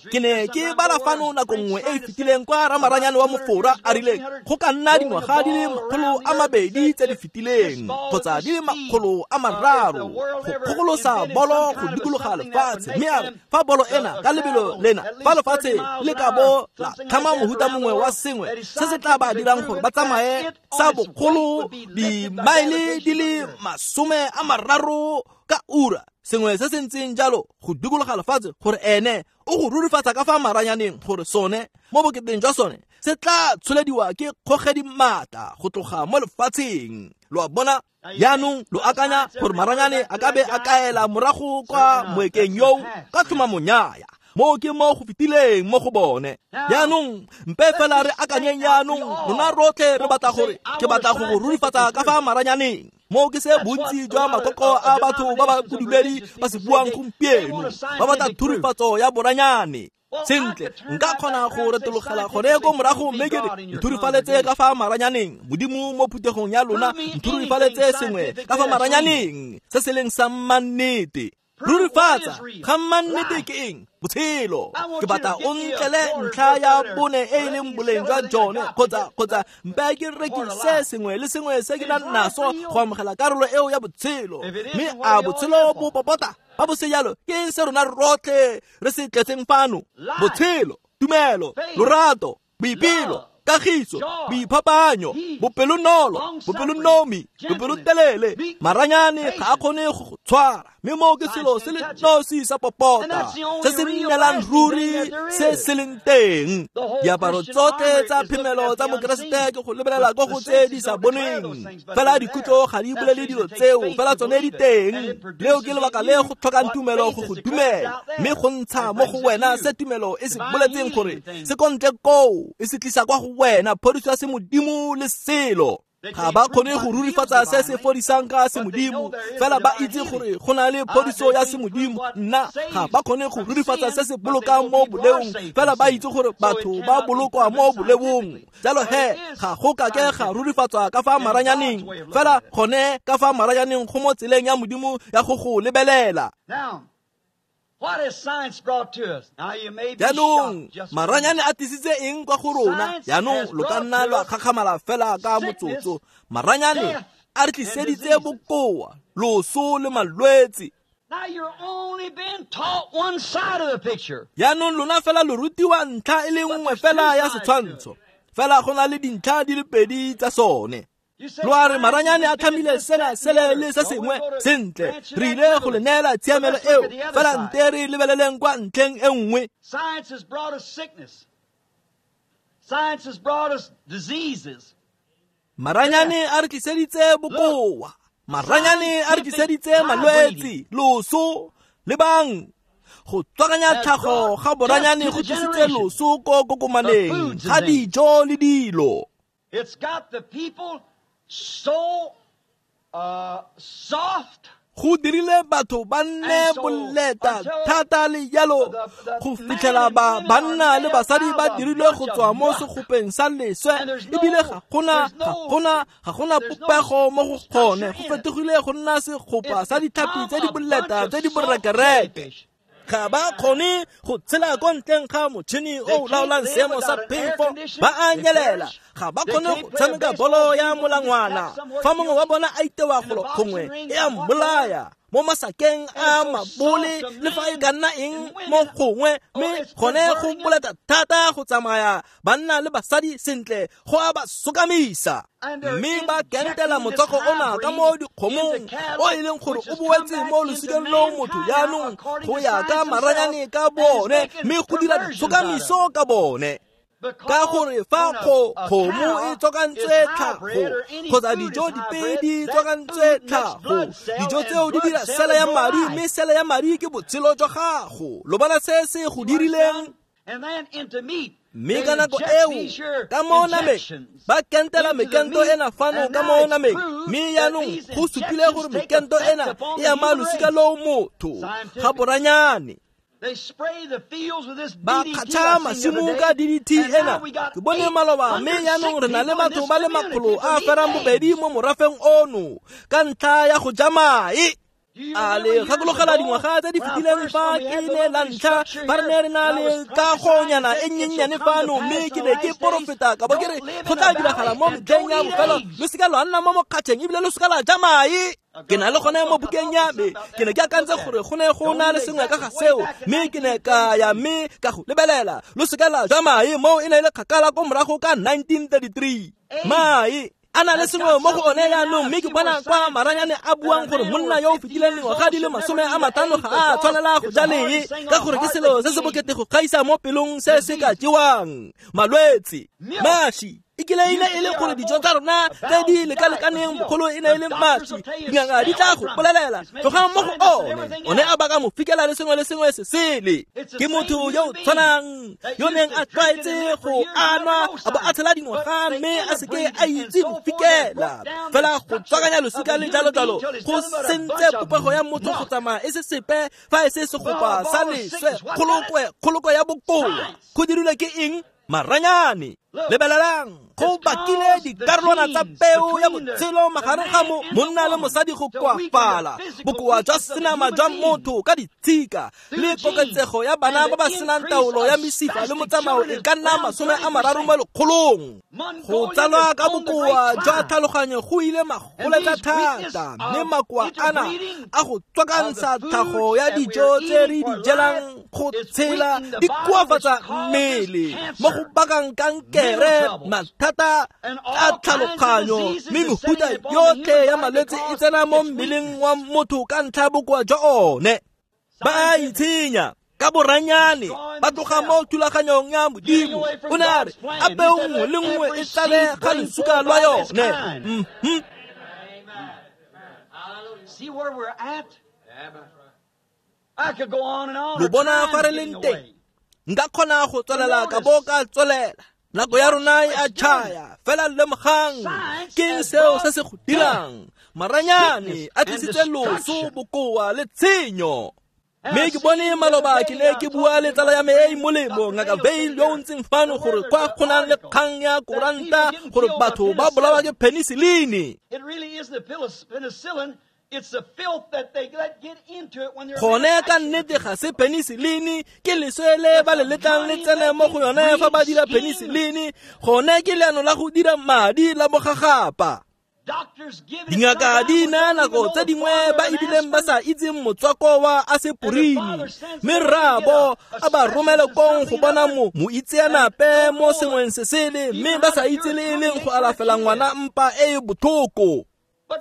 Ke ne ke bala fano nako nngwe e e fetileng kwa ramaranyane wa Mofora a rileng go ka nna dingwaga di le 200 tse di fetileng kgotsa di le 300 go kgokolosa bolo go dikologa lefatshe, mme a re fa bolo ena ka lebelo lena, fa lefatshe le ka bo la tlhama mohuta mongwe wa sengwe se se tla ba dirang gore ba tsamaye sa bogolo dimaele di le 30 ka ura, sengwe se se ntseng jalo go dikologa lefatshe, gore ene o go rurifatsa ka fa maranyaneng gore sone mo boketeng jwa sone se tla tsholediwa ke kgogedi maatla go tloga mo lefatsheng. Lo a bona? Jaanong lo akanya gore maranyane a ka be a kaela morago kwa moekeng yoo ka tlhomamonyaya. Moo ke mo go fetileng mo go bone. Jaanong mpe fela re akanyeng jaanong rona rotlhe re batla gore ke batla go go rurifatsa ka fa maranyaneng. Moo ke se bontsi jwa makoko a batho ba ba bodumedi ba se buang gompieno, ba batla thurifatso ya boranyane. Sentle, nka kgona go retologela gone ko morago mme ke re nthurifaletse ka fa maranyaneng, Modimo mo phuthegong ya lona nthurifaletse sengwe ka fa maranyaneng se se leng sa mannete. Rurifatsa ga mannete ke eng? Botshelo. Ke batla o ntlele ntlha ya bone e e leng boleng jwa jone, kgotsa mpe ke rekise sengwe le sengwe se ke nang naso go amogela karolo eo ya botshelo. Mme a botshelo bo popota? Ba bo se jalo, ke eng se rona rotlhe re se tletseng fano? Botshelo, tumelo, lorato, boipelo, kagiso, boiphapanyo, bopelonolo, bopelonomi, bopelotelele. Maranyane ga a kgone go go tshwara, mme moo ke selo se le nosi sa popota se se nnelang ruri se se leng teng. Diaparo tsotlhe tsa phemelo tsa Mokeresete ke go lebelela ko go tse di sa boneng, fela dikutlo ga di bolele dilo tseo, fela tsone di teng. Leo ke lebaka le go tlhokang tumelo go go dumela, mme go ntsha mo go wena se tumelo e se boletseng gore se ko ntle koo, e se tlisa kwa go wena phodiso ya semodimo le selo. Ga ba kgone go rurifatsa se se fodisang ka semodimo, fela ba itse gore go na le phodiso ya semodimo. Nna ga ba kgone go rurifatsa se se bolokang mo boleong, fela ba itse gore batho ba bolokwa mo boleong. Jalo he ga go kake ga rurifatswa ka fa maranyaneng, fela gone ka fa maranyaneng go mo tseleng ya Modimo ya go go lebelela. Jaanong maranyane a tlisitse eng kwa go rona? Jaanong lo ka nna lwa kgakgamala fela ka motsotso. Maranyane a re tliseditse bokoa, loso le malwetse. Jaanong lona fela lo rutiwa ntlha e le nngwe fela ya setshwantsho, fela go na le dintlha di le pedi tsa sone. Lo a re maranyane a tlhamile sena sele le se sengwe. Sentle, re ile go le neela tshiamelo eo, fela nte re lebeleleng kwa ntlheng e nngwe. Maranyane a re tliseditse bokoa, maranyane a re tliseditse malwetse, loso le bang. Go tswakanya tlhago ga boranyane go tlisitse loso ko kokomaneng ga dijo le dilo. It's got the people so soft. Go dirile batho ba nne boleta thata le jalo go fitlhela ba banna le basadi ba dirilwe go tswa mo segopeng sa leswe, ebile ga gona popego mo go gone. Go fetogile go nna segopa sa ditlhapi tse di boleta tse di borekereke. Ga ba kgone go tshela ko ntleng ga motšhini o laolang seemo sa phefo, ba a nyelela. Ga ba kgone go tshameka bolo ya molangwana. Fa mongwe wa bona a itewa golo gongwe e a mmolaya mo masakeng a mabole le fa e ka nna eng mo gongwe, mme gone go boleta thata go tsamaya banna le basadi sentle go a ba sokamisa. Mme ba kentela motswako ona ka mo dikgomong o e leng gore o boetse mo losikeng lo motho jaanong go ya ka maranyane ka bone, mme go dira ditshokamiso ka bone. Ka gore fa kgomo e tswakantswe tlhago kgotsa dijo dipe di tswakantswe tlhago, dijo tseo di dira sele ya madi, mme sele ya madi ke botshelo jwa gago. Lo bona se se go dirileng? Mme ka nako eo ka mo nameng ba kentela mekento ena fano ka mo nameng, mme jaanong go supile gore mekento ena e ama losika loo motho ga boranyane. Ba kgatšha masimo ka DDT ena. Ke bone maloba, mme jaanong re na le batho ba le makgolo a ferang bobedi mo morafeng ono ka ntlha ya go ja mae. A le gakologela dingwaga tse di fetileng fa ke ne la ntlha ba re ne re na le kagonyana e nnyennyane fano, mme ke ne ke porofeta ka bo ke re go tla diragala mo metlheng ya bofelo, lo seka lwa nna mo mokgatšheng ebile lo seka la ja mae. Ke na le gone mo bukeng ya me, ke ne ke akantse gore go ne go na le sengwe ka ga seo, mme ke ne ka ya mme ka go lebelela. Lo seka la ja mae moo e ne e le kgakala ko morago ka 1933. Mae a na le sengwe mo go one jaanong, mme ke bona kwa maranyane a buang gore monna yo o fetileng dingwaga di le 50 ga a tshwanela go ja lee, ka gore ke selo se se bokete go gaisa mo pelong se se ka jewang. Malwetse, maši, E kile e ne e le gore dijo tsa rona tse di lekalekaneng bogolo e ne e le mašwi. Dingaka di tla go bolelela tlogang mo go one. O ne a baka mofikela le sengwe le sengwe se sele. Ke motho yo o tshwanang yo neng a tlwaetse go anwa a bo a tshela dingwaga mme a seke a itse mofikela. Fela go tswakanya losika le jalo jalo go sentse popego ya motho go tsamaya e se sepe fa e se segopa sa leswe kgolokwe ya bokoa. Go dirilwe ke eng? Maranyane. Lebelelang, go bakile dikarolwana tsa peo ya botshelo magareng ga monna le mosadi go koafala, bokoa jwa senama jwa motho ka ditshika le koketsego ya bana ba ba senang taolo ya mesifa le motsamao e ka nna 30 mo lekgolong. Go tsalwa ka bokoa jwa tlhaloganyo go ile magoletsa thata, mme makoa ana a go tswakantsha tlhago ya dijo tse re di jelang go tshela di koafatsa mmele mo go bakang kankere, mathata a tlhaloganyo, mme mefuta yotlhe ya malwetse e tsena mo mmeleng wa motho ka ntlha ya bokoa jwa one. Ba a itshenya ka boranyane, ba tloga mo thulaganyong ya Modimo. O ne a re a peo nngwe le nngwe e tlale ga lesuka lwa yone. Lo bona fa re leng teng? Nka kgona go tswelela ka bo ka tswelela. Nako ya rona e a tšhaya, fela lemogang ke seo se se go dirang. Maranyane a tlisitse loso, bokoa le tshenyo. Mme ke bone maloba ke ne ke bua le tsala ya me e e molemo, Ngaka Vail, yo o ntseng fano, gore kwa go nang le kgang ya koranta gore batho ba bolawa ke penicillin. Gone ka nnete ga se penicillin, ke leswe le ba le letlang le tsene mo go yone fa ba dira penicillin. Gone ke leano la go dira madi la bogagapa. Dingaka di naya nako tse dingwe ba ebileng ba sa itseng motswako wa aseporini, mme rraabo a ba romele kong go bona moitseanape mo sengweng se sele, mme ba sa itse le e leng go alafela ngwana mpa e e botlhoko.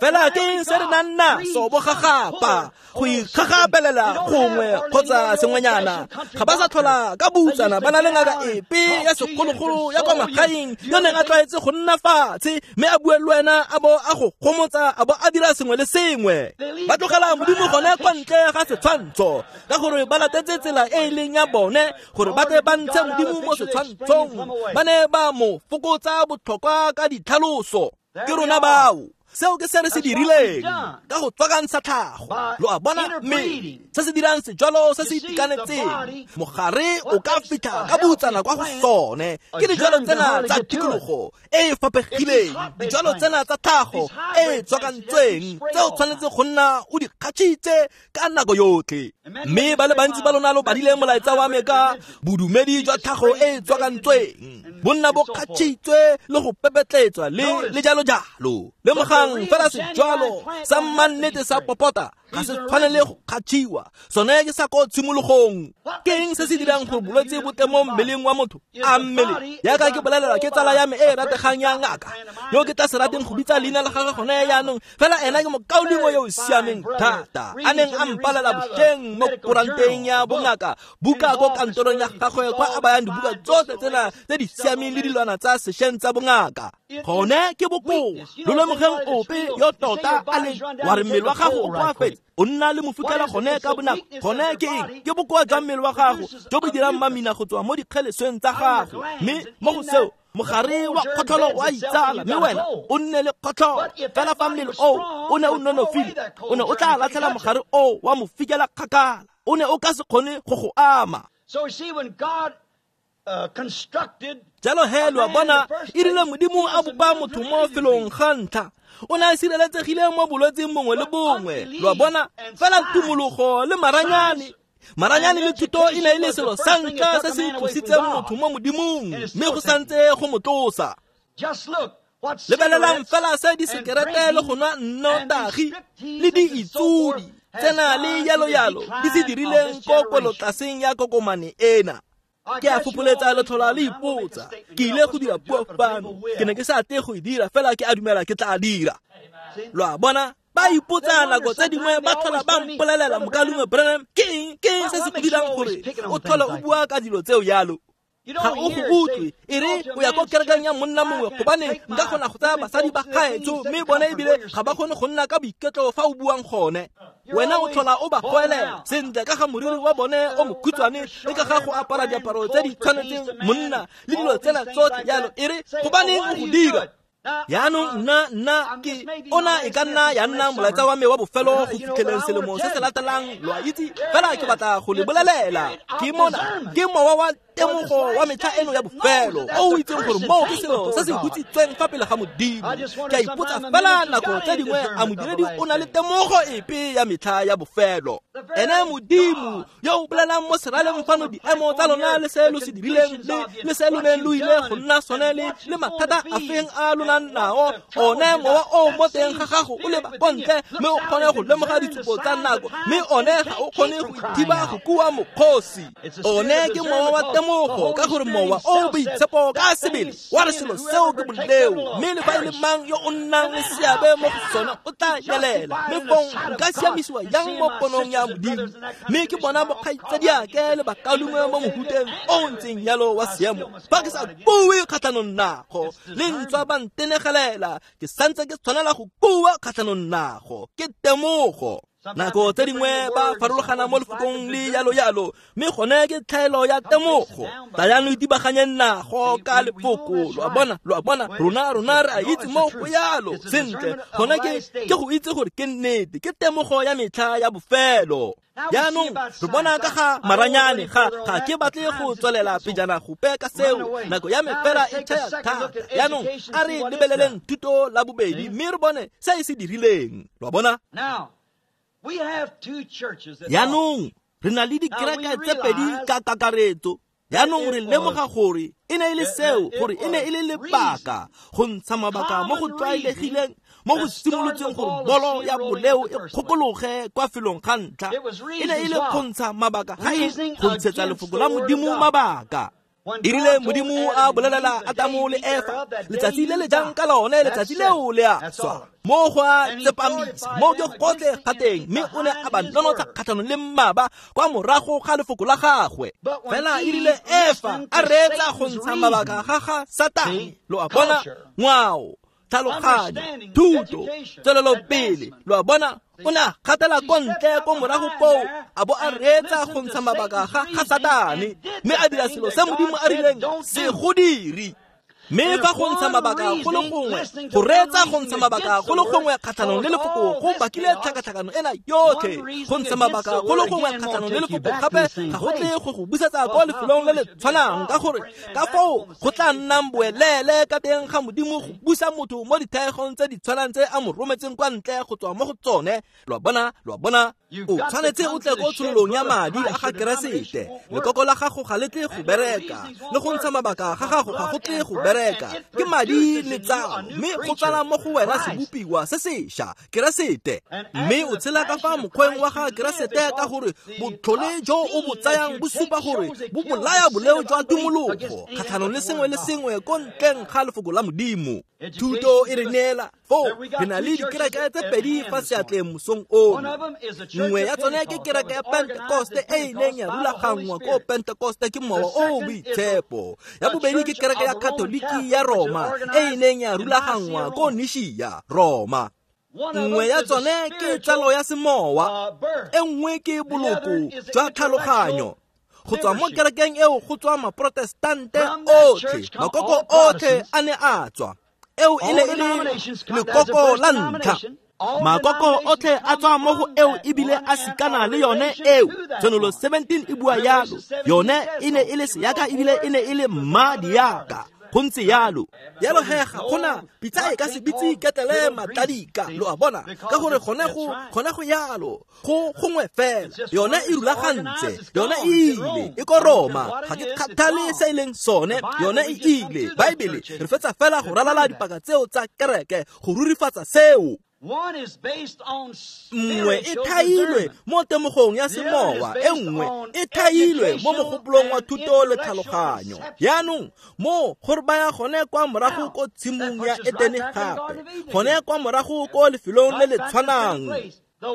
Fela ke eng se re nang naso bogagapa go ikgagapelela gongwe kgotsa sengwenyana? Ga ba sa tlhola ka boutsana ba na le ngaka epe ya sekgologolo ya kwa magaeng yo neng a tlwaetse go nna fatshe mme a bue le wena a bo a go gomotsa a bo a dira sengwe le sengwe. Ba tlogela Modimo gone kwa ntle ga setshwantsho ka gore ba latetse tsela e e leng ya bone gore ba tle ba ntshe Modimo mo setshwantshong. Ba ne ba mo fokotsa botlhokwa ka ditlhaloso. Ke rona bao. Seo ke se re se dirileng ka go tswakantsha tlhago. Lo a bona? Mme se se dirang sejwalo se se itekanetseng, mogare o ka fitlha ka boutsana kwa go sone. Ke dijwalo tsena tsa tikologo e e faphegileng, dijwalo tsena tsa tlhago e e tswakantsweng tse o tshwanetse go nna o di kgatšhitse ka nako yotlhe. Mme ba le bantsi ba lona lo badile molaetsa wa me ka bodumedi jwa tlhago e e tswakantsweng, bonna bo kgatšhitswe le go pepetletswa le jalo jalo. Lemogang fela sejwalo sa mannete sa popota ga se tshwanele go kgatšhiwa, sone ke sa ko tshimologong. Ke eng se se dirang gore bolwetse bo tle mo mmeleng wa motho? A mmele yaka ke bolelelwa ke tsala ya me e e rategang ya ngaka, yo ke tla se rateng go bitsa leina la gagwe gone jaanong, fela ena ke mokaulengwe yo o siameng thata, a neng a mpalela bošeng mo koranteng ya bongaka, buka ko kantorong ya gagwe kwa a bayang dibuka tsotlhe tsena tse di siameng le dilwana tsa sešweng tsa bongaka. Gone ke bokoa. Lo lemogeng ope yo tota a leng wa re mmele wa gago o koafetse, o nna le mofikela gone ka bonako. Gone ke eng? Ke bokoa jwa mmele wa gago jo bo dirang mamina go tswa mo dikgelesweng tsa gago, mme mo go seo mogare wa kgotlholo wa itsala, mme wena o nne le kgotlholo. Fela fa mmele oo o ne o nonofile, o ne o tla latlhela mogare oo wa mofikela kgakala, o ne o ka se kgone go go ama. Jalo he lo a bona, e rile Modimo a bopa motho mo felong ga ntlha, o ne a sireletsegile mo bolwetseng bongwe le bongwe. Lo a bona? Fela tumologo le maranyane, maranyane le thuto e ne e le selo sa ntlha se se tlositseng motho mo Modimong, mme go santse go mo tlosa. Lebelelang fela se disekerete le go nwa nnotagi le diitsodi tsena le yalo yalo di se dirileng ko kwelotlaseng ya kokomane ena. Ke a fopholetsa letlhola le ipotsa, ke ile go dira puo fano, ke ne ke sa tle go e dira, fela ke a dumela ke tla dira. Lo a bona? Ba ipotsa nako tse dingwe ba tlhola ba mpolelela, Mokaulengwe Branham, ke eng se se go dirang gore o tlhole o bua ka dilo tseo yalo? Ga o go utlwe e re o ya ko kerekeng ya monna mongwe gobane nka kgona go tsaya basadi ba gaetsho mme bone ebile ga ba kgone go nna ka boiketlo fa o buang gone. Wena o tlhola o ba goelela sentle ka ga moriri wa bone o mokhutshwane le ka ga go apara diaparo tse di tshwanetseng monna le dilo tsena tsotlhe jalo. E re gobaneng o go dira? Yaanong nna ke ona e ka nna ya nna molaetsa wa me wa bofelo go fitlheleng selemo se se latelang, lo a itse, fela ke batla go le bolelela. Ke mona ke mowa wa temogo wa metlha eno ya bofelo o o itseng gore moo ke selo se se hutsitsweng fa pele ga Modimo. Ke a ipotsa fela nako tse dingwe a modiredi o na le temogo epe ya metlha ya bofelo. Ene Modimo yo o bolelang mo seraleng fano diemo tsa lona le se lo se dirileng le se lo neng lo ile go nna sone le mathata a feng a lona nao, one mowa o mo teng ga gago o leba ko ntle mme o kgone go lemoga ditshupo tsa nako, mme one ga o kgone go ithiba go kua mokgosi. One ke mowa wa temogo ka gore mowa o boitshepo ka sebele wa re selo seo ke boleo, mme le fa e le mang yo o nnang le seabe mo go sone o tla nyelela. Mme fong nka siamisiwa yang mo ponong ya Modimo? Mme ke bona bokgaitsadiake le bakaulengwe mo mohuteng o ntseng yalo wa seemo fa ke sa bue kgatlhanong nago, le ntswa ba ntenegelela ke santse ke tshwanela go bua kgatlhanong nago. Ke temogo. Nako tse dingwe ba farologana mo lefokong le yalo yalo, mme gone ke tlhaelo ya temogo. Tlayang lo itibaganyeng nago ka lefoko. Lo a bona, rona re a itse mo go yalo sentle. Gone ke go itse gore ke nnete, ke temogo ya metlha ya bofelo. Jaanong re bona ka ga maranyane, ga ke batle go tswelela pejana gope ka seo, nako ya me fela e tšhaya thata. Jaanong a re lebeleleng thuto la bobedi mme re bone se e se dirileng. Lo a bona? Jaanong re na le dikereke tse pedi ka kakaretso. Jaanong re lemoga gore e ne e le seo, gore e ne e le lebaka go ntsha mabaka mo go tlwaelegileng mo go simolotseng gore bolo ya boleo e kgokologe kwa felong ga ntlha. E ne e le go ntsha mabaka ga e go ntshetsa lefoko la Modimo mabaka. E rile Modimo a bolelela Adamo le Efa letsatsi le le jang ka lone, letsatsi leo le a swa. Mo go a tsepamisa mo ke gotlhe ga teng, mme o ne a ba nonotsha kgatlhanong le mmaba kwa morago ga lefoko la gagwe. Fela e rile Efa a reetsa go ntsha mabaka ga ga Satane. Lo a bona? Ngwao, tlhaloganyo, thuto, tswelelopele. Lo a bona? O ne a gatela ko ntle ko morago koo a bo a reetsa go ntsha mabaka ga Satane, mme a dira selo se Modimo a rileng se go dire. Mme fa go ntsha mabaka go le gongwe, go reetsa go ntsha mabaka go le gongwe kgatlhanong le lefoko go bakile tlhakatlhakano ena yotlhe. Go ntsha mabaka go le gongwe kgatlhanong le lefoko gape ga go tle go go busetsa kwa lefelong le le tshwanang, ka gore ka foo go tla nnang boelele ka teng ga Modimo go busa motho mo dithaegong tse di tshwanang tse a mo rometseng kwa ntle go tswa mo go tsone. Lo a bona? Lo a bona? O tshwanetse o tle ko tshololong ya madi a ga Keresete. Lekoko la gago ga le tle go bereka, le go ntsha mabaka ga gago ga go tle go bereka. Ke madi le tsalo, mme go tsala mo go wena sebopiwa se sešwa, Keresete. Mme o tshela ka fa mokgweng wa ga Keresete ka gore botlhole jo o bo tsayang bo supa gore bo bolaya boleo jwa tumologo kgatlhanong le sengwe le sengwe ko ntleng ga lefoko la Modimo. Thuto e re neela foo re na le dikereke tse pedi fa seatleng mosong ono. Nngwe ya tsone ke kereke ya Pentekoste e e neng ya rulaganngwa ko Pentekoste ke mowa o o boitshepo. Ya bobedi ke kereke ya Katoliki ya Roma e e neng ya rulaganngwa ko Nishia, Roma. Nngwe ya tsone ke tsalo ya semowa, e nngwe ke boloko jwa tlhaloganyo. Go tswa mo kerekeng eo go tswa maprotestante otlhe, makoko otlhe a ne a tswa. Eo e ne e le lekoko la ntlha. Makoko otlhe a tswa mo go eo ebile a sikana le yone eo. Tshenolo 17 e bua yalo. Yone e ne e le seaka ebile e ne e le mma diaka. Go ntse yalo. Yalo he ga gona pitsa e ka se bitse ketlele matladika. Lo a bona? Ka gore gone go yalo. Go gongwe fela. Yone e rulagantse. Yone e ile. E ko Roma. Ga ke kgathale se e leng sone. Yone e ile. Baebele re fetsa fela go ralala dipaka tseo tsa kereke go rurifatsa seo. Nngwe e thailwe mo temogong ya semowa, e nngwe e thailwe mo mogopolong wa thuto le tlhaloganyo. Jaanong mo gore ba ya gone kwa morago ko tshimong ya Etene gape, gone kwa morago ko lefelong le le tshwanang.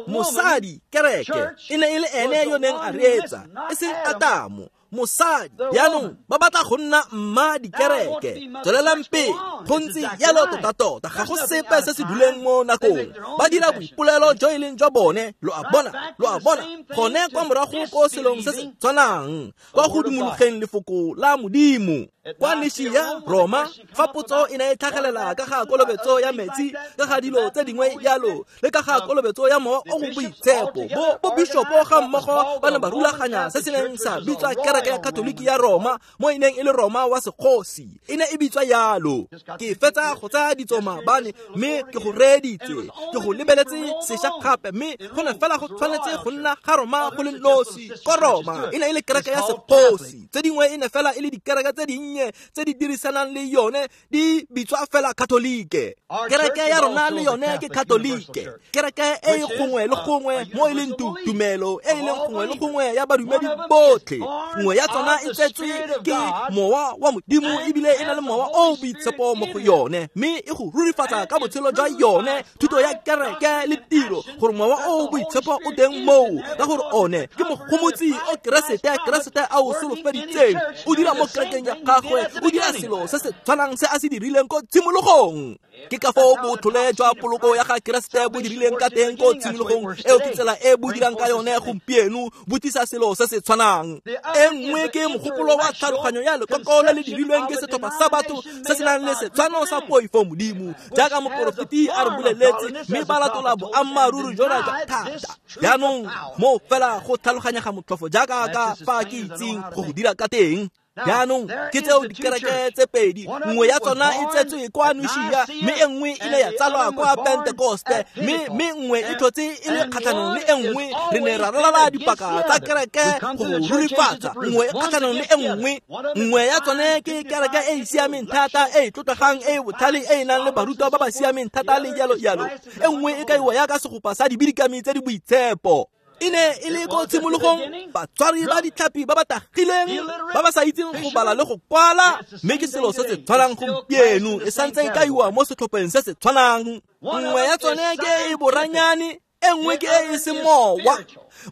Mosadi, kereke, e ne e le ene yo neng a reetsa, e seng Adamo. Mosadi jaanong ba batla go nna mma dikereke. Tswelelang pele, go ntse jalo tota-tota, ga go sepe se se duleng mo nakong. Ba dira boipolelo jo e leng jwa bone, lo a bona, lo a bona, gone kwa morago ko selong se se tshwanang, kwa go dumologeng lefoko la Modimo. Kwa Nishia, Roma, fa potso e ne e tlhagelela ka ga kolobetso ya metsi, ka ga dilo tse dingwe jalo, le ka ga kolobetso ya mowa o o boitshepo, bo bishopo ga mmogo ba ne ba rulaganya se se neng sa bitswa kereke ya Katoliki ya Roma, mo e neng e le Roma wa segosi, e ne e bitswa yalo. Ke fetsa go tsaya ditso maabane, mme ke go reeditse, ke go lebeletse sešwa gape, mme go ne fela go tshwanetse go nna ga Roma go le nosi. Ko Roma e ne e le kereke ya segosi, tse dingwe e ne fela e le dikereke tse dinnye tse di dirisanang le yone, di bitswa fela Katolike. Kereke ya rona le yone ke Katolike, kereke e e gongwe le gongwe mo e leng tumelo e e leng gongwe le gongwe ya badumedi botlhe. Nngwe ya tsona e tsetswe ke mowa wa Modimo, ebile e na le mowa o o boitshepo mo go yone, mme e go rurifatsa ka botshelo jwa yone, thuto ya kereke le tiro, gore mowa o o boitshepo o teng moo, ka gore one ke mogomotsi o Keresete, Keresete a o solofeditseng, o dira mo kerekeng ya gagwe, o dira selo se se tshwanang se a se dirileng ko tshimologong. Ke ka foo botlhole jwa poloko ya ga Keresete bo dirileng ka teng ko tshimologong, eo ke tsela e bo dirang ka yone gompieno, bo tlisa selo se se tshwanang. E nngwe ke mogopolo wa tlhaloganyo ya lekoko le le dirilweng ke setlhopha sa batho se se nang le setshwano sa poifo Modimo, jaaka moporofeti a re boleletse, mme ba latola boammaaruri jona jwa thata. Jaanong mo fela go tlhaloganyega motlhofo jaaka ka fa ke itseng go go dira ka teng. Jaanong ke tseo dikereke tse pedi, nngwe ya tsona e tsetswe kwa Nishia, mme e nngwe e ne ya tsalwa kwa Pentekoste, mme nngwe e tlhotse e le kgatlhanong le e nngwe. Re ne ra ralala dipaka tsa kereke go rurifatsa, nngwe e kgatlhanong le e nngwe. Nngwe ya tsone ke kereke e e siameng thata, e e tlotlegang, e e botlhale, e e nang le barutwa ba ba siameng thata le jalo jalo. E nngwe e kaiwa yaka segopa sa dibidikami tse di boitshepo. E ne e le ko tshimologong batswari ba ditlhapi ba ba tagileng, ba ba sa itseng go bala le go kwala, mme ke selo se se tshwanang gompieno, e santse e kaiwa mo setlhopheng se se tshwanang. Nngwe ya tsone ke e boranyane, e nngwe ke e e semowa.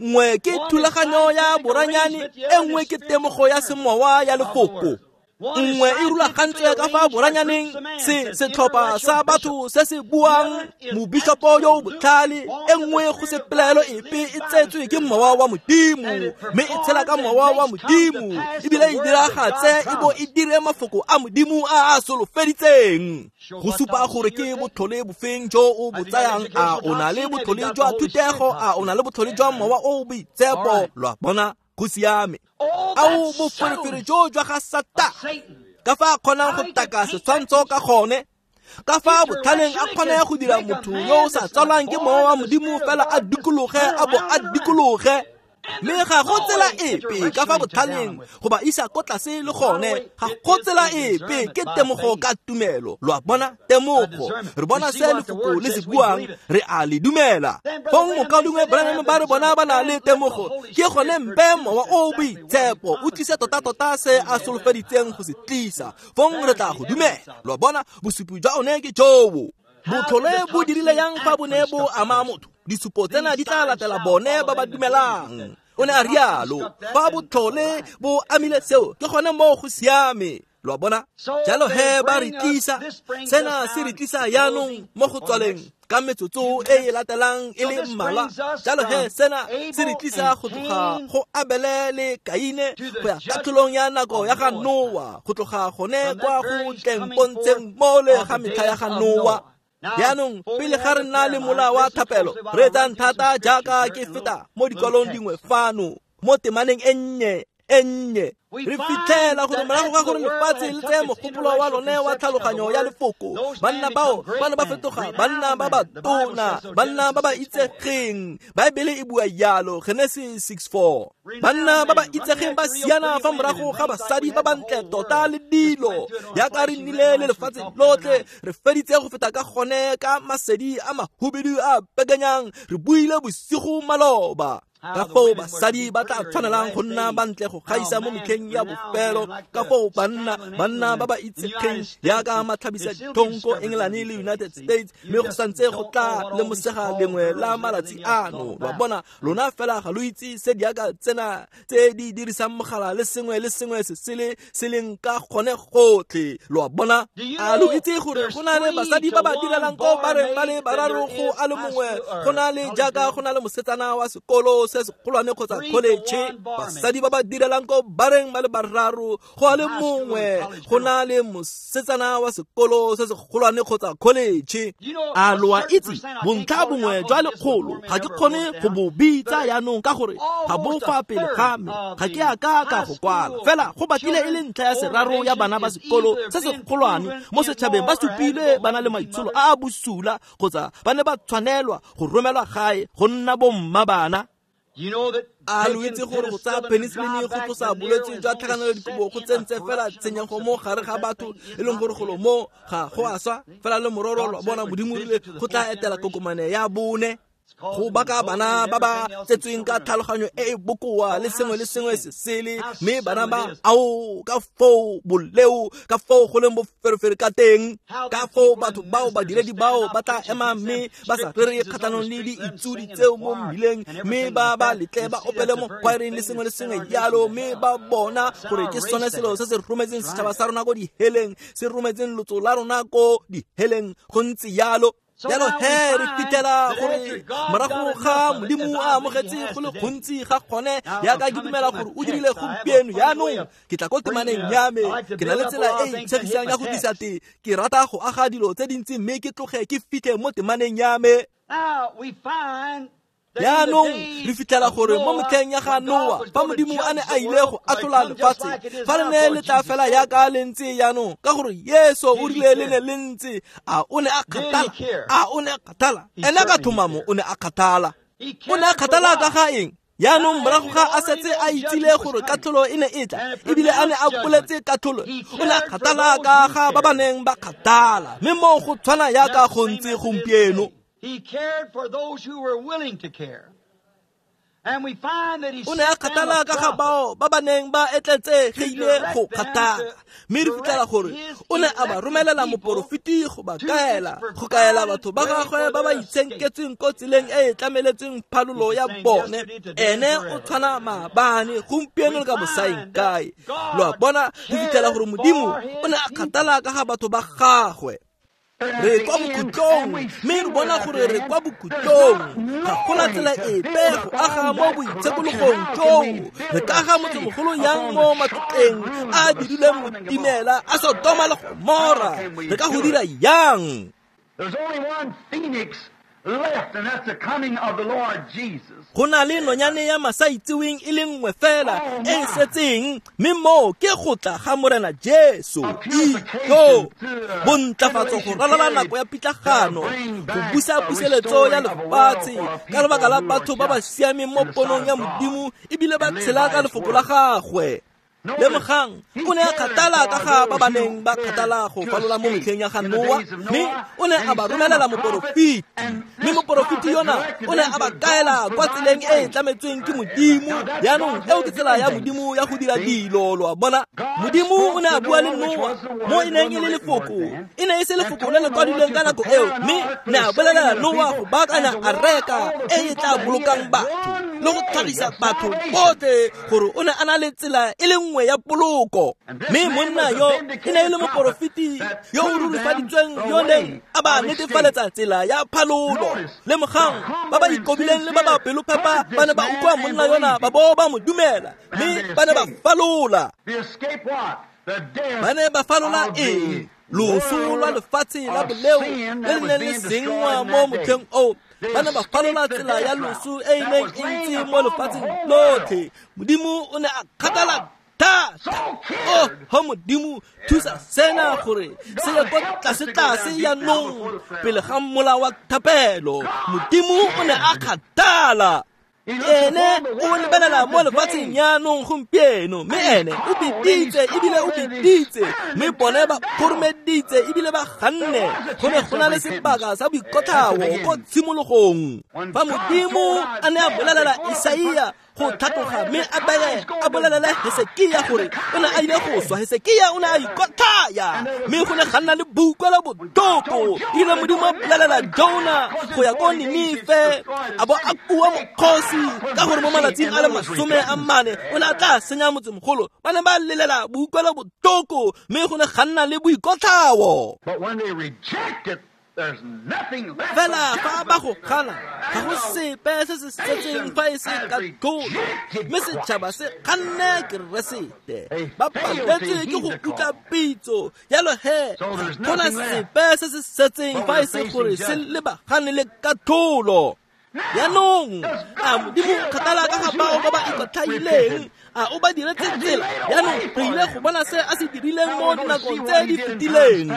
Nngwe ke thulaganyo ya boranyane, e nngwe ke temogo ya semowa ya lefoko. Nngwe e rulagantswe ka fa boranyaneng, se setlhopha sa batho se se buang, mobishopo yo o botlhale. E nngwe go se pelaelo epe e tsetswe ke mowa wa Modimo, mme e tshela ka mowa wa Modimo, ebile e diragatse e bo e dire mafoko a Modimo a a solofeditseng. Go supa gore ke botlhole bofeng jo o bo tsayang, a o na le botlhole jwa thutego, a o na le botlhole jwa mowa o o boitshepo. Lo a bona, go siame. Ao boferefere jo jwa ga Satane, ka fa a kgonang go taka setshwantsho ka gone, ka fa botlhaleng a kgone go dira motho yo o sa tsalwang ke mowa wa Modimo fela a dikologe a bo a dikologe. Mme ga go tsela epe ka fa botlhaleng go ba isa ko tlase le gone, ga go tsela epe, ke temogo ka tumelo. Lo a bona, temogo, re bona se lefoko le se buang, re a le dumela. Fong mokaulengwe Branham ba re bona ba na le temogo, ke gone mpe mowa o boitshepo o tlise tota-tota se a solofeditseng go se tlisa, fong re tla go dumela. Lo a bona, bosupi jwa one ke jobo. Botlhole bo dirile yang fa bo ne bo ama motho? Disupo tsena di tla latela bone ba ba dumelang. O ne a rialo. Fa botlhole bo amile seo, ke gone moo go siame. Lo a bona? Jalo he ba re tlisa, sena se re tlisa jaanong mo go tswaleng ka metsotso e e latelang e le mmalwa. Jalo he sena se re tlisa go tloga go Abele le Kaine go ya katlholong ya nako ya ga Noa, go tloga gone kwa go tleng pontsheng mole ga metlha ya ga Noa. Jaanong pele ga re nna le mola wa thapelo, re etsang thata jaaka ke feta mo dikwalong dingwe fano mo temaneng e nnye e nnye. Re fitlhela gore morago ga gore lefatshe le tseye mogopolo wa lone wa tlhaloganyo ya lefoko, banna bao ba ne ba fetoga banna ba ba tona, banna ba ba itsegeng. Baebele e bua jalo, Genesis 6:4. Banna ba ba itsegeng ba siana fa morago ga basadi ba bantle tota le dilo. Jaaka re nnile le lefatshe lotlhe, re feditse go feta ka gone ka masedi a mahubedu a pekanyang, re buile bosigo maloba. Ka foo basadi ba tla tshwanelang go nna bantle go gaisa mo metlheng ya bofelo, ka foo banna ba ba itsegeng jaaka matlhabisa ditlhong ko England le United States, mme go santse go tla lemosega lengwe la malatsi ano. Lwa bona, lona fela ga lo itse se diaka tsena tse di dirisang mogala le sengwe le sengwe se sele se leng ka gone gotlhe. Lwa bona, a lo itse gore go na le basadi ba ba direlang ko bareng ba le bararo go a le mongwe, go na le jaaka go na le mosetsana wa sekolo se segolwane kgotsa college, basadi ba ba direlang ko bareng ba le bararo go a le mongwe, go na le mosetsana wa sekolo se segolwane kgotsa college. A lo a itse bontlha bongwe jwa lekgolo ga ke kgone go bo bitsa jaanong ka gore ga bo fa pele ga me, ga ke a ka ka go kwala, fela go batlile e le ntlha ya seraro ya bana ba sekolo se segolwane mo setšhabeng ba supilwe ba na le maitsholo a a bosula kgotsa ba ne ba tshwanelwa go romelwa gae go nna bomma bana. A lo itse gore go tsaya penicillin go tlosa bolwetse jwa tlhakanelo dikobo go tsentse fela tshenyego mo gare ga batho, e leng gore golo mo ga go a swa fela le mororo. Lwa bona, Modimo rile go tla etela kokomane ya bone go baka bana ba ba tsetsweng ka tlhaloganyo e e bokoa le sengwe le sengwe se sele, mme bana ba ao ka foo boleo, ka foo go leng boferefere ka teng, ka foo batho bao badiredi bao ba tla ema mme ba sa rere kgatlhanong le diitsudi tseo mo mmileng, mme ba ba letle ba opele mo choireng le sengwe le sengwe jalo, mme ba bona gore ke sone selo se se rometseng setšhaba sa rona ko diheleng, se rometseng lotso la rona ko diheleng. Go ntse jalo. Jalo he re fitlhela gore morago ga Modimo a amogetse go le gontsi ga gone, jaaka ke dumela gore o dirile gompieno. Jaanong ke tla ko temaneng ya me, ke na le tsela e e itshegisang ya go tlisa te. Ke rata go aga dilo tse dintsi mme ke tloge ke fitlhe mo temaneng ya me. Jaanong re fitlhela gore mo metlheng ya ga Noa, fa Modimo a ne a ile go atlhola lefatshe, fa le ne le tla fela jaaka le ntse jaanong, ka gore Yesu o rile le ne le ntse, a o ne a kgathala? A o ne a kgathala? Ene ka tlhomamo o ne a kgathala. O ne a kgathala ka ga eng? Jaanong morago ga a setse a itsile gore katlholo e ne e tla, ebile a ne a boletse katlholo, o ne a kgathala ka ga ba ba neng ba kgathala. Mme moo go tshwana jaaka go ntse gompieno. He cared for those who were willing to care. And we find that he o ne a kgathala ka ga bao ba ba neng ba etletsegile go kgathala, mme re fitlhela gore o ne a ba romelela moporofeti go ba kaela, go kaela batho ba gagwe ba ba itshenketsweng ko tseleng e e tlameletsweng phalolo ya bone. Ene o tshwana maabane, gompieno le ka bosaeng kae. Lo a bona, re fitlhela gore Modimo o ne a kgathala ka ga batho ba gagwe. Re kwa bokhutlong, mme re bona gore re kwa bokhutlong. Ga gona tsela epe go aga mo boitshekologong joo. Re ka aga motsemogolo yang mo matlotleng a dirilweng botimela a Sodoma le Gomora? Re ka go dira yang? Go na le nonyane ya masaitseweng e le nngwe fela e e setseng, mme moo ke go tla ga Morena Jesu. Ito bontlafatso go ralala nako ya pitlagano, go busa puseletso ya lefatshe ka lebaka la batho ba ba siameng mo ponong ya Modimo ebile ba tshela ka lefoko la gagwe. Lemogang, o ne a kgathala ka ga ba ba neng ba kgathala go falola mo metlheng ya ga Noa, mme o ne a ba romelela moporofeti, mme moporofeti yona o ne a ba kaela kwa tseleng e e tlametsweng ke Modimo. Jaanong eo ke tsela ya Modimo ya go dira dilo. Lo a bona, Modimo o ne a bua le Noa mo e neng e le lefoko, e ne e se lefoko le le kwadilweng ka nako eo, mme ne a bolelela Noa go baakanya areka e e tla bolokang batho le go tlhagisa batho botlhe gore o ne a na le tsela e le nngwe ya poloko. Mme monna yo e ne e le moporofeti yo o rurifaditsweng yo neng a ba netefaletsa tsela ya phalolo. Lemogang, ba ba ikobileng le ba ba pelophepa ba ne ba utlwa monna yona ba bo ba mo dumela, mme ba ne ba falola. Ba ne ba falola eng? Loso lwa lefatshe la boleo le le neng le senngwa mo motlheng oo. Ba ne ba falola tsela ya loso e e neng e ntse mo lefatsheng lotlhe. Modimo o ne a kgathala thata. Oh, ho Modimo, thusa sena gore se ye kwa tlase-tlase jaanong pele ga mola wa thapelo. Modimo o ne a kgathala. Ene o lebelela mo lefatsheng jaanong gompieno, mme ene o biditse ebile o biditse, mme bone ba kgoromeditse ebile ba ganne. Go ne go na le sebaka sa boikotlhao ko tshimologong. Fa Modimo a ne a bolelela Isaia go tlhatloga mme a bolelele Hesekia gore o ne a ile go swa, Hesekia o ne a ikotlhaya, mme go ne ga nna le boutlwelo botlhoko. Ebile Modimo a bolelela Jona go ya ko Ninife, a bo a kua mokgosi ka gore mo malatsing a le 40 o ne a tla senya motsemogolo. Ba ne ba lelela boutlwelo botlhoko, mme go ne ga nna le boikotlhao. Fela fa ba go gana, ga go sepe se se setseng fa e se katlholo, mme setšhaba se ganne Keresete. Ba paletswe ke go utlwa pitso, jalo he ga gona sepe se se setseng fa e se gore se lebagane le katlholo. Jaanong a Modimo kgathala ka ga bao ba ba ikotlhaileng, a o ba diretse tsela. Jaanong re ile go bona se a se dirileng mo dinakong tse di fetileng.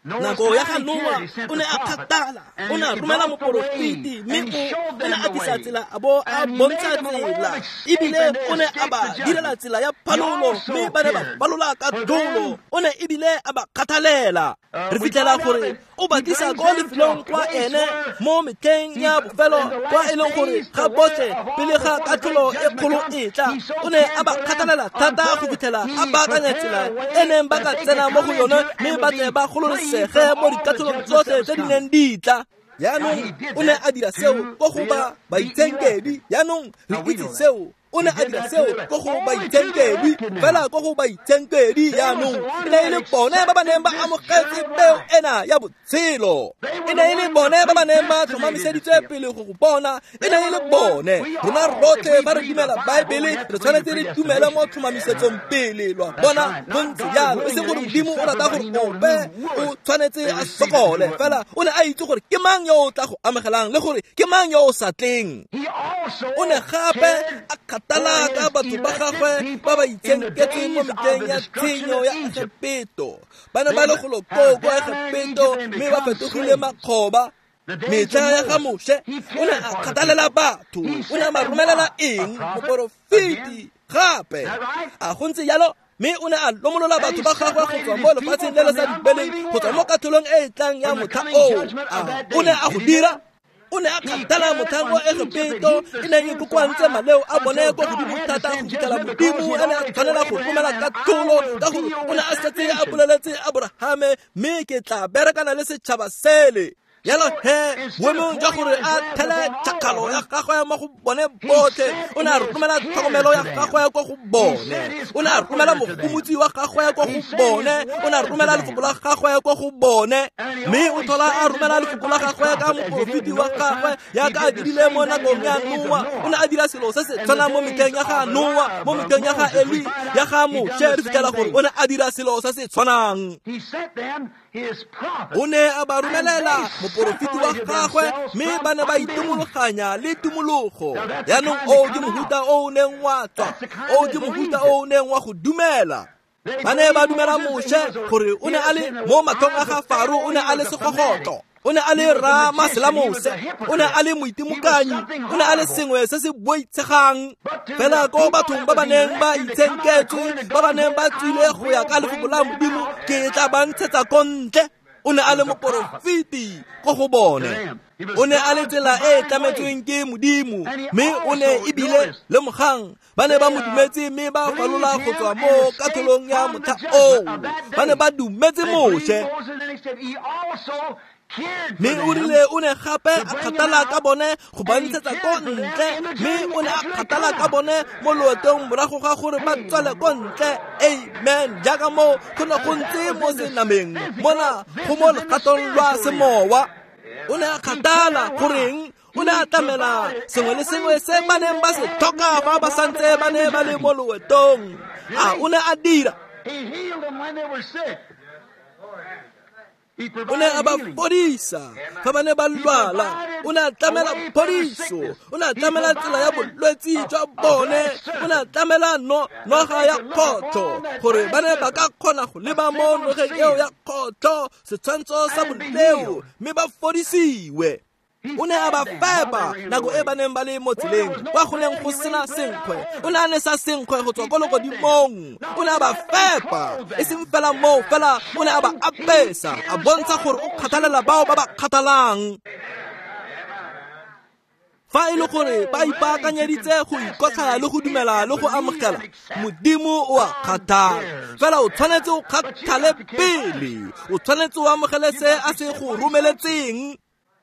Nako ya ga Noa o ne a kgathala, o ne a romela moporofeti, mme o ne a tlisa tsela a bo a bontsha tsela, ebile o ne a ba direla tsela ya phalolo, mme ba ne ba falola ka tlholo. O ne ebile a ba kgathalela. Re fitlhela gore o ba tlisa ko lefelong kwa ene mo metlheng ya bofelo, kwa e leng gore ga botlhe pele ga katlholo e kgolo e tla. O ne a ba kgathalela thata go fitlhela a baakanya tsela e neng ba ka tsena mo go yone, mme ba tle ba gololesege mo dikatlholong tsotlhe tse di neng di tla. Jaanong o ne a dira seo ko go ba baitshenkedi. Jaanong re itse seo. O ne a dira seo ko go baitshenkedi, fela ko go baitshenkedi. Jaanong e ne e le bone ba ba neng ba amogetse peo ena ya botshelo, e ne e le bone ba ba neng ba tlhomamiseditswe pele go go bona, e ne e le bone. Rona rotlhe fa re dumela Baebele, re tshwanetse re dumele mo tlhomamisetsong pele, lwa bona go ntse jalo. E seng gore Modimo o rata gore ope o tshwanetse a sokole, fela o ne a itse gore ke mang yo o tla go amogelang le gore ke mang yo o sa tleng. O ne gape a kgathala ka batho ba gagwe ba ba itshenketseng mo metlheng ya tshenyo ya Egepeto. Ba ne ba le golo koo kwa Egepeto, mme ba fetogile makgoba. Metlha ya ga Moshe o ne a kgathalela batho. O ne a ba romelela eng? Moporofeti gape. A go ntse jalo? Mme o ne a lomolola batho ba gagwe go tswa mo lefatsheng le le sa dibeleng, go tswa mo katlholong e e tlang ya motlha oo. A o ne a go dira? O ne a kgathala motlhang wa Egepeto e neng e kokoantse maleo a bone ko godimo thata go fitlhela Modimo a ne a tshwanela go romela katlholo, ka gore o ne a setse a boleletse Aborahame, mme ke tla berekana le setšhaba sele. Jalo he boemong jwa gore a thele tšhakgalo ya gagwe mo go bone botlhe, o ne a romela tlhokomelo ya gagwe kwa go bone, o ne a romela mogomotsi wa gagwe kwa go bone, o ne a romela lefoko la gagwe kwa go bone, mme o tlhola a romela lefoko la gagwe ka moporofeti wa gagwe, jaaka a dirile mo nakong ya Noa. O ne a dira selo se se tshwanang mo metlheng ya ga Noa, mo metlheng ya ga Eli, ya ga Moshe. Re fitlhela gore o ne a dira selo se se tshwanang. O ne a ba romelela moporofeti wa gagwe, mme ba ne ba itumologanya le tumologo. Jaanong oo ke mohuta o o neng wa tswa, oo ke mohuta o o neng wa go dumela. Ba ne ba dumela Moshe gore o ne a le mo matlhong a ga Faro, o ne a le segogotlo, o ne a le ramaselamose, o ne a le moitimokanyi, o ne a le sengwe se se boitshegang. Fela ko bathong ba ba neng ba itshenketswe, ba ba neng ba tswile go ya ka lefoko la Modimo, ke tla ba ntshetsa ko ntle. O ne a le moporofeti ko go bone. O ne a le tsela e e tlametsweng ke Modimo, mme o ne ebile lemogang ba ne ba mo dumetse, mme ba falola go tswa mo katlholong ya motlha oo. Ba ne ba dumetse Moshe, mme o rile o ne gape a kgathala ka bone go ba ntshetsa ko ntle, mme o ne a kgathala ka bone mo loetong morago ga gore ba tswele ko ntle. Amen. Jaaka mo go ne go ntse mo senameng, mona go mo legatong lwa semowa. O ne a kgathala goreng? O ne a tlamela sengwe le sengwe se ba neng ba se tlhoka fa ba santse ba ne ba le mo loetong. A o ne a dira? O ne a ba fodisa fa ba ne ba lwala. O ne a tlamela phodiso, o ne a tlamela tsela ya bolwetsi jwa bone, o ne a tlamela noga ya kgotlho gore ba ne ba ka kgona go leba mo nogeng eo ya kgotlho, setshwantsho sa boleo, mme ba fodisiwe. O ne a ba fepa nako e ba neng ba le mo tseleng kwa go neng go sena senkgwe. O ne a nesa senkgwe go tswa ko legodimong. O ne a ba fepa, e seng fela moo fela o ne a ba apesa, a bontsha gore o kgathalela bao ba ba kgathalang. Fa e le gore ba ipaakanyeditse go ikotlhaya le go dumela le go amogela, Modimo o a kgathala. Fela o tshwanetse o kgathale pele, o tshwanetse o amogele se a se go romeletseng.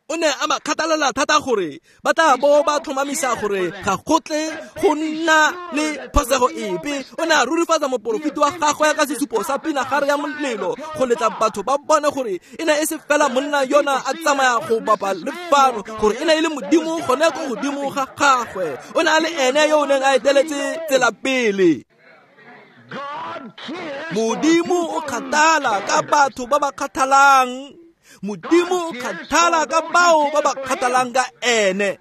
O ne a ba kgathalela thata gore ba tla bo ba tlhomamisa gore ga go tle go nna le phosego epe. O ne a rurifatsa moporofeti wa gagwe ka sesupo sa pinagare ya molelo go letla batho ba bone gore e ne e se fela monna yona a tsamaya go bapa le fano, gore e ne e le Modimo gone ko godimo ga gagwe. O ne a le ene yo o neng a eteletse tsela pele. Modimo o kgathala ka batho ba ba kgathalang. Modimo o kgathala ka bao ba ba kgathalang ka ene.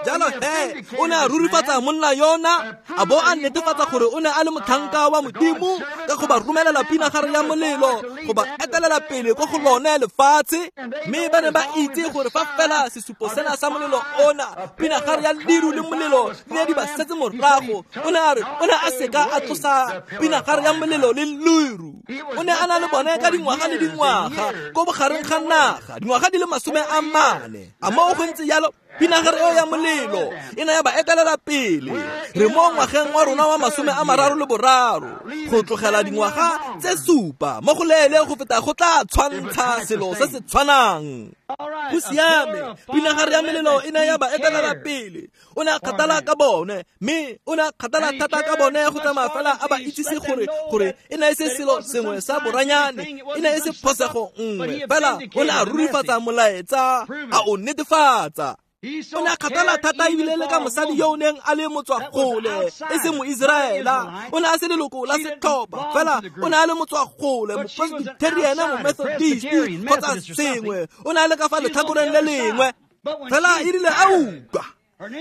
Jalo he, o ne a rurifatsa monna yona, a bo a netefatsa gore o ne a le motlhanka wa Modimo ka go ba romelela pinagare ya molelo go ba etelela pele ko go lone lefatshe. Mme ba ne ba itse gore fa fela sesupo sena sa molelo ona, pinagare ya leru le molelo di ne di ba setse morago. O ne a re o ne a seka a tlosa pinagare ya molelo le leru. O ne a na le bone ka dingwaga le dingwaga ko bogareng ga naga, dingwaga di le 40. A moo go ntse jalo, pinagare eo ya molelo e ne ya ba etelela pele. Re mo ngwageng wa rona wa 33, go tlogela dingwaga tse 7 mo go leele go feta go tla tshwantsha selo se se tshwanang. Go siame, pinagare ya molelo e ne ya ba etelela pele. O ne a kgathala ka bone, mme o ne a kgathala thata ka bone go tsamaya fela a ba itsise gore e ne e se selo sengwe sa boranyane, e ne e se phosego nngwe fela. O ne a rurifatsa molaetsa, a o netefatsa. O ne a kgathala thata ebile le ka mosadi yo o neng a le motswagole, e se Moiseraela. O ne a se leloko la setlhopha fela, o ne a le motswagole, mopresbyterian, momethodist kgotsa sengwe. O ne a le ka fa letlhakoreng le lengwe fela. E rile a utlwa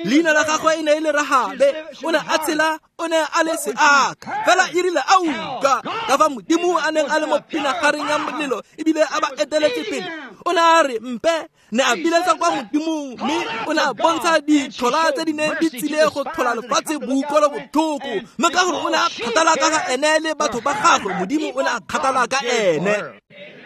leina la gagwe e ne e le Rahabe, o ne a tshela, o ne a le seaka. Fela e rile a utlwa ka fa Modimo a neng a le mo pinagareng ya molelo ebile a ba eteletse pele, o ne a re mpe ne a biletsa kwa Modimong, mme o ne a bontsha ditlhola tse di neng di tsile go tlhola lefatshe boutlwelo botlhoko. Mme ka gore o ne a kgathala ka ga ene le batho ba gagwe, Modimo o ne a kgathala ka ene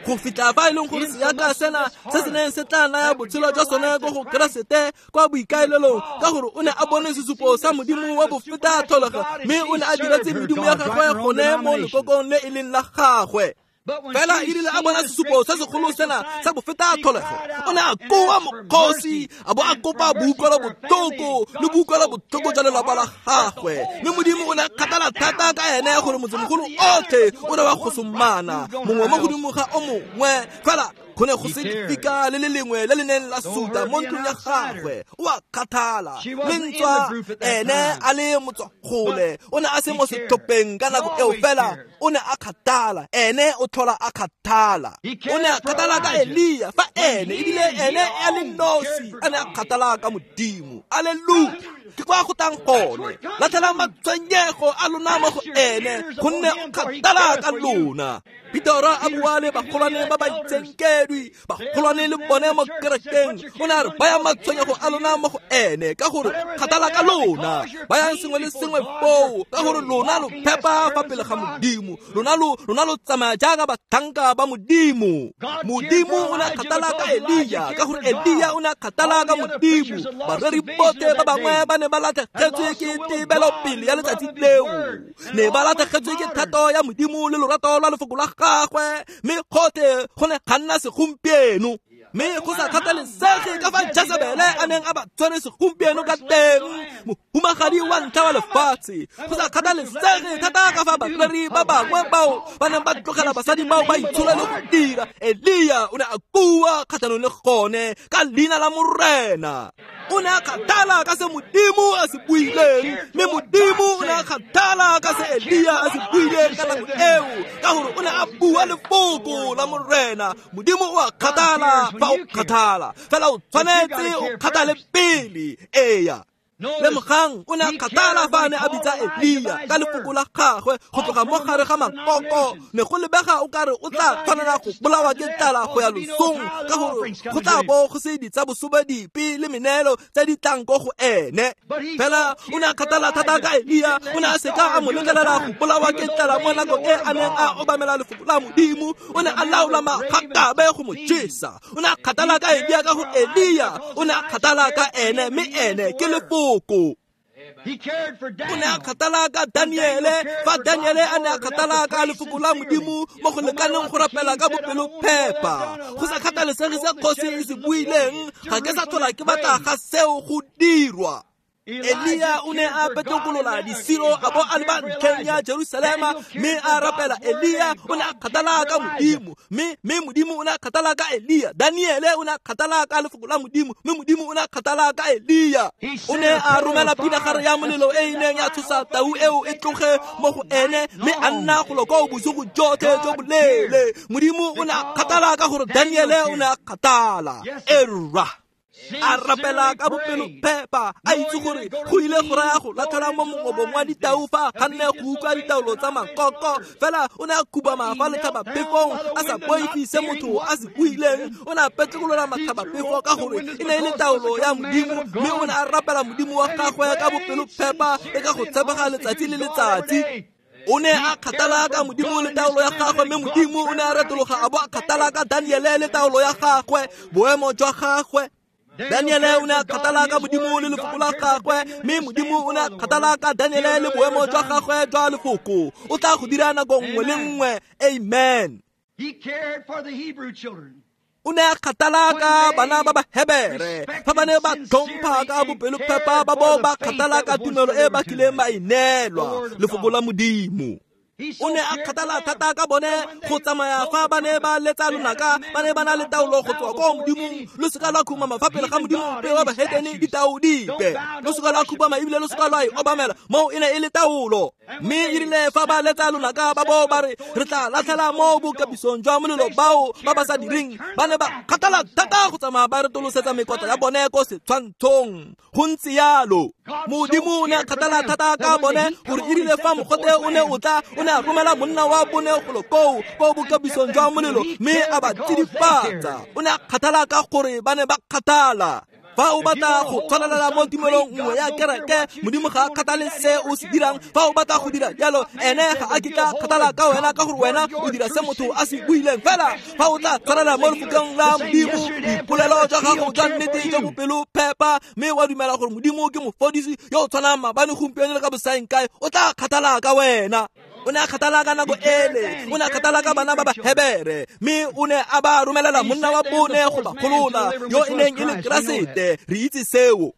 go fitlha fa e leng gore seaka sena se se neng se tla naya botshelo jwa sone ko go Keresete kwa boikaelelong, ka gore o ne a bone sesupo sa Modimo wa bofeta tlholego, mme o ne a diretse medimo ya gagwe gone mo lekokong le e leng la gagwe. Fela e rile a bona sesupo se segolo sena sa bofeta tlholego, o ne a koa mokgosi, a bo a kopa boutlwelo botlhoko le boutlwelo botlhoko jwa lelapa la gagwe. Mme Modimo o ne a kgathala thata ka ene gore motsemogolo otlhe o ne wa gosomana mongwe mo godimo ga o mongwe. Fela go ne go se lefika le le lengwe le le neng la suta mo ntlong ya gagwe. O a kgathala le ntswa ene a le motswagole, o ne a se mo setlhopheng ka nako eo, fela o ne a kgathala. Ene o tlhola a kgathala. O ne a kgathala ka Elia fa ene ebile ene a le nosi a ne a kgathala ka Modimo. Alleluia! Ke kwa go tang gone. Latlhelang matshwenyego a lona mo go ene, gonne o kgathala ka lona. Petero a bua le bagolwane ba ba itsenkedwi, bagolwane le bone mo kerekeng. O ne a re bayang matshwenyego a lona mo go ene, ka gore kgathala ka lona. Bayang sengwe le sengwe foo, ka gore lona lo phepa fa pele ga Modimo. Lona lo tsamaya jaaka batlhanka ba Modimo. Modimo o ne a kgathala ka Elia, ka gore Elia o ne a kgathala ka Modimo. Bareri botlhe ba bangwe ba ne ba latlhegetswe ke tebelopele ya letsatsi leo, ne ba latlhegetswe ke thato ya Modimo le lorato lwa lefoko la gagwe, mme gotlhe go ne ga nna segompieno. Mme go sa kgathalesege ka fa Jezebele a neng a ba tshwere segompieno ka teng, mohumagadi wa ntlha wa lefatshe, go sa kgathalesege thata ka fa bareri ba bangwe bao ba neng ba tlogela basadi bao ba itshola le go dira, Elia o ne a kua kgatlhanong le gone ka leina la Morena. O ne a kgathala ka se Modimo a se buileng, mme Modimo o ne a kgathala ka se Elia a se buileng ka nako eo, ka gore o ne a bua lefoko la Morena. Modimo o a kgathala fa o kgathala, fela o tshwanetse o kgathale pele. Eya. Lemogang o ne a kgathala fa a ne a bitsa Elia ka lefoko la gagwe go tloga mo gare ga makoko. Ne go lebega o kare o tla tshwanela go bolawa ke tlala go ya losong, ka gore go tla bo go se ditsa bosobe dipe le meneelo tse di tlang ko go ene. Fela o ne a kgathala thata ka Elia, o ne a seka a mo letlelela go bolawa ke tlala mo nakong e a neng a obamela lefoko la Modimo. O ne a laola magakabe go mo jesa. O ne a kgathala ka Elia ka gore Elia o ne a kgathala ka ene, mme ene ke lefoko. O ne a kgathala ka Daniele fa Daniele a ne a kgathala ka lefoko la Modimo mo go lekaneng go rapela ka bopelophepa, go sa kgathalesege se kgosi e se buileng. Ga ke sa tlhola ke batla ga seo go dirwa. Elia o ne a petlokolola disiro a bo a leba ntlheng ya Jerusalema mme a rapela. Elia o ne a kgathala ka Modimo, mme Modimo o ne a kgathala ka Elia. Daniele o ne a kgathala ka lefoko la Modimo, mme Modimo o ne a kgathala ka Elia. O ne a romela pinagare ya molelo e e neng ya tshosa tau eo e tloge mo go ene, mme a nna golo koo bosigo jotlhe jo boleele. Modimo o ne a kgathala ka gore Daniele o ne a kgathala. Erra a rapela ka bopelophepa, a itse gore go ile go raya go latlhela mo mongobong wa ditau fa ga nne go utlwa ditaolo tsa makoko. Fela o ne a khubama fa letlhabapefong a sa boife se motho a se buileng. O ne a petlekolola matlhabapefo ka gore e ne e le taolo ya Modimo, mme o ne a rapela Modimo wa gagwe ka bopelophepa le ka go tshepega letsatsi le letsatsi. O ne a kgathala ka Modimo le taolo ya gagwe, mme Modimo o ne a retologa a bo a kgathala ka Daniele le taolo ya gagwe, boemo jwa gagwe. Daniele o ne a kgathala ka Modimo le lefoko la gagwe, mme Modimo o ne a kgathala ka Daniele le boemo jwa gagwe jwa lefoko. O tla go dira nako nngwe le nngwe. Amen. O ne a kgathala ka bana ba Bahebere fa ba ne ba tlhompha ka bopelophepa, ba bo ba kgathala ka tumelo e ba kileng ba e neelwa, lefoko la Modimo. O ne a kgathala thata ka bone go tsamaya fa ba ne ba letsa lonaka, ba ne ba na le taolo go tswa ko Modimong. Lo seka lwa khumama fa pele ga Modimo ope wa bahetene ditao dipe, lo seka lwa khubama ebile lo seka lwa e obamela. Moo e ne e le taolo. Mme e rile fa ba letsa lonaka ba bo ba re re tla latlhela mo bokapisong jwa molelo bao ba ba sa direng, ba ne ba kgathala thata go tsamaya ba retolosetsa mekotla ya bone ko setshwantshong. Go ntse yalo. Modimo o ne a kgathala thata ka bone gore e rile fa mogote o ne o tla, o ne a romela monna wa bone golo koo ko bokapisong jwa molelo mme a ba tsidifatsa. O ne a kgathala ka gore ba ne ba kgathala. Fa o batla go tshwanelela mo tumelong nngwe ya kereke, Modimo ga a kgathale se o se dirang. Fa o batla go dira jalo, ene ga a kitla kgathala ka wena, ka gore wena o dira se motho a se buileng. Fela fa o tla tshwanela mo lefokong la Modimo, boipolelo jwa gago jwa nnete jwa bopelophepa, mme wa dumela gore Modimo ke mofodisi yo o tshwanang maabane, gompieno le ka bosaengkae, o tla kgathala ka wena. O ne a kgathala ka nako ele, o ne a kgathala ka bana ba Bahebere, mme o ne a ba romelela monna wa bone go ba golola, yo e neng e le Keresete. Re itse seo.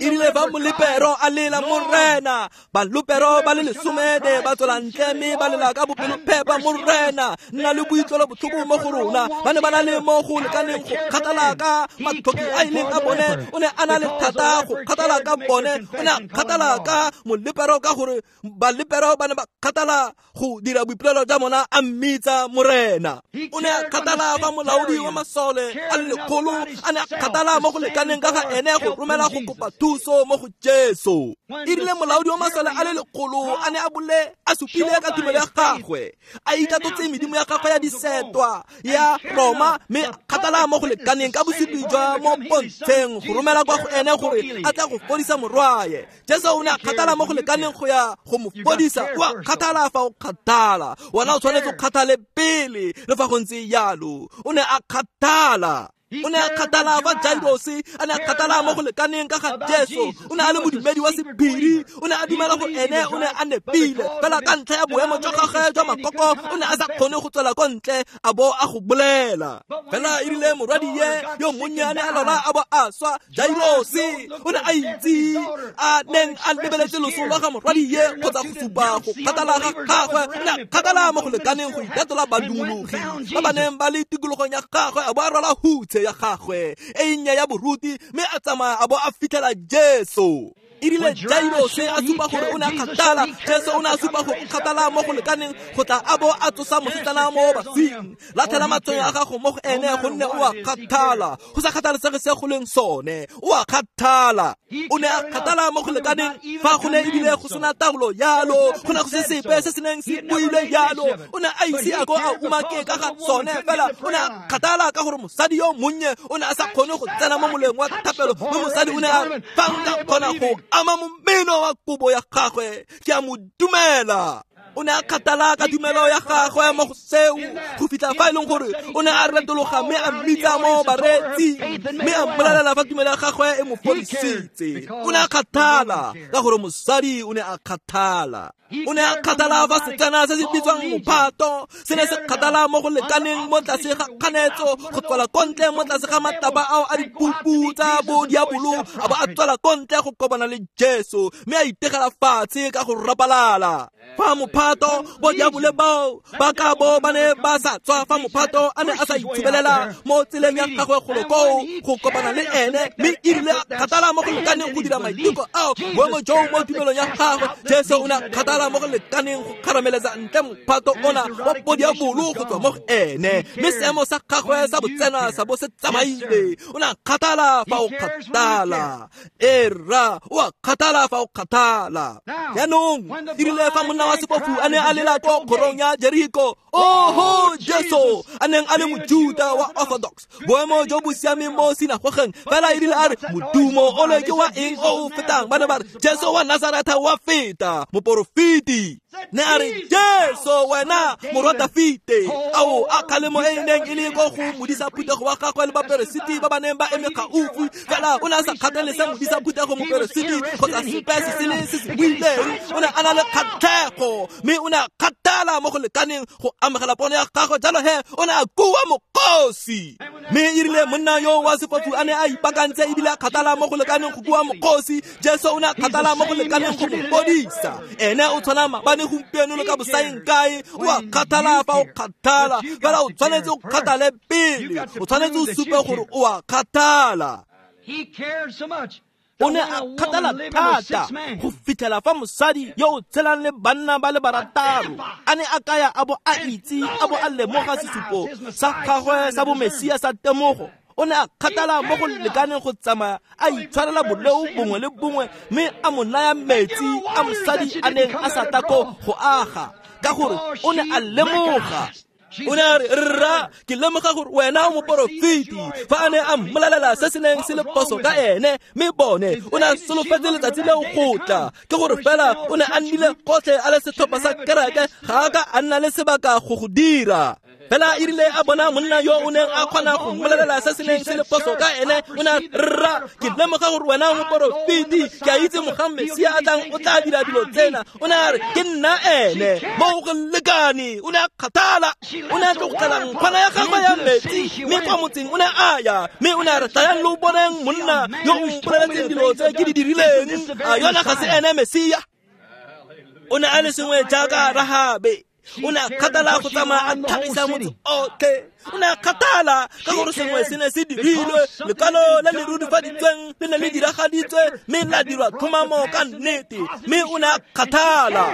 E rile fa molepero a lela Morena, balopero ba le lesomede ba tswela ntle mme ba lela ka bopelophepa, Morena, nna le boitlwelo botlhoko mo go rona. Ba ne ba na le mo go lekaneng go kgathala ka matlhoki a ileng a bone. O ne a na le thata go kgathala ka bone. O ne a kgathala ka molepero ka gore balepero ba ne ba kgathala go dira boipolelo jwa bona, a mmitsa Morena. O ne a kgathala fa molaodi wa masole a le lekgolo a ne a kgathala mo go lekaneng ka ga ene go romela go kopa thuso mo go Jesu. E rile molaodi wa masole a le lekgolo a ne a bole a supile ka tumelo ya gagwe, a itatotse medimo ya gagwe ya disetwa ya Roma, mme a kgathala mo go lekaneng ka bosupi jwa mo pontsheng go romela kwa go ene gore a tla go fodisa morwaye. Jesu o ne a kgathala mo go lekaneng go ya go mo fodisa. O a kgathala fa o kgathala, wena o tshwanetse o kgathale pele. Le fa go ntse jalo, o ne a kgathala. O ne a kgathala fa Jairosi a ne a kgathala mo go lekaneng ka ga Jesu. O ne a le modumedi wa sephiri, o ne a dumela gore ene o ne a nepile. Fela ka ntlha ya boemo jwa gagwe jwa makoko, o ne a sa kgone go tswela ko ntle a bo a go bolela. Fela e rile morwadie yo monnyane a lwala a bo a swa, Jairosi o ne a itse a neng a lebeletse loso lwa ga morwadie kgotsa go supa go kgathala ga gagwe. O ne a kgathala mo go lekaneng go itatola badumologi ba ba neng ba le tikologong ya gagwe, a bo a rwala hutshe ya gagwe e nnye ya boruti mme a tsamaya a bo a fitlhela Jesu. Erile Jairose a supa gore o ne a kgathala, Jesu o ne a supa gore o kgathala mo go lekaneng go tla a bo a tsosa mosetsana mo baswing. Latlhela matshwenyo a gago mo go ene gonne o a kgathala, go sa kgathalesege se go leng sone, o a kgathala. O ne a kgathala mo go lekaneng fa go ne ebile go sena taolo yalo, go ne go se sepe se se neng se builwe yalo. O ne a ise a ko a umake ka ga sone fela, o ne a kgathala ka gore mosadi yo monnye o ne a sa kgone go tsena mo moleng wa thapelo, mme mosadi o ne a fa nka kgona go ama momeno wa kobo ya gagwe, ke a mo dumela. O ne a kgathala ka tumelo ya gagwe mo go seo go fitlha fa e leng gore o ne a retologa mme a mmitsa mo bareetsing mme a mmolelela fa tumelo ya gagwe e mo fodisitse. O ne a kgathala ka gore mosadi o ne a kgathala. O ne a kgathala fa setsana se se bitswang mophato se ne se kgathala mo go lekaneng mo tlase ga kganetso go tswela ko ntle mo tlase ga matlapa ao a dipupu tsa bo diabolo, a bo a tswela ko ntle go kopana le Jesu mme a itegela fatshe ka go rapalala. Fa mophato bo diabole bao ba ka bo ba ne ba sa tswa, fa mophato a ne a sa itshubelela mo tseleng ya gagwe golo koo go kopana le ene, mme erile a kgathala mo go lekaneng go dira maiteko ao boemo joo mo tumelong ya gagwe, Jesu o ne a kgathala mo go lekaneng go kgarameletsa ntle mophato ona wa bodiabolo go tswa mo go ene, mme seemo sa gagwe sa botsena sa bo se tsamaile. O ne a kgathala fa o kgathala. Era o a kgathala fa o kgathala. Jaanong erile fa monna wa sefofu a ne a lela ko kgorong ya Jeriko, oho Jesu a neng a le Mojuta wa Orthodox, boemo jo bo siameng mo sinagogeng, fela erile a re modumo ole ke wa eng o o fetang, ba ne ba re Jesu wa Nazaretha wa feta, moporofeti. Ne a re Jesu wena morwa Dafite. Ao a kgalemo e neng e le ko go modisa phuthego wa gagwe le baperesiti ba ba neng ba eme gaufi, fela o ne a sa kgathalese modisa phuthego, moperesiti kgotsa sepe se sele se se buileng. O ne a na le kgatlhego mme o ne a kgathala mo go lekaneng go amogela pono ya gagwe, jalo he o ne a kua mokgosi. Mme erile monna yo wa sefofu a ne a ipaakantse ebile a kgathala mo go lekaneng go kua mokgosi, Jesu o ne a kgathala mo go lekaneng go mo fodisa. Ene o tshwana maabane, gompieno le ka bosaeng kae. O a kgathala fa o kgathala, fela o tshwanetse o kgathale pele, o tshwanetse o supe gore o a kgathala. O ne a kgathala thata go fitlhela fa mosadi yo o tshelang le banna ba le barataro a ne a kaya a bo a itse a bo a lemoga sesupo sa gagwe sa bomesia sa temogo. O ne a kgathala mo go lekaneng go tsamaya a itshwarela boleo bongwe le bongwe mme a mo naya metsi a mosadi a neng a sa tla ko go aga, ka gore o ne a lemoga. O ne a re, rra, ke lemoga gore wena o moporofeti. Fa a ne a mmolelela se se neng se le phoso ka ene, mme bone o ne a solofetse letsatsi leo go tla, ke gore fela o ne a nnile gotlhe a le setlhopha sa kereke, ga a ka a nna le sebaka go go dira. Fela erile a bona monna yo o neng a kgona go mmolelela se se neng se le phoso ka ene, o ne a rra, ke lemoga gore wena o moporofeti, ke a itse mogang Mesia a tlang o tla dira dilo tsena. O ne a re, ke nna ene, mo go lekane. O ne a kgathala, o ne a tlogela nkgwana ya gagwe ya metsi mme kwa motseng o ne a ya, mme o ne a re, tlayang lo boneng monna yo o mpoleletseng dilo tse ke di dirileng, a yona ga se ene Mesia. O ne a le sengwe jaaka Rahabe. O ne a kgathala go tsamaya a tlhagisa motse otlhe. O ne a kgathala ka gore sengwe se ne se dirilwe, lekwalo le le rurifaditsweng le ne le diragaditswe mme la dirwa tlhomamo ka nnete, mme o ne a kgathala.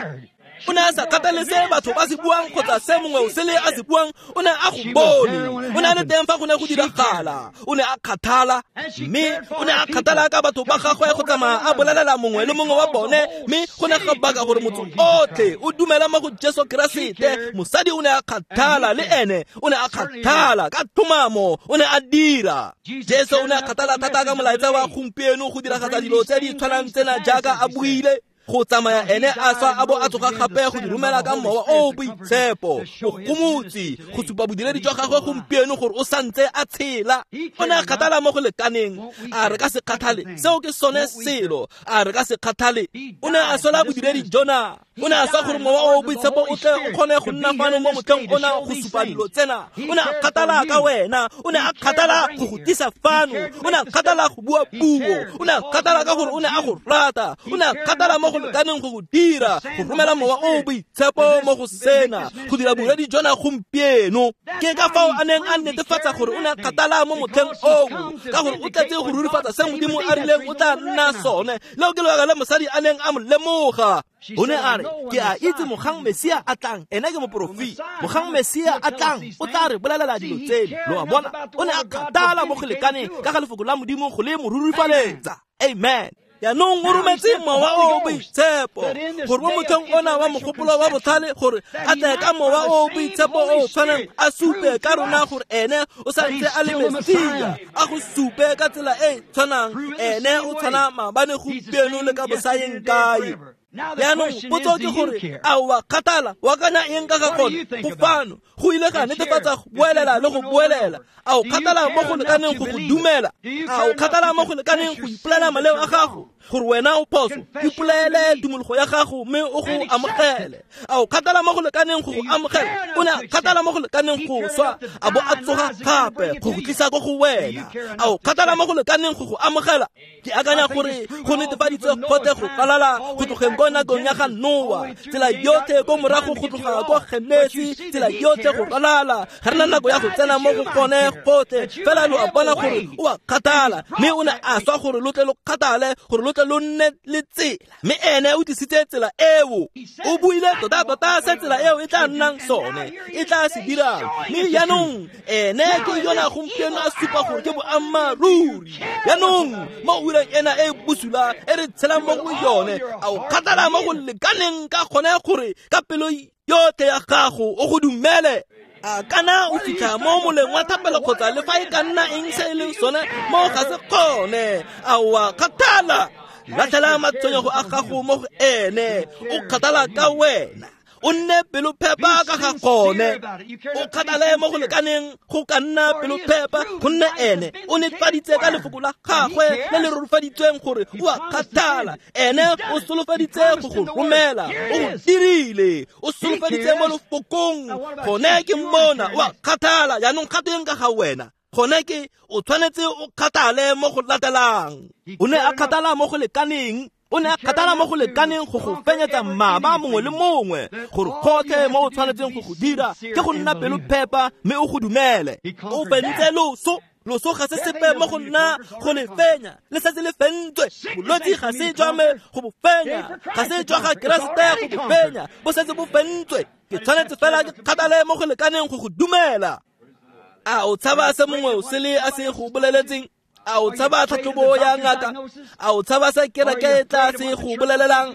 O ne a sa kgathale se batho ba se buang kgotsa se mongwe o sele a se buang, o ne a go bone. O ne a le teng fa go ne go diragala. O ne a kgathala, mme o ne a kgathala ka batho ba gagwe go tsamaya a bolelela mongwe le mongwe wa bone, mme go ne ga baka gore motho otlhe o dumela mo go Jesu Keresete. Mosadi o ne a kgathala le ene, o ne a kgathala ka tlhomamo, o ne a dira. Jesu o ne a kgathala thata ka molaetsa wa gompieno go diragatsa dilo tse di tshwanang tsena jaaka a buile, go tsamaya ene a swa a bo a tsoga gape go di romela ka mowa o boitshepo, o gomotse go supa bodiredi jwa gagwe gompieno gore o santse a tshela. O ne a kgathala mo go lekaneng, a re ka se kgathale, seo ke sone selo, a re ka se kgathale. O ne a sola bodiredi jona, O ne a swa gore Mowa o o Boitshepo o tle o kgone go nna fano mo motlheng ona go supa dilo tsena. O ne a kgathala ka wena, o ne a kgathala go go tlisa fano, o ne a kgathala go bua puo, o ne a kgathala ka gore o ne a go rata, o ne a kgathala mo go lekaneng go go dira, go romela Mowa o o Boitshepo mo go sena, go dira bodiredi jona gompieno. Ke ka fao a neng a netefatsa gore o ne a kgathala mo motlheng oo, ka gore o tletse go rurifatsa se Modimo a rileng o tla nna sone. Leo ke lebaka le mosadi a neng a mo lemoga. O ne a re, ke a itse mogang Mesia a tlang, ene ke moporofeta. Mogang Mesia a tlang, o tla re bolelela dilo tseno. Lo a bona, o ne a kgathala mo go lekaneng ka ga lefoko la Modimo go le mo rurifaletsa. Amen. Jaanong o rometse Mowa o o Boitshepo gore mo motlheng ona wa mogopolo wa botlhale gore a tle ka Mowa o o Boitshepo o o tshwanang a supe ka rona gore ene o sa ntse a le Mesia, a go supe ka tsela e e tshwanang, ene o tshwana maabane gompieno le ka bosayeng kae. Jaanong potso ke gore a o a kgathala, o akanya eng ka ga gone? Go fano go ile ga netefatsa go boelela le go boelela. A o kgathala mo go lekaneng go go dumela? A o kgathala mo go lekaneng go ipolela maleo a gago gore wena o phoso? Ipolele tumologo ya gago mme o go amogele. A o kgathala mo go lekaneng go go amogela? O ne a kgathala mo go lekaneng go swa a bo a tsoga gape go go tlisa ko go wena. A o kgathala mo go lekaneng go go amogela? Ke akanya gore go netefaditswe gotlhe go ralala go tlogeng ko nakong ya ga Noa, tsela yotlhe ko morago go tloga ko Genesi, tsela yotlhe go ralala. Ga re na nako ya go tsena mo go gone gotlhe, fela lo a bona gore o a kgathala, mme o ne a swa gore lo tle lo kgathale, gore lo tle lo nne le tsela. Mme ene o tlisitse tsela eo. O buile tota-tota se tsela eo e tla nnang sone, e tla se dirang. Mme jaanong ene ke yona gompieno a supa gore ke boammaaruri. Jaanong mo ureng ena e bosula e re tshelang mo go yone, a o kgathala mo go lekaneng ka gone gore ka pelo yotlhe ya gago o go dumele? A kana o fitlha mo moleng wa thapelo kgotsa le fa e ka nna eng se e leng sone mo ga se kgone? A o a kgathala? Latlhela matshwenyego a gago mo go ene, o kgathala ka wena. O nne pelophepa ka ga gone, o kgathale mo go lekaneng go ka nna pelophepa, gonne ene o netefaditse ka lefoko la gagwe le le rurifaditsweng gore o a kgathala. Ene o solofeditse go go romela, o go dirile, o solofeditse mo lefokong. Gone ke mona o a kgathala. Jaanong kgateng ka ga wena, gone ke o tshwanetse o kgathale mo go latelang. O ne a kgathala mo go lekaneng. O ne a kgathala mo go lekaneng go go fenyetsa mmaba mongwe le mongwe, gore gotlhe mo o tshwanetseng go go dira ke go nna pelophepa mme o go dumele. O fentse loso. Loso ga se sepe mo go nna go le fenya, le setse le fentswe. Bolwetse ga se jwa me go bo fenya, ga se jwa ga Keresete go bo fenya, bo setse bo fentswe. Ke tshwanetse fela ke kgathale mo go lekaneng go go dumela. A o tshaba se mongwe o sele a se go boleletseng? A o tshaba tlhatlhobo ya ngaka? A o tshaba se kereke e tla se go bolelelang?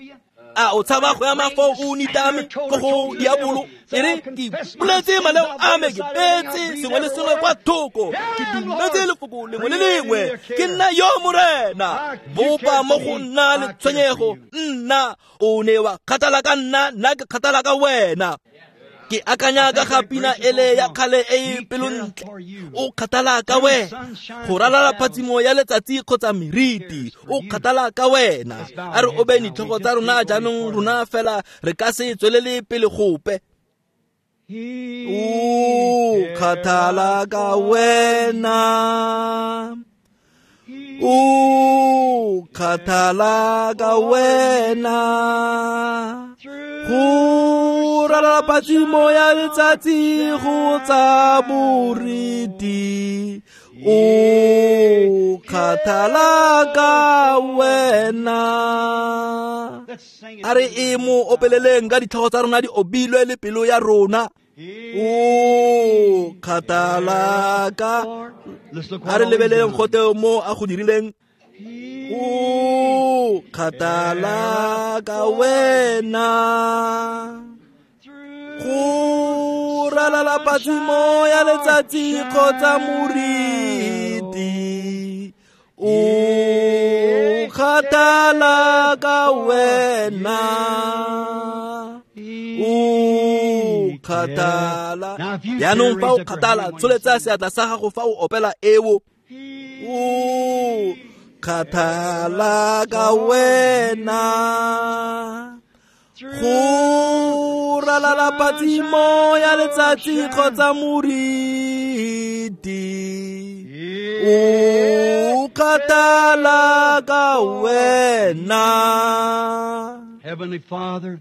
A o tshaba go ema foo o nitame ko go diabolo? E re ke boletse maleo a me, ke beetse sengwe le sengwe kwa thoko, ke dumetse lefoko lengwe le lengwe, ke nna yo Morena. Bopa mo go nna le tshwenyego, nna o ne wa kgathala ka nna, nna ke kgathala ka wena. Ke akanya ka ga pina ele ya kgale e e pelontle, o kgathala ka wena, go ralala phatsimo ya letsatsi kgotsa meriti, o kgathala ka wena. A re obe ditlhogo tsa rona jaanong, rona fela re ka se tswelele pele gope. O kgathala ka wena, o kgathala ka wena, go ralala phatsimo ya letsatsi kgotsa boriti, o kgathala ka wena. A re e mo opeleleng ka ditlhogo tsa rona di obilwe le pelo ya rona. O kgathala ka. A re lebeleleng gote mo a go dirileng. O kgathala ka wena, go ralala phatsimo ya letsatsi kgotsa moriti, o kgathala ka wena. O kgathala. Jaanong fa o kgathala, tsholetsa seatla sa gago fa o opela eo. O kgathala ka wena, Go ralala phatsimo ya letsatsi kgotsa moriti, o kgathala ka wena. Heavenly Father,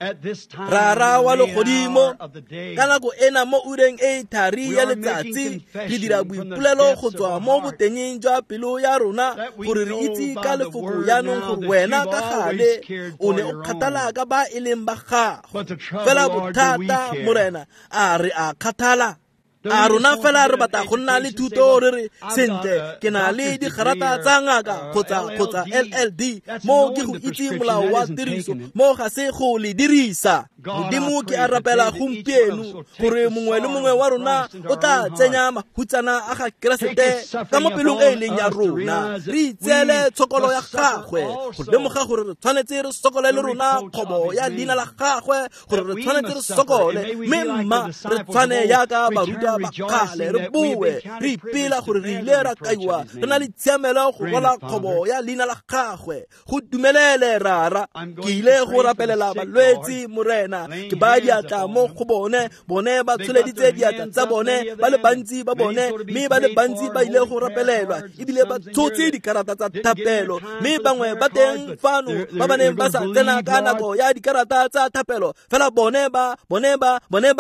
at this time, Rara wa legodimo, of the day, ka nako ena mo ureng e thari ya letsatsi, re dira boipolelo go tswa mo botengeng jwa pelo ya rona gore re itse ka lefoko jaanong gore wena ka gale o ne o kgathala ka ba e leng ba gago. Fela bothata, Morena, a re a kgathala? A rona fela re batla go nna le thuto re re sentle ke na le digarata tsa ngaka kgotsa LLD mo ke go itse molao wa tiriso mo ga se go le dirisa. Modimo ke a rapela gompieno gore mongwe le mongwe wa rona o tla tsenya mahutsana a ga Keresete ka mo pelong e e leng ya rona, re itseele tshokolo ya gagwe go lemoga gore re tshwanetse re sokole le rona kgobo ya leina la gagwe, gore re tshwanetse re sokole mme mma re tshwane yaka barutwa ba kgale, re boe re ipela gore re ile ra kaiwa re na le tshiamelo go rwala kgobo ya leina la gagwe. Go dumelele Rara. Ke ile go rapelela balwetsi, Morena, ke ba diatla mo go bone, bone ba tsholeditse diatla tsa bone, ba le bantsi ba bone, mme ba le bantsi ba ile go rapelelwa ebile ba tshotse dikarata tsa thapelo, mme bangwe ba teng fano ba ba neng ba sa tsena ka nako ya dikarata tsa thapelo, fela bone ba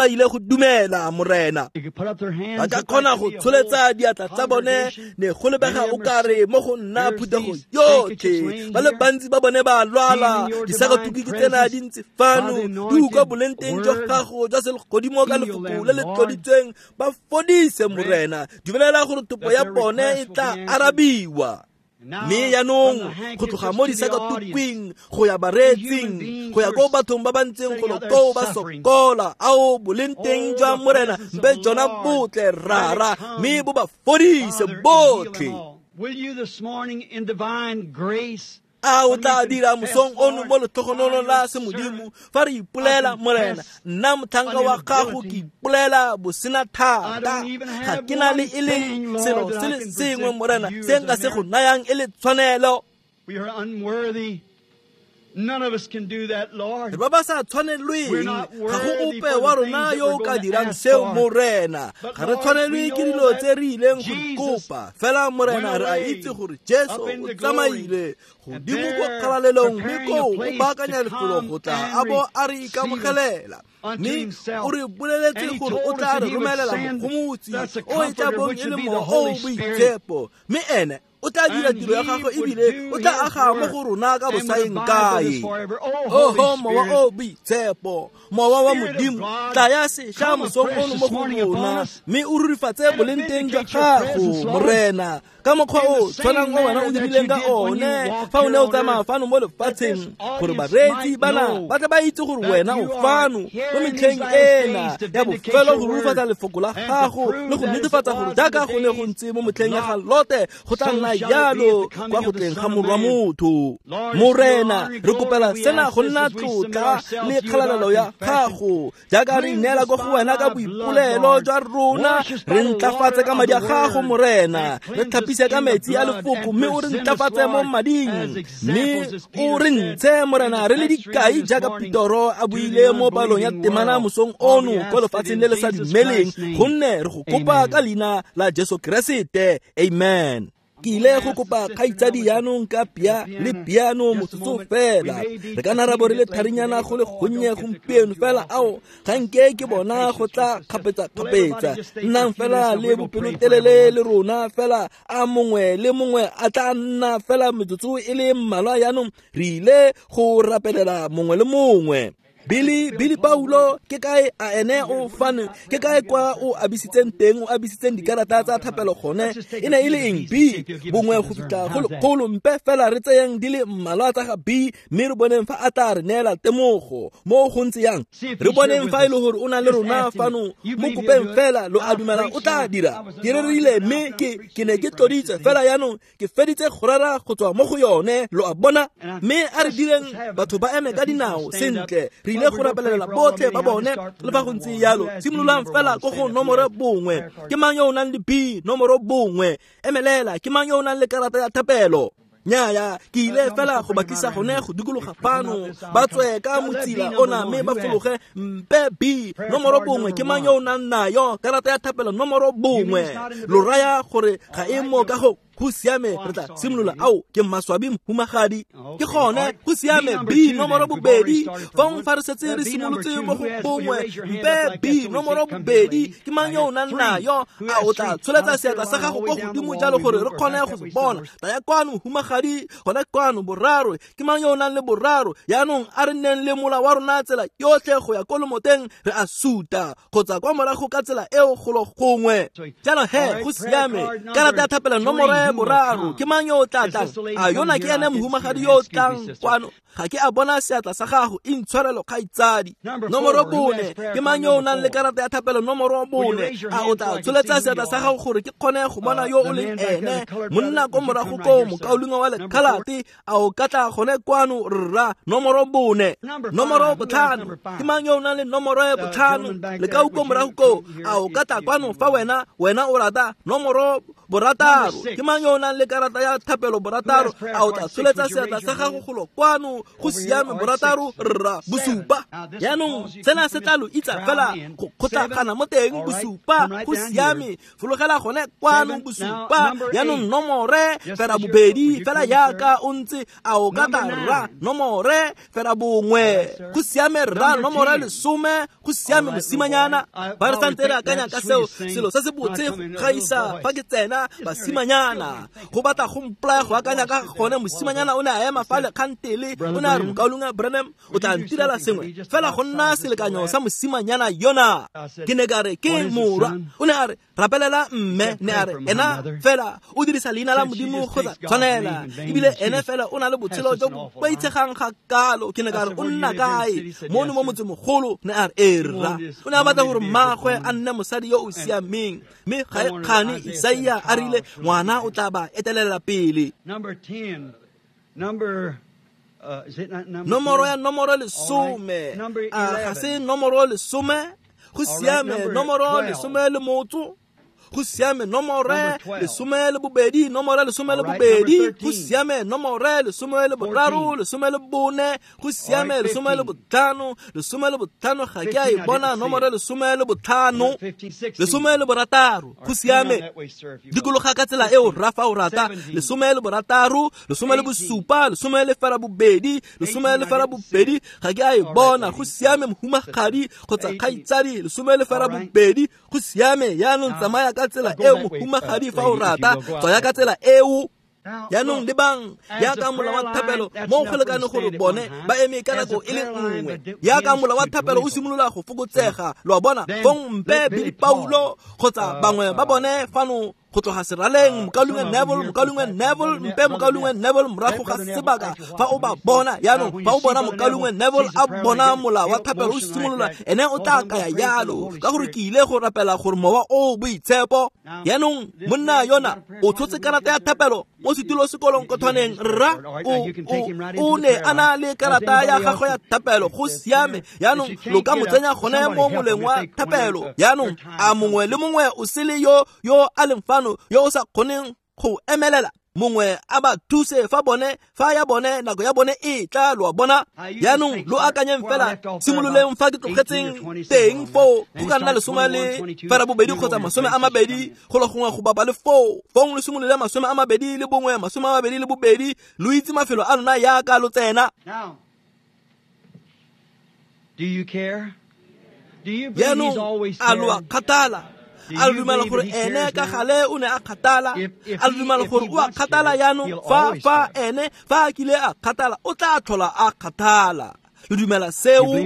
ile go dumela, Morena. Ba ka kgona go tsholetsa diatla tsa bone, ne go lebega o kare mo go nna phuthego yotlhe. Ba le bantsi ba bone ba lwala, disakatuku ke tsena di ntse fano, di utlwa boleng teng jwa gago jwa selegodimo ka lefoko le le tloditsweng, ba fodise, Morena. Dumelela gore topo ya bone e tla arabiwa. Mme jaanong go tloga mo disakatukwing go ya bareetsing, go ya ko bathong ba ba ntseng golo koo ba sokola, ao boleng teng jwa Morena mpe jona botle, Rara, mme bo ba fodise botlhe. Will you this morning in divine grace A o tla dira mosong ono mo letlhogonolong la semodimo fa re ipolela, Morena, nna motlhanka wa gago ke ipolela bosena thata, ga ke na le e leng selo se le sengwe, Morena, se nka se go nayang e le tshwanelo. We are unworthy. None of us can do that, Lord. Re ba ba sa tshwanelweng, ga go ope wa rona yo o ka dirang seo, Morena. Ga re tshwanelwe ke dilo tse re ileng go di kopa, fela Morena re a itse gore Jesu o tsamaile godimo ko kgalalelong, mme koo o baakanya lefelo go tla a bo a re ikamogelela. Mme o re boleletse gore o tla re romelela mogomotsi o e tla bong e le Mowa o o Boitshepo, mme ene o tla dira tiro ya gagwe ebile o tla aga mo go rona ka bosaeng kae. Oho Mowa o Boitshepo, Mowa wa Modimo, tlaya sešwa mosong ono mo go rona, mme o rurifatse boleng teng jwa gago, Morena, ka mokgwa o tshwanang o wena o dirileng ka one fa o ne o tsamaya fano mo lefatsheng, gore bareetsi bana ba tle ba itse gore wena o fano mo metlheng ena ya bofelo go rurifatsa lefoko la gago le go netefatsa gore jaaka go ne go ntse mo motlheng ya ga Lote, go tla nna jalo kwa go tleng ga Morwa motho. Morena, re kopela sena go nna tlotla le kgalalelo ya gago, jaaka re ineela ko go wena ka boipolelo jwa rona, re ntlafatse ka madi a gago, Morena, re tlhapise ka metsi a lefoko, mme o re ntlafatse mo mading, mme o re ntshe, Morena, re le dikai jaaka Petoro a buile mo palong ya temana mosong ono ko lefatsheng le le sa dumeleng, gonne re go kopa ka leina la Jesu Keresete. Amen. Ke ile go kopa kgaitsadi jaanong ka pia le piano motsotso fela. Re ka nna ra bo re le tharinyana go le gonnye gompieno, fela ao ga nke ke bona go tla kgapetsa-kgapetsa. Nnang fela le bopelotelele le rona fela, a mongwe le mongwe a tla nna fela metsotso e le mmalwa jaanong, re ile go rapelela mongwe le mongwe. Billy Paulo ke kae a ene o fano, ke kae kwa o abisitseng teng, o abisitseng dikarata tsa thapelo gone, e ne e le eng? B bongwe go fitlha go lekgolo, mpe fela re tseyeng di le mmalwa tsa ga B, mme re boneng fa a tla re neela temogo mo go ntse yang. Re boneng fa e le gore o na le rona fano, mo kopeng fela, lo a dumela o tla dira. Ke rerile mme ke ne ke tloditswe fela jaanong ke feditse go rera go tswa mo go yone, lo a bona. Mme a re direng batho ba eme ka dinao sentle, re ile go rapelela botlhe ba bone le fa go ntse jalo. Simololang fela ko go nomoro 1. Ke mang yo o nang le B nomoro 1? Emelela. Ke mang yo o nang le karata ya thapelo? Nnyaya, ke ile fela go ba tlisa gone go dikologa fano, ba tswe ka motsila ona mme ba fologe. Mpe B nomoro 1, ke mang yo o nang nayo karata ya thapelo nomoro 1? Lo raya gore ga e mo ka go siame, re tla simolola. Ao, ke maswabi mohumagadi. Ke gone, go siame. B nomoro 2, fong fa re setse re simolotse mo go 1. Mpe B nomoro 2, ke mang yo o nang nayo? A o tla tsholetsa seatla sa gago ko godimo jalo gore re kgone go se bona. Taya kwano mohumagadi, gone kwano. 3, ke mang yo o nang le 3? Yaanong a re nneng le mola wa rona tsela yotlhe go ya ko lomoteng, re a suta kgotsa kwa morago ka tsela eo golo gongwe. Jalo he, go siame. Karata ya thapelo nomoro 3, ke mang yo o tla tlang? A yona ke ene mohumagadi yo o tlang kwano? Ga ke a bona seatla sa gago, intshwarelo kgaitsadi. Nomoro 4, ke mang yo o nang le karata ya thapelo nomoro 4? A o tla tsholetsa seatla sa gago gore ke kgone go bona yo o leng ene? Monna ko morago koo, mokaulengwe wa lekhalate, a o ka tla gone kwano rra? Nomoro 4. Nomoro 5, ke mang yo o nang le nomoro 5? Lekau ko morago koo, a o ka tla kwano fa wena o rata? Nomoro 6, ke mang yo o nang le karata ya thapelo 6? A o tla tsholetsa seatla sa gago golo kwano? Go siame. 6 rra. 7. Yaanong sena se tla lo itsa fela go kgotlagana mo teng. 7, go siame, fologela gone kwano. 7. Yaanong nomore 2, fela yaka o ntse, a o ka tla rra? Nomore 1, go siame rra. Nomore 10, go siame mosimanyana. Ba re santse re akanya ka seo, selo se se botse go gaisa fa ke tsena basimanyana. Go batla go mpolaya go akanya ka gone. Mosimanyana o ne a ema fa lekgantele, o ne a re, mokaulengwe Branham, o tla ntirela sengwe fela go nna selekanyo sa mosimanyana yona. Ke ne ka re, ke morwa. O ne a re, rapelela mme. Ne a re, ena fela o dirisa leina la Modimo go sa tshwanela, ebile ene fela o na le botshelo jo bo boitshegang ga kalo. Ke ne ka re, o nna kae? Mono mo motsemogolo. Ne a re, ee rra. O ne a batla gore mmaagwe a nne mosadi yo o siameng, mme ga e kgane Isaia a rile ngwana o tla ba etelela pele. Nomoro ya nomoro 10, a ga se nomoro 10? Go siame. Nomoro 11, go siame. Nomore 12, nomore 12, go siame. Nomore 13, 14, go siame. 15, 15, ga ke a e bona. Nomore 15, 16, go siame. Dikologa ka tsela eo rra fa o rata. 16, 17, 18, 18, ga ke a e bona. Go siame mohumagadi kgotsa kgaitsadi. 18, go siame. Yaanong tsamaya ka tsela eo mohumagadi fa o rata, tswaya ka tsela eo. Yaanong lebang yaka mola wa thapelo mo go lekane gore bone ba eme ka nako e le nngwe. Yaka mola wa thapelo o simolola go fokotsega, lo a bona. Fong mpe Billy Paulo kgotsa bangwe ba bone fano go tloga seraleng, mokaulengwe Neville, mpe mokaulengwe Neville morago ga sebaka fa o ba bona. Yaanong fa o bona mokaulengwe Neville a bona mola wa thapelo o simolola, ene o tla kaya yalo, ka gore ke ile go rapela gore mowa o boitshepo. Yaanong monna yona o tshotse karata ya thapelo mo setulo sekolong kothwaneng rra, o ne a na le karata ya gagwe ya thapelo. Go siame. Yaanong lo ka mo tsenya gone mo moleng wa thapelo. Yaanong a mongwe le mongwe o sele yo a leng fano yo o sa kgoneng go emelela, mongwe a ba thuse fa bone, fa ya bone nako ya bone e tla, lo a bona. Yaanong lo akanyeng fela, simololeng fa ke tlogetseng teng foo, go ka nna 12 kgotsa 20 go le gongwe go bapa le foo. Fong lo simolole 21, 22, lo itse mafelo a lona yaka lo tsena. Yaanong a lo a kgathala? A dumela gore ene ka gale o ne a kgathala? A dumela gore o a kgathala yaanong? Fa ene fa a kile a kgathala, o tla tlhola a kgathala. Lo dumela seo?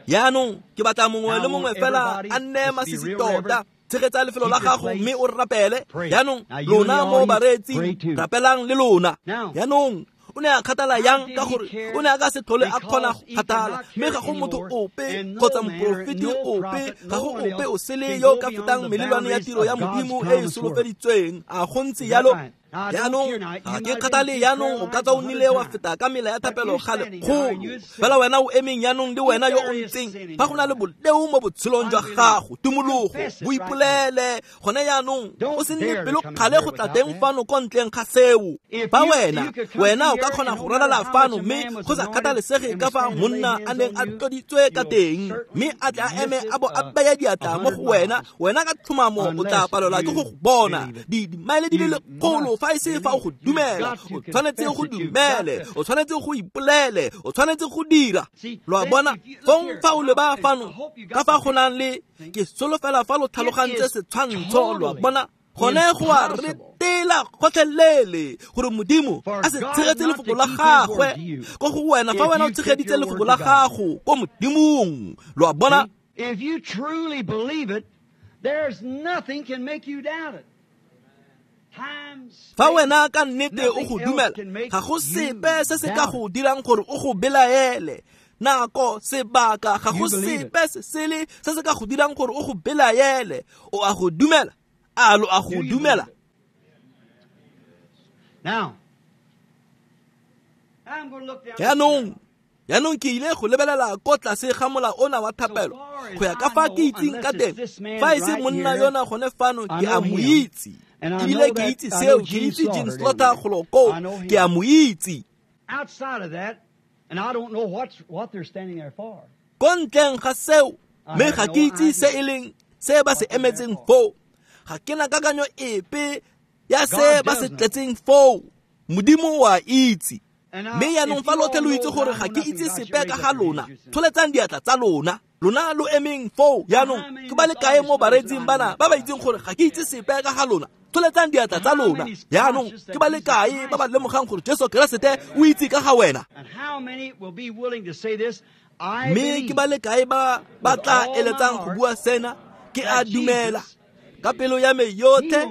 Yaanong ke batla mongwe le mongwe fela a nne masisi tota. Tshegetsa lefelo la gago mme o rapele. Yaanong lona mo bareetsing, rapelang le lona. Yaanong o ne a kgathala yang? Ka gore o ne a ka se tlhole a kgona go kgathala, mme ga go motho ope kgotsa moporofeti ope, ga go ope o sele yo ka fetang melelwane ya tiro ya Modimo e e solofeditsweng. A go ntse yalo? Jaanong ga ke kgathale, jaanong o ka tswa o nnile wa feta ka mela ya thapelo ga lekgolo, fela wena o emeng jaanong le wena yo o ntseng fa go na le boleo mo botshelong jwa gago, tumologo, boipolele gone jaanong, o se nne pelo kgale go tla teng fano ko ntleng ga seo. Fa wena o ka kgona go ralala fano mme go sa kgathalesege ka fa monna a neng a tloditswe ka teng, mme a tle a eme a bo a baya diatla mo go wena, wena ka tlhomamo o tla palelwa ke go go bona dimaele di le lekgolo fa e se fa o go dumela. O tshwanetse go dumele, o tshwanetse go ipolele, o tshwanetse go dira. Lo a bona? Fong fa o leba fano ka fa go nang le, ke solofela fa lo tlhalogantse setshwantsho, lo a bona? Gone go a retela gotlhelele gore Modimo a se tshegetse lefoko la gagwe ko go wena fa wena o tshegeditse lefoko la gago ko Modimong. Lo a bona? If you truly believe it, there's nothing can make you doubt it. Fa wena ka nnete o go dumela, ga go sepe se se ka go dirang gore o go belaele. Nako, sebaka, ga go sepe se sele se se ka go dirang gore o go belaele. O a go dumela? A lo a go dumela? Jaanong ke ile go lebelela ko tlase ga mola ona wa thapelo go ya ka fa ke itseng ka teng. Fa e se monna yona gone fano, ke a mo itse. Ebile ke itse seo, ke itse Jean Slaughter golo koo, ke a mo itse. Ko ntleng ga seo, mme ga ke itse se e leng se ba se emetseng foo. Ga ke na kakanyo epe ya se ba se tletseng foo. Modimo wa itse. Mme jaanong fa lotlhe lo itse gore ga ke itse sepe ka ga lona, tsholetsang diatla tsa lona. Lona lo emeng foo jaanong, ke ba le kae mo bareetsing bana ba ba itseng gore ga ke itse sepe ka ga lona? Tsholetsang diatla tsa lona. Jaanong ke ba le kae ba ba lemogang gore Jesu Keresete o itse ka ga wena? Mme ke ba le kae ba ba tla eletsang go bua sena? Ke a dumela ka pelo ya me yotlhe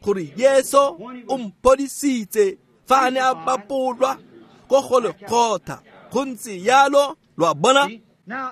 gore Jesu o mphodisitse fa a ne a bapolwa ko Golgotha. Go ntse yalo, lo a bona?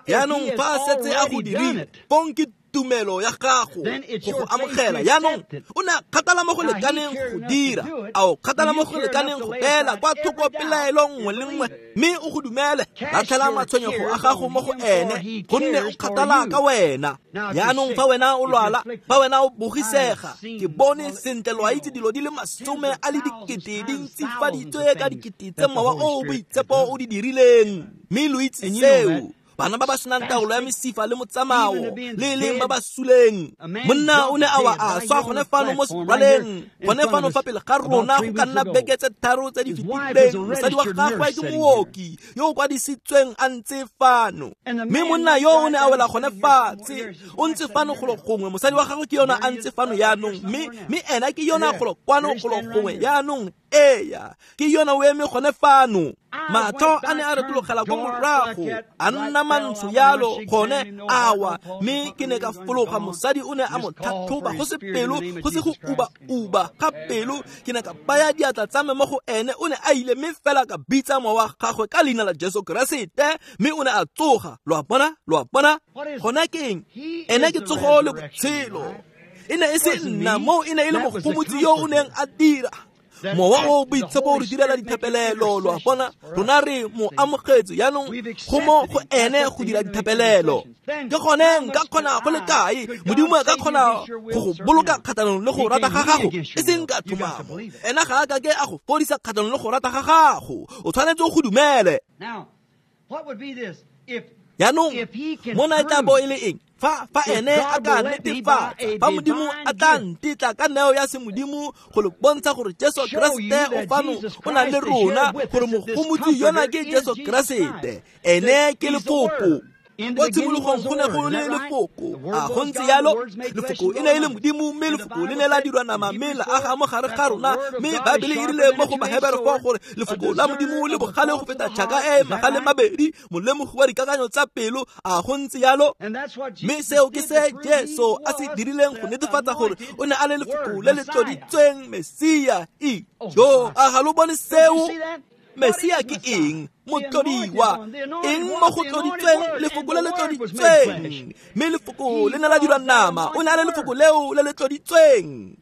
Jaanong fa a setse a go dirile, fong ke tumelo ya gago go go amogela. Jaanong o ne a kgathala mo go lekaneng go dira, a o kgathala mo go lekaneng go beela kwa thoko pelaelo nngwe le nngwe, mme o go dumele. Latlhela matshwenyego a gago mo go ene, gonne o kgathala ka wena. Jaanong fa wena o lwala, fa wena o bogisega, ke bone sentle lo a itse dilo di le 10,000 di ntsifaditswe ka dikete tse mowa o o boitshepo o di dirileng, mme lo itse seo. Bana ba ba senang taolo ya mesifa le motsamao, le leng ba ba suleng. Monna o ne a wa a swa gone fano mo seraleng, gone fano fa pele ga rona go ka nna beke tse 3 tse di fetileng. Mosadi wa gagwe ke mooki yo o kwadisitsweng a ntse fano, mme monna yo o ne a wela gone fatshe, o ntse fano golo gongwe. Mosadi wa gagwe ke yona a ntse fano jaanong, mme ena ke yona golo kwano golo gongwe jaanong. Eya, ke yona o eme gone fano. Matlho a ne a retologela ko morago, a nna mantsho yalo gone awa, mme ke ne ka fologa. Mosadi o ne a mo tlhatlhoba go se pelo, go se go uba-uba ga pelo. Ke ne ka baya diatla tsa me mo go ene, o ne a ile, mme fela ka bitsa mowa wa gagwe ka leina la Jesu Keresete, mme o ne a tsoga. Lo a bona? Lo a bona? Gone ke eng? Ene ke tsogo le botshelo. E ne e se nna moo, e ne e le mogomotsi yo o neng a dira. Mowa o boitshepo o re direla dithapelelo, lo a bona? Rona re mo amogetse jaanong, go mo go ene go dira dithapelelo. Ke gone nka kgona go le kae Modimo a ka kgona go go boloka kgatlhanong le go rata ga gago, e seng ka tlhomamo. Ena ga a ka ke a go fodisa kgatlhanong le go rata ga gago, o tshwanetse go dumele. Jaanong mona e tla bo e le eng? Fa ene a ka netefatsa, fa Modimo a tla ntetla ka neo ya semodimo go le bontsha gore Jesu Keresete o fano o na le rona, gore mogomotsi yona ke Jesu Keresete, ene ke lefoko. Ko tshimologong go ne go le lefoko, a go ntse yalo? Lefoko e ne e le Modimo, mme lefoko le ne la dirwa nama mme la aga mo gare ga rona. Mme Baebele e rile mo go Bahebere foo gore lefoko la Modimo le bogale go feta tšhaka e magale mabedi, molemogi wa dikakanyo tsa pelo. A go ntse yalo? Mme seo ke se Jesu a se dirileng go netefatsa gore o ne a le lefoko le le tloditsweng, Mesia. Ijo, a ga lo bone seo? Mesia ke eng? Motlodiwa. Eng mo go tloditsweng? Lefoko le le tloditsweng. Mme lefoko le ne la dirwa nama, o ne a le lefoko leo le le tloditsweng.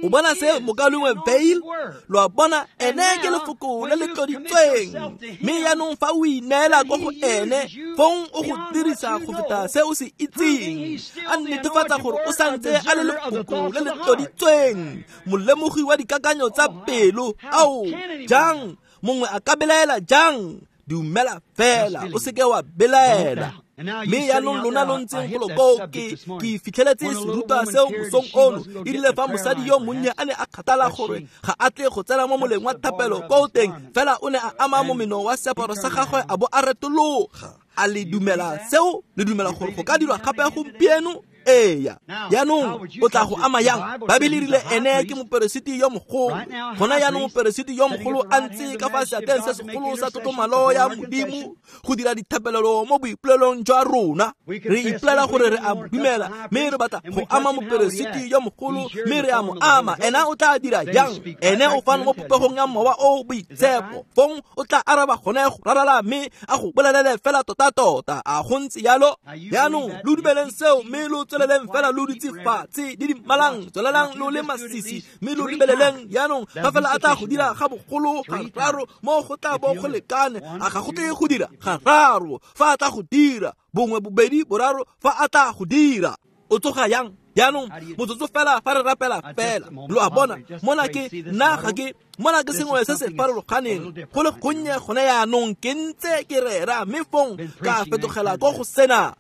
O bona se mokalengwe Veil? Lo a bona, ene ke lefoko le le tloditsweng. Mme jaanong fa o ineela ko go ene, fong o go dirisa go feta se o se itseng. A netefatsa gore o santse a le lefoko le le tloditsweng, molemogi wa dikakanyo tsa pelo. Ao, jang mongwe a ka belaela jang? Dumela fela, o seke wa belaela. Mme jaanong lona lo ntseng golo koo, ke fitlheletse serutwa seo mosong ono. E rile fa mosadi yo monnye a ne a kgathala gore ga a tle go tsena mo moleng wa thapelo ko teng, fela o ne a ama momeno wa seaparo sa gagwe a bo a retologa. A le dumela seo? Le dumela gore go ka dirwa gape gompieno? Eya. Jaanong o tla go ama yang? Baebele e rile ene ke moperesiti yo mogolo. Gona jaanong moperesiti yo mogolo a ntse ka fa seatleng se segolo sa tlotlomalo ya Modimo go dira dithapelelo mo boipolelong jwa rona. Re ipolela gore re a mo dumela, mme re batla go ama moperesiti yo mogolo, mme re a mo ama. Ena o tla dira jang? Ene o fano mo popegong ya Mowa o Boitshepo. Fong o tla araba gone go rarala mme a go bolelele fela tota-tota. A go ntse yalo? Jaanong lo dumeleng seo mme lo tsweleleng fela lo dutse fatshe di dimalang, tswelelang lo le masisi mme lo lebeleleng. Jaanong fa fela a tla go dira ga bogolo gararo, mo go tla bo go lekane. A ga go tle go dira gararo? Fa a tla go dira bongwe, bobedi, boraro, fa a tla go dira, o tsoga yang? Jaanong motsotso fela fa re rapela fela, lo a bona, mona ke nna ga ke mona ke sengwe se se farologaneng go le gonnye gone jaanong ke ntse ke rera, mme fong ka fetogela ko go sena.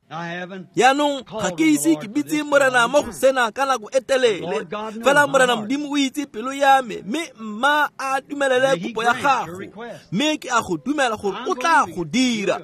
Jaanong ga ke ise ke bitse Morena mo go sena ka nako e telele, fela Morena Modimo o itse pelo ya me, mme mma a dumelele kopo ya gago, mme ke a go dumela gore o tla go dira.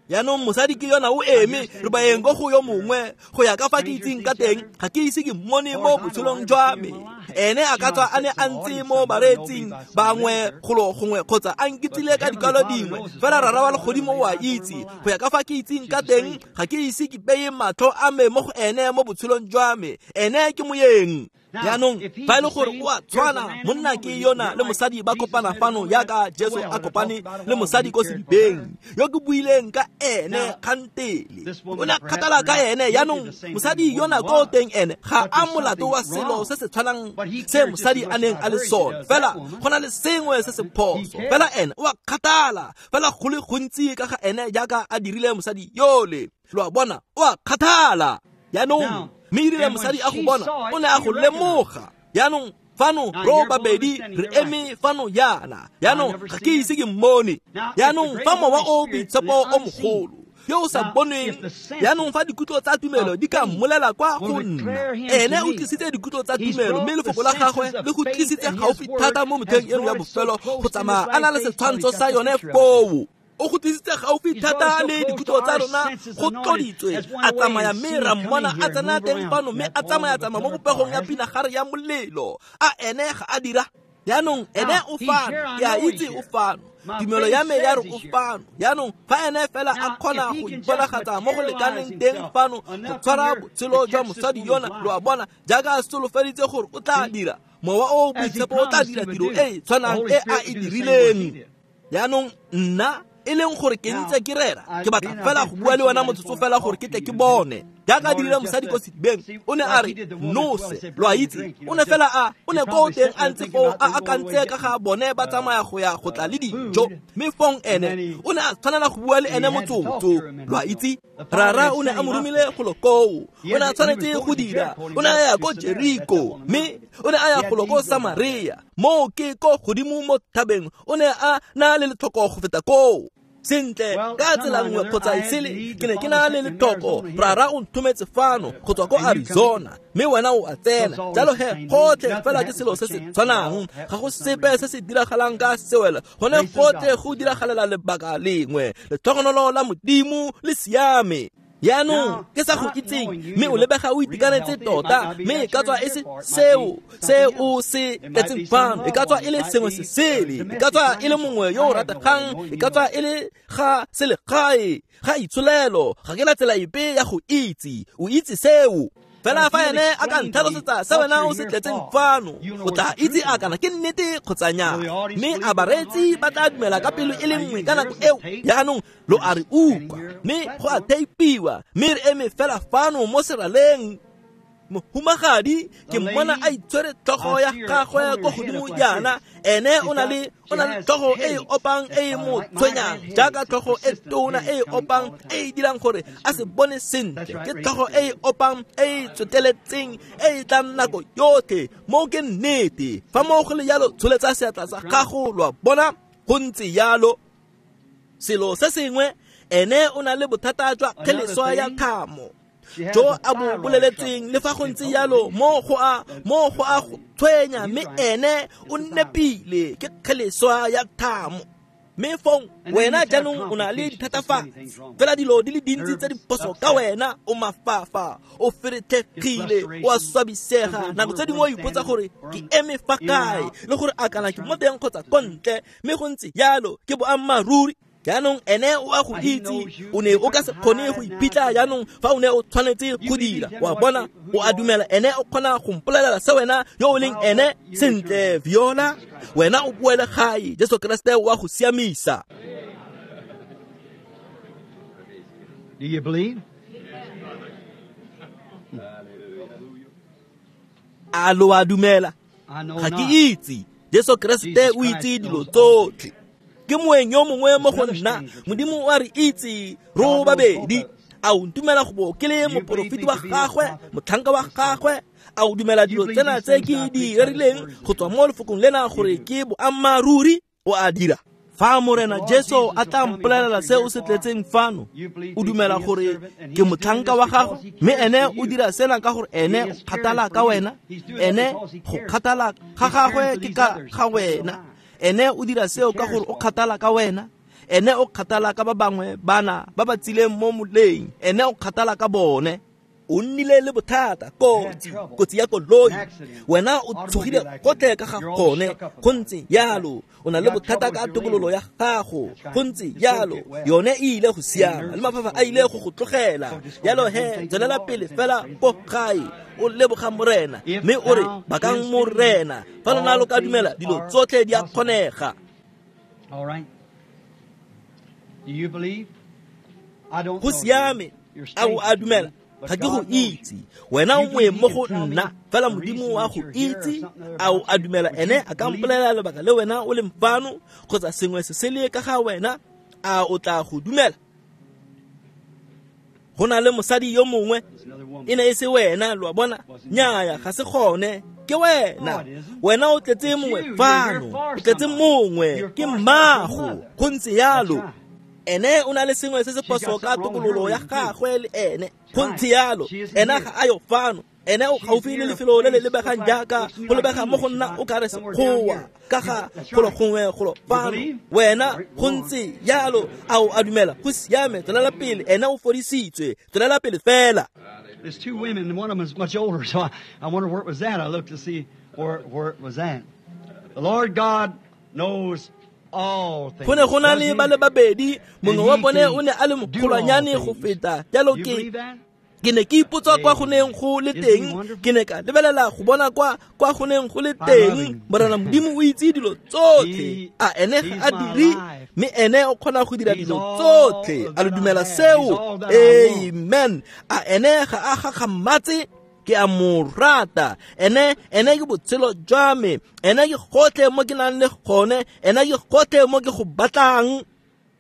Jaanong mosadi ke yona o eme, re baeng ko go yo mongwe. Go ya ka fa ke itseng ka teng, ga ke ise ke mmone mo botshelong jwa me. Ene a ka tswa a ne a ntse mo bareetsing bangwe golo gongwe, kgotsa a nkitsile ka dikwalo dingwe, fela Rara wa legodimo o a itse. Go ya ka fa ke itseng ka teng, ga ke ise ke beye matlho a me mo go ene mo botshelong jwa me. Ene ke moyeng. Jaanong fa e le gore o a tshwana, monna ke yona le mosadi ba kopana fano yaka Jesu a kopane le mosadi ko sedibeng yo ke buileng ka ene kgantele. O ne a kgathala ka ene. Jaanong mosadi yona ko teng ene ga a molato wa selo se se tshwanang se mosadi a neng a le sone, fela go na le sengwe se se phoso. Fela ene o a kgathala fela go le gontsi ka ga ene jaaka a dirile mosadi yole. Lo a bona, o a kgathala. Jaanong mme e rile mosadi a go bona, o ne a go lemoga. Jaanong fano ro babedi re eme fano yana. Jaanong ga ke ise ke mmone. Jaanong fa Mowa o Boitshepo o mogolo yo o sa bonweng, jaanong fa dikutlo tsa tumelo di ka mmolela kwa go nna, ene o tlisitse dikutlo tsa tumelo, mme lefoko la gagwe le go tlisitse gaufi thata mo motheng eno ya bofelo go tsamaya a na le setshwantsho sa yone foo. O go tlisitse gaufi thata le dikutlo tsa rona go tloditswe. A tsamaya mme ra mmona a tsena teng fano, mme a tsamaya-tsamaya mo popegong ya pinagare ya molelo. A ene ga a dira? Jaanong ene o fano, ke a itse o fano. Tumelo ya me ya re o fano. Jaanong fa ene fela a kgona go iponagatsa mo go lekaneng teng fano go tshwara botshelo jwa mosadi yona, lo a bona, jaaka a solofeditse gore o tla dira, Mowa o Boitshepo o tla dira tiro e e tshwanang e a e dirileng. Jaanong nna e leng gore ke ntse ke rera, ke batla fela go bua le wena motsotso fela gore ke tle ke bone. Jaaka a dirile mosadi ko sedibeng, o ne a re nose, lo a itse, o ne fela a o ne ko teng a ntse foo a akantse ka ga bone ba tsamaya go ya go tla le dijo, mme fong ene o ne a tshwanela go bua le ene motsotso, lo a itse. Rara o ne a mo romile golo koo, o ne a tshwanetse go dira, o ne a ya ko Jeriko, mme o ne a ya golo ko Samaria, moo ke ko godimo mo thabeng, o ne a na le letlhoko go feta koo. Sentle, ka tsela nngwe kgotsa e sele, ke ne ke na le letlhoko. Rara o nthometse fano go tswa ko Arizona, mme wena o a tsena. Jalo he gotlhe fela ke selo se se tshwanang, ga go sepe se se diragalang ka sewelo, gone gotlhe go diragalela lebaka lengwe. Letlhogonolo la Modimo le siame. Jaanong ke sa go itseng, mme o lebega o itekanetse tota, mme e ka tswa e se seo se o se tletseng fano, e ka tswa e le sengwe se sele, e ka tswa e le mongwe yo o rategang, e ka tswa e le ga selegae, ga itsholelo. Ga ke na tsela epe ya go itse, o itse seo. Fela fa ene a ka ntlhalosetsa se wena o se tletseng fano, o tla itse a kana ke nnete kgotsa nnyaa. Mme a bareetsi ba tla dumela ka pelo e le nngwe ka nako eo. Jaanong lo a re utlwa, mme go a teipiwa, mme re eme fela fano mo seraleng. Mohumagadi ke mmona a itshwere tlhogo ya gagwe ko godimo jaana, ene o na le tlhogo e e opang e e mo tshwenyang, jaaka tlhogo e tona e e opang e e dirang gore a se bone sentle. Ke tlhogo e e opang e e tsweteletseng e e tlang nako yotlhe. Moo ke nnete. Fa moo go le jalo, tsholetsa seatla sa gago, lo a bona, go ntse jalo. Selo se sengwe, ene o na le bothata jwa kgeleswa ya thamo jo a bo boleletseng, le fa go ntse jalo mo go a go tshwenya, mme ene o nepile, ke kgeleswa ya thamo. Mme fong wena jaanong o na le dithatafatsi, fela dilo di le dintsi tse di phoso ka wena, o mafafa, o feretlhegile, o a swabisega. Nako tse dingwe o ipotsa gore ke eme fa kae, le gore a kana ke mo teng kgotsa ko ntle, mme go ntse jalo ke boammaaruri. Jaanong ene o a go itse, o ne o ka se kgone go iphitlha jaanong fa o ne o tshwanetse go dira. Wa bona, o a dumela ene o kgona go mpolelela se wena yo o leng ene. Sentle, Viola, wena o boele gae, Jesu Kriste o a go siamisa. Do you believe? A lo a dumela? Ga ke itse. Jesu Kriste o itse dilo tsotlhe. Ke moeng yo mongwe mo go nna, Modimo o a re itse ro babedi. A o ntumela go bo ke le moporofeti wa gagwe, motlhanka wa gagwe? A o dumela dilo tsena tse ke di rerileng go tswa mo lefokong lena gore ke boammaaruri? O a dira. Fa Morena Jesu a tla mpolelela se o se tletseng fano, o dumela gore ke motlhanka wa gagwe, mme ene o dira sena ka gore ene o kgathala ka wena, ene go kgathala ga gagwe ke ka ga wena. Ene o dira seo ka gore o kgathala ka wena, ene o kgathala ka ba bangwe bana ba ba tsileng mo moleng, ene o kgathala ka bone. O nnile le bothata, kotsi ya koloi, wena o tshogile gotlhe ka ga gone, go ntse jalo. O na le bothata ka tokololo ya gago, go ntse jalo. Yone e ile go siama, le mafafa a ile go go tlogela. Jalo he, tswelela pele fela ko gae, o leboga Morena, mme o re bakang Morena. Fa lona lo ka dumela, dilo tsotlhe di a kgonega. Go siame, a o a dumela? Ga ke go itse, wena o moeng mo go nna, fela Modimo wa go itse. A o a dumela ene a ka mpolelela lebaka le wena o leng fano, kgotsa sengwe se sele ka ga wena? A o tla go dumela? Go na le mosadi yo mongwe, e ne e se wena, lo a bona? Nnyaya, ga se gone, ke wena. Wena o tletse mongwe fano, o tletse mongwe, ke mmago, go ntse jalo. Ene o na le sengwe se se phoso ka tokololo ya gagwe le ene, go ntse jalo. Ena ga a yo fano, ene o gaufi le lefelo le le lebegang jaaka go lebega mo go nna o kare sekgowa ka ga golo gongwe golo fano. Wena go ntse jalo. A o a dumela? Go siame, tswelela pele, ene o fodisitswe, tswelela pele fela. There's two women, and one of them is much older, so I wonder where it was at. I looked to see where it was at. The Lord God knows Go ne go na le ba le babedi, mongwe wa bone o ne a le mogolwanyane go feta. Jalo ke ne ke ipotsa kwa go neng go le teng, ke ne ka lebelela go bona kwa go neng go le teng. Morena Modimo o itse dilo tsotlhe, a ene ga a dire, mme ene o kgona go dira dilo tsotlhe. A lo dumela seo? Amen. A ene ga a gakgamatse? Ke a mo rata. Ene ke botshelo jwa me, ene ke gotlhe mo ke nang le gone, ene ke gotlhe mo ke go batlang.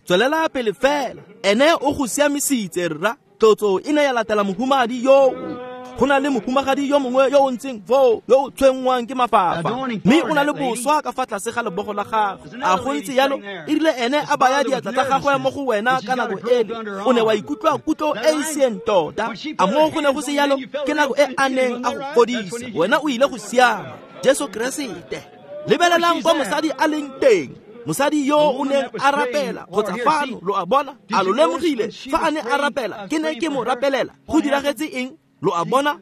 Tswelela pele fela, ene o go siamisitse rra. Tlotso e ne ya latela mohumagadi yo. Go na le mohumagadi yo mongwe yo o ntseng foo, yo o tshwenngwang ke mafafa, mme o na le boswa ka fa tlase ga lebogo la gagwe. A go ntse jalo? E rile ene a baya diatla tsa gagwe mo go wena ka nako ele, o ne wa ikutlwa kutlo e e sieng tota. A moo go ne go se jalo? Ke nako e a neng a go fodisa, wena o ile go siama. Jesu Keresete. Lebelelang kwa mosadi a leng teng. Mosadi yo o neng a rapela kgotsa fano, lo a bona? A lo lemogile fa a ne a rapela? Ke ne ke mo rapelela. Go diragetse eng? Lo a bona?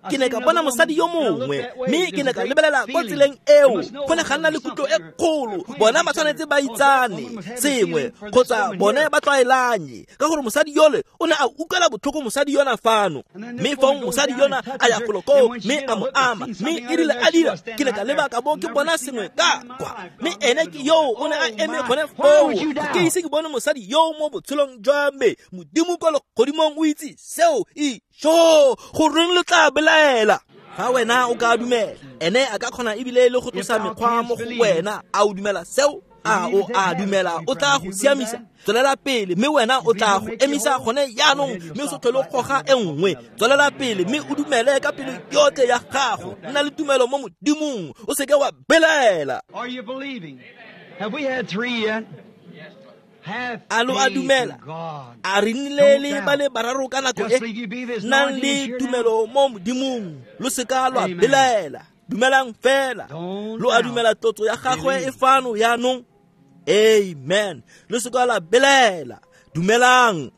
Ke ne ka bona mosadi yo mongwe, mme ke ne ka lebelela kwa tseleng eo. Go ne ga nna le kutlo e kgolo. Bona ba tshwanetse ba itsane sengwe, kgotsa bone ba tlwaelanye, ka gore mosadi yole o ne a utlwela botlhoko mosadi yona fano. Mme fong mosadi yona a ya golo koo, mme a mo ama, mme e rile a dira, ke ne ka leba ka bo ke bona sengwe ka kwa. Mme ene ke yoo o ne a eme gone foo. Ke ise ke bone mosadi yoo mo botshelong jwa me. Modimo kwa legodimong o itse seo. Sho, goreng le tla belaela belaela. Fa wena o ka dumela, ene a ka kgona ebile le go tlosa mekgwa mo go wena. A o dumela seo? A o a dumela o tla go siamisa? Tswelela pele mme wena o tla go emisa gone jaanong, mme o se tlhole o goga e nngwe. Tswelela pele mme o dumele ka pelo yotlhe ya gago. Nna le tumelo mo Modimong, o seke wa belaela. Are you believing? Have we had three yet? A lo a dumela? A re nnile le ba le bararo ka nako e? Nnang le tumelo mo Modimong, lo seka lwa belaela. Dumelang fela. Lo a dumela tlotso ya gagwe e fano jaanong? Amen. Lo seka la belaela. Dumelang.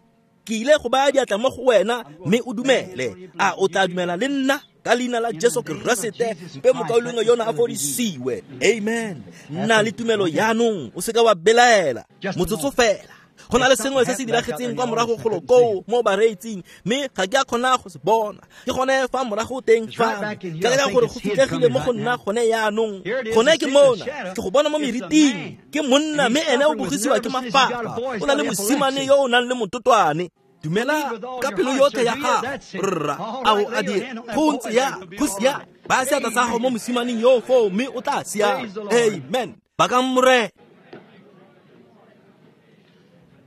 Ke ile go baya diatla mo go wena mme o dumele. A o tla dumela le nna? Ka leina la Jesu Keresete, mpe mokaulengwe yona a fodisiwe. Amen. Nna le tumelo jaanong, o seka wa belaela. Motsotso fela. Go na le sengwe se se diragetseng kwa morago golo koo mo bareetsing, mme ga ke a kgona go se bona. Ke gone fa morago teng fano. Ke leka gore go fitlhegile mo go nna gone jaanong. Gone ke mona, ke go bona mo meriting. Ke monna mme ene o bogisiwa ke mafapa. O na le mosimane yo o nang le mototwane. Dumela ka pelo yotlhe ya gago, rra. A o a dira? Go ntse ya, go sia. Baya seatla sa gago mo mosimaneng yo foo mme o tla siama. Amen. Bakang Morena.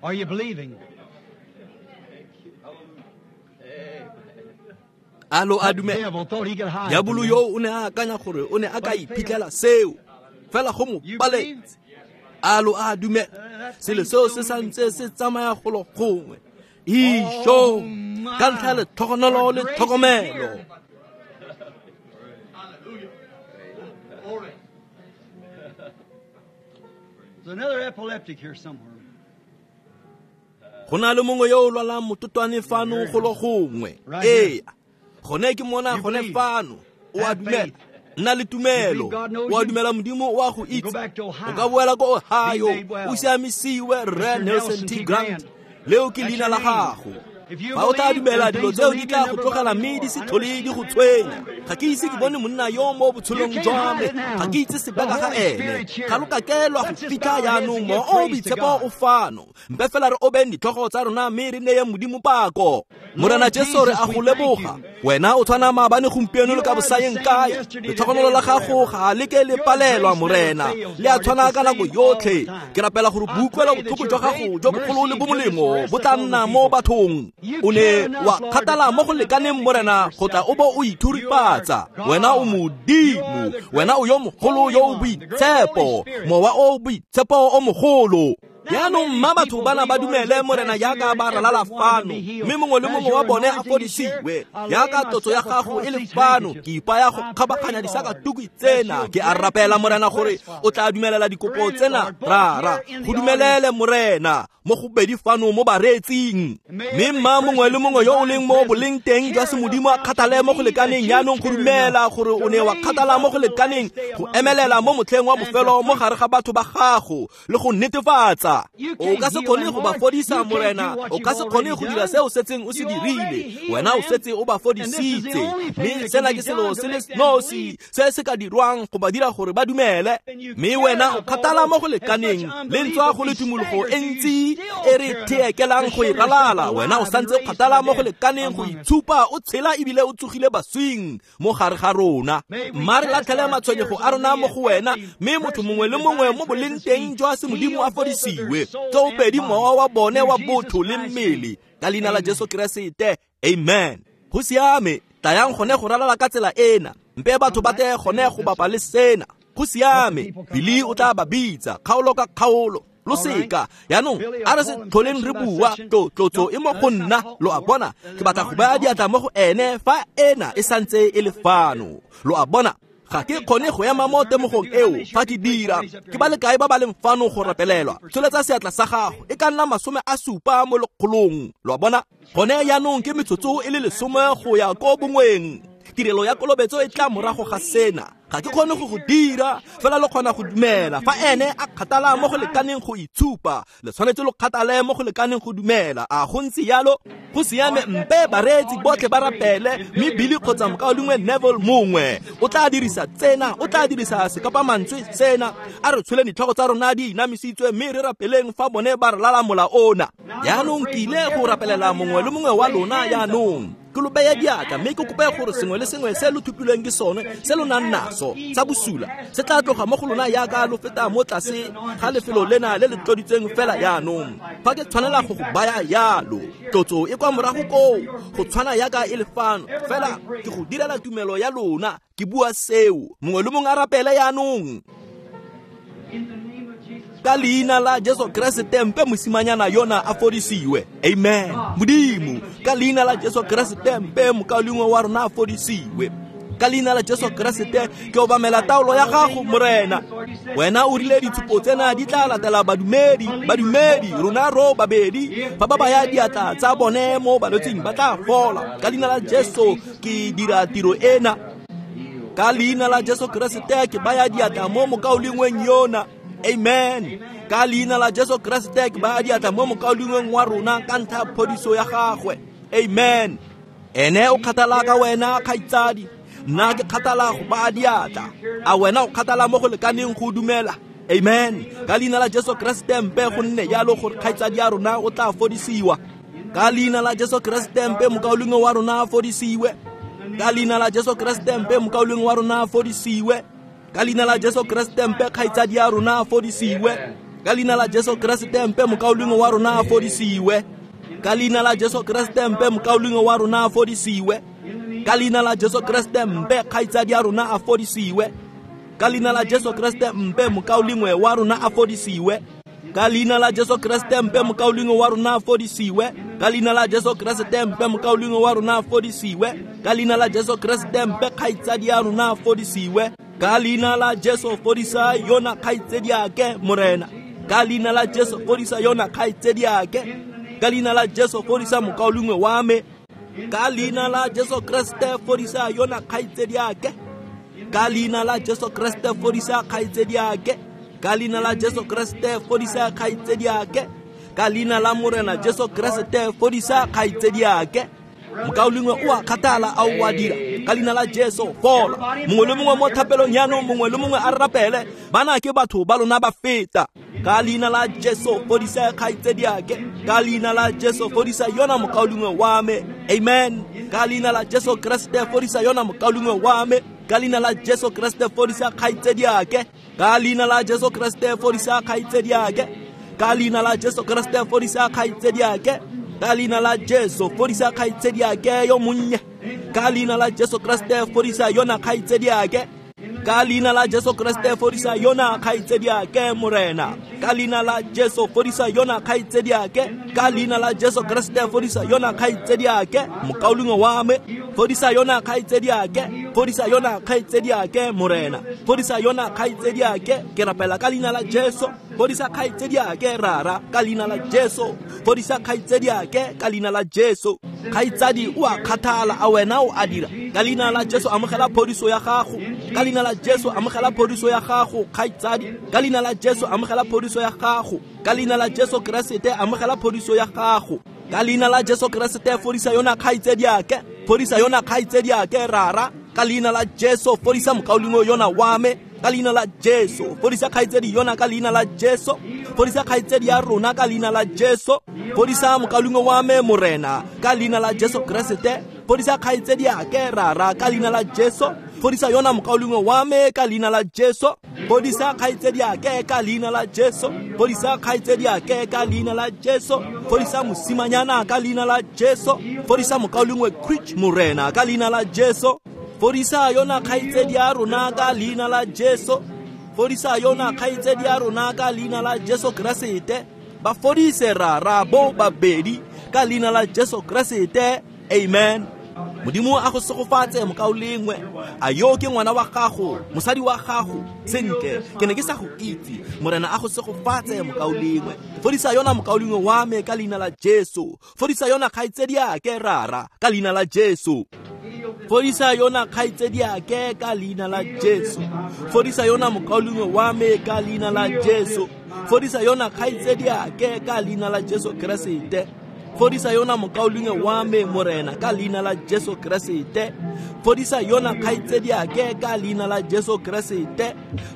Are you believing? A lo a dumela? Diabolo yo o ne a akanya gore o ne a ka iphitlhela seo, fela go mo paletse. A lo a dumela? Selo seo se santse se tsamaya golo gongwe. Isho, ka ntlha ya letlhogonolo le tlhokomelo. There's another epileptic here somewhere. Go na le mongwe yo o lwalang mototwane fano golo gongwe. Ee, gone ke mona gone fano. O a dumela. Nna le tumelo. O a dumela Modimo o a go itse. O ka boela ko Ohio, o siamisiwe Rre Nelson T. Grant. Leo ke leina la gago. Fa o tla dumela, dilo tseo di tla go tlogela mme di se tlhole di go tshwenya. Ga ke ise ke bone monna yo mo botshelong jwa me. Ga ke itse sebaka ga ene. Ga lo ka ke lwa go fitlha jaanong. Mowa o o boitshepo o fano. Mpe fela re obeng ditlhogo tsa rona mme re neye Modimo pako. Morena Jesu, re a go leboga. Wena o tshwana maabane, gompieno le ka bosayeng kae. Letlhogonolo la gago ga le ke le palelwa, Morena. Le a tshwana ka nako yotlhe. Ke rapela gore boutlwelo botlhoko jwa gago jo bogolo le bomolemo bo tla nna mo bathong. O ne wa kgathala mo go lekaneng, Morena, go tla o bo o ithurifatsa. Wena o Modimo, wena o yo mogolo yo o boitshepo, mowa o boitshepo o mogolo. Jaanong mma batho bana ba dumele, Morena, jaaka ba ralala fano, mme mongwe le mongwe wa bone a fodisiwe. Jaaka tlotso ya gago e le fano, ke ipaya go kgabaganya disakatuku tsena. Ke a rapela, Morena, gore o tla dumelela dikopo tsena. Rara, go dumelele, Morena, mo go bedi fano mo bareetsing. Mme mma mongwe le mongwe yo o leng mo boleng teng jwa semodimo a kgathale mo go lekaneng jaanong go dumela gore o ne wa kgathala mo go lekaneng go emelela mo motlheng wa bofelo mo gare ga batho ba gago le go netefatsa. O ka se kgone go ba fodisa, Morena. O ka se kgone go dira se o setseng o se dirile. Wena o setse o ba fodisitse, mme sena ke selo se le nosi se se ka dirwang go ba dira gore ba dumele. Mme wena o kgathala mo go lekaneng le ntswa go le tumologo e ntsi e re theekelang go e ralala. Wena o santse o kgathala mo go lekaneng go itshupa o tshela ebile o tsogile baswing mo gare ga rona. Mma re latlhele matshwenyego a rona mo go wena, mme motho mongwe le mongwe mo boleng teng jwa semodimo a fodisiwe. Tsoopedi mowa wa bone wa botho le mmele. Ka leina la Jesu Keresete, amen. Go siame, tlayang gone go ralala ka tsela ena. Mpe batho ba tle gone go bapa le sena. Go siame, Billy o tla ba bitsa kgaolo ka kgaolo. Lo seka jaanong a re se tlholeng re bua. Tlotso e mo go nna, lo a bona. Ke batla go baya diatla mo go ene fa ena e santse e le fano. Lo a bona, ga ke kgone go ema mo temogong eo fa ke dira. Ke ba le kae ba ba leng fano go rapelelwa? Tsholetsa seatla sa gago, e ka nna 70 mo lekgolong. Lo a bona, gone jaanong ke metsotso e le 10 go ya ko bongweng. Tirelo ya kolobetso e tla morago ga sena. Ga ke kgone go go dira, fela lo kgona go dumela. Fa ene a kgathala mo go lekaneng go itshupa, le tshwanetse lo kgathale mo go lekaneng go dumela. A go ntse jalo? Go siame, mpe bareetsi botlhe ba rapele, mme Billy kgotsa mokaulengwe Neville mongwe o tla dirisa tsena, o tla dirisa sekapamantswe sena. A re tsholeng ditlhogo tsa rona di inamisitswe mme re rapeleng fa bone ba re lala mola ona. Jaanong ke ile go rapelela mongwe le mongwe wa lona jaanong. Ke lo beye diatla mme ke kope gore sengwe le sengwe se lo thupilweng ke sone se lo nang naso sa bosula se tla tloga mo go lona yaka lo feta mo tlase ga lefelo lena le le tloditsweng fela yaanong. Fa ke tshwanela go go baya yalo, tlotso e kwa morago koo go tshwana yaka e le fano, fela ke go direla tumelo ya lona. Ke bua seo, mongwe le mongwe a rapele yaanong. Ka leina la Jesu Keresete mpe mosimanyana yona a fodisiwe. Amen. Modimo, ka leina la Jesu Keresete mpe mokaulengwe wa rona a fodisiwe. Ka leina la Jesu Keresete ke obamela taolo ya gago, Morena. Wena o rile ditshupo tsena di tla latela badumedi, badumedi rona ro babedi fa ba baya diatla tsa bone mo balwetsing ba tla fola. Ka leina la Jesu ke dira tiro ena. Ka leina la Jesu Keresete ke baya diatla mo mokaulengweng yona. Amen. Ka leina la Jesu Keresete ke baya diatla mo mokaulengweng wa rona ka ntlha ya phodiso ya gagwe. Amen. Ene o kgathala ka wena, kgaitsadi. Nna ke kgathala go baya diatla. A wena o kgathala mo go lekaneng go dumela? Amen. Ka leina la Jesu Keresete mpe go nne jalo gore kgaitsadi ya rona o tla fodisiwa. Ka leina la Jesu Keresete mpe mokaulengwe wa rona a fodisiwe. Ka leina la Jesu Keresete mpe mokaulengwe wa rona a fodisiwe. Ka leina la Jesu Keresete mpe kgaitsadi ya rona a fodisiwe. Ka leina la Jesu Keresete mpe mokaulengwe wa rona a fodisiwe. Ka leina la Jesu Keresete mpe mokaulengwe wa rona a fodisiwe. Ka leina la Jesu Keresete mpe kgaitsadi ya rona a fodisiwe. Ka leina la Jesu Keresete mpe mokaulengwe wa rona a fodisiwe. Ka leina la Jesu Keresete mpe mokaulengwe wa rona a fodisiwe. Ka leina la Jesu Keresete mpe mokaulengwe wa rona a fodisiwe. Ka leina la Jesu Keresete mpe kgaitsadi ya rona a fodisiwe. Ka leina la Jesu fodisa yona kgaitsedi yake, Morena. Ka leina la Jesu fodisa yona kgaitsedi yake. Ka leina la Jesu fodisa mokaulengwe wa me. Ka leina la Jesu Keresete fodisa yona kgaitsedi yake. Ka leina la Jesu Keresete fodisa kgaitsedi yake. Ka leina la Jesu Keresete fodisa kgaitsedi yake. Ka leina la Morena Jesu Keresete fodisa kgaitsedi yake. Mokaulengwe o a kgathala a o a dira. Ka leina la Jesu fola. Mongwe le mongwe mo thapelong yaanong, mongwe le mongwe a rapele. Bana ke batho ba lona ba feta. Ka leina la Jesu fodisa kgaitsedi yake. Ka leina la Jesu fodisa yona mokaulengwe wa me. Amen. Ka leina la Jesu Keresete fodisa yona mokaulengwe wa me. Ka leina la Jesu Keresete fodisa kgaitsedi yake. Ka leina la Jesu Keresete fodisa kgaitsedi yake. Ka leina la Jesu Keresete fodisa kgaitsedi yake. Ka leina la Jesu fodisa kgaitsedi yake yo monnye. Ka leina la Jesu Keresete fodisa yona kgaitsedi yake. Ka leina la Jesu Keresete fodisa yona kgaitsedi yake, Morena. Ka leina la Jesu fodisa yona kgaitsedi yake. Ka leina la Jesu Keresete fodisa yona kgaitsedi yake, mokaulengwe wa me. Fodisa yona kgaitsedi yake. Fodisa yona kgaitsedi yake, Morena. Fodisa yona kgaitsedi yake. Ke rapela ka leina la Jesu. Fodisa kgaitsedi yake, Rara, ka leina la Jesu. Fodisa kgaitsedi yake ka leina la Jesu. Kgaitsadi o a kgathala, a wena o a dira. Ka leina la Jesu amogela phodiso ya gago. Ka leina la Jesu amogela phodiso ya gago, kgaitsadi. Ka leina la Jesu amogela phodiso ya gago. Ka leina la Jesu Keresete amogela phodiso ya gago. Ka leina la Jesu Keresete fodisa yona kgaitsedi yake. Fodisa yona kgaitsedi yake, Rara. Ka leina la Jesu fodisa mokaulengwe yona wa me. Ka leina la Jesu fodisa kgaitsedi yona ka leina la Jesu. Fodisa kgaitsedi ya rona ka leina la Jesu. Fodisa mokaulengwe wa me, Morena, ka leina la Jesu Keresete. Fodisa kgaitsedi yake, Rara, ka leina la Jesu. Fodisa yona mokaulengwe wa me ka leina la Jesu. Fodisa kgaitsedi yake ka leina la Jesu. Fodisa kgaitsedi yake ka leina la Jesu. Fodisa mosimanyana ka leina la Jesu. Fodisa mokaulengwe Creech, Morena, ka leina la Jesu. Fodisa yona kgaitsedi ya rona ka leina la Jesu. Fodisa yona kgaitsedi ya rona ka leina la Jesu Keresete. Ba fodise, Rara, bo babedi ka leina la Jesu Keresete. Amen. Modimo a go segofatse, mokaulengwe. A yo ke ngwana wa gago, mosadi wa gago? Sentle, ke ne ke sa go itse. Morena a go segofatse, mokaulengwe. Fodisa yona mokaulengwe wa me ka leina la Jesu. Fodisa yona kgaitsedi yake, Rara, ka leina la Jesu. Fodisa yona kgaitsedi yake ka leina la Jesu. Fodisa yona mokaulengwe wa me ka leina la Jesu. Fodisa yona kgaitsedi yake ka leina la Jesu Keresete. Fodisa yona mokaulengwe wa me, Morena, ka leina la Jesu Keresete. Fodisa yona kgaitsedi yake ka leina la Jesu Keresete.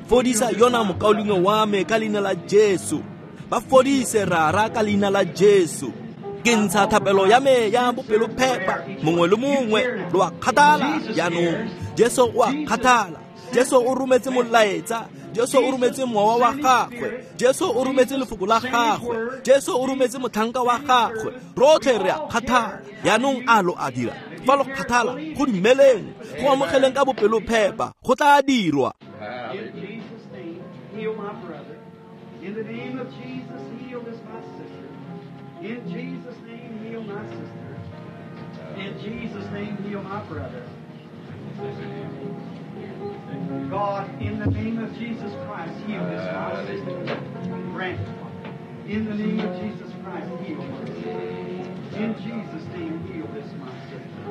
Fodisa yona mokaulengwe wa me ka leina la Jesu. Ba fodise, Rara, ka leina la Jesu. Ke ntsha thapelo ya me ya bopelophepa. Mongwe le mongwe lo a kgathala jaanong. Jesu o a kgathala. Jesu o rometse molaetsa. Jesu o rometse mowa wa gagwe. Jesu o rometse lefoko la gagwe. Jesu o rometse motlhanka wa gagwe. Rotlhe re a kgathala. Jaanong a lo a dira. Fa lo kgathala, go dumeleng, go amogeleng ka bopelophepa, go tla dirwa. In Jesus' name, heal my brother. In the name of Jesus, heal this my sister. In Jesus' name, heal my sister. In Jesus' name, heal my brother. God, in the name of Jesus Christ, heal this my sister. Grant it. In the name of Jesus Christ, heal my sister. In Jesus' name, heal this my sister.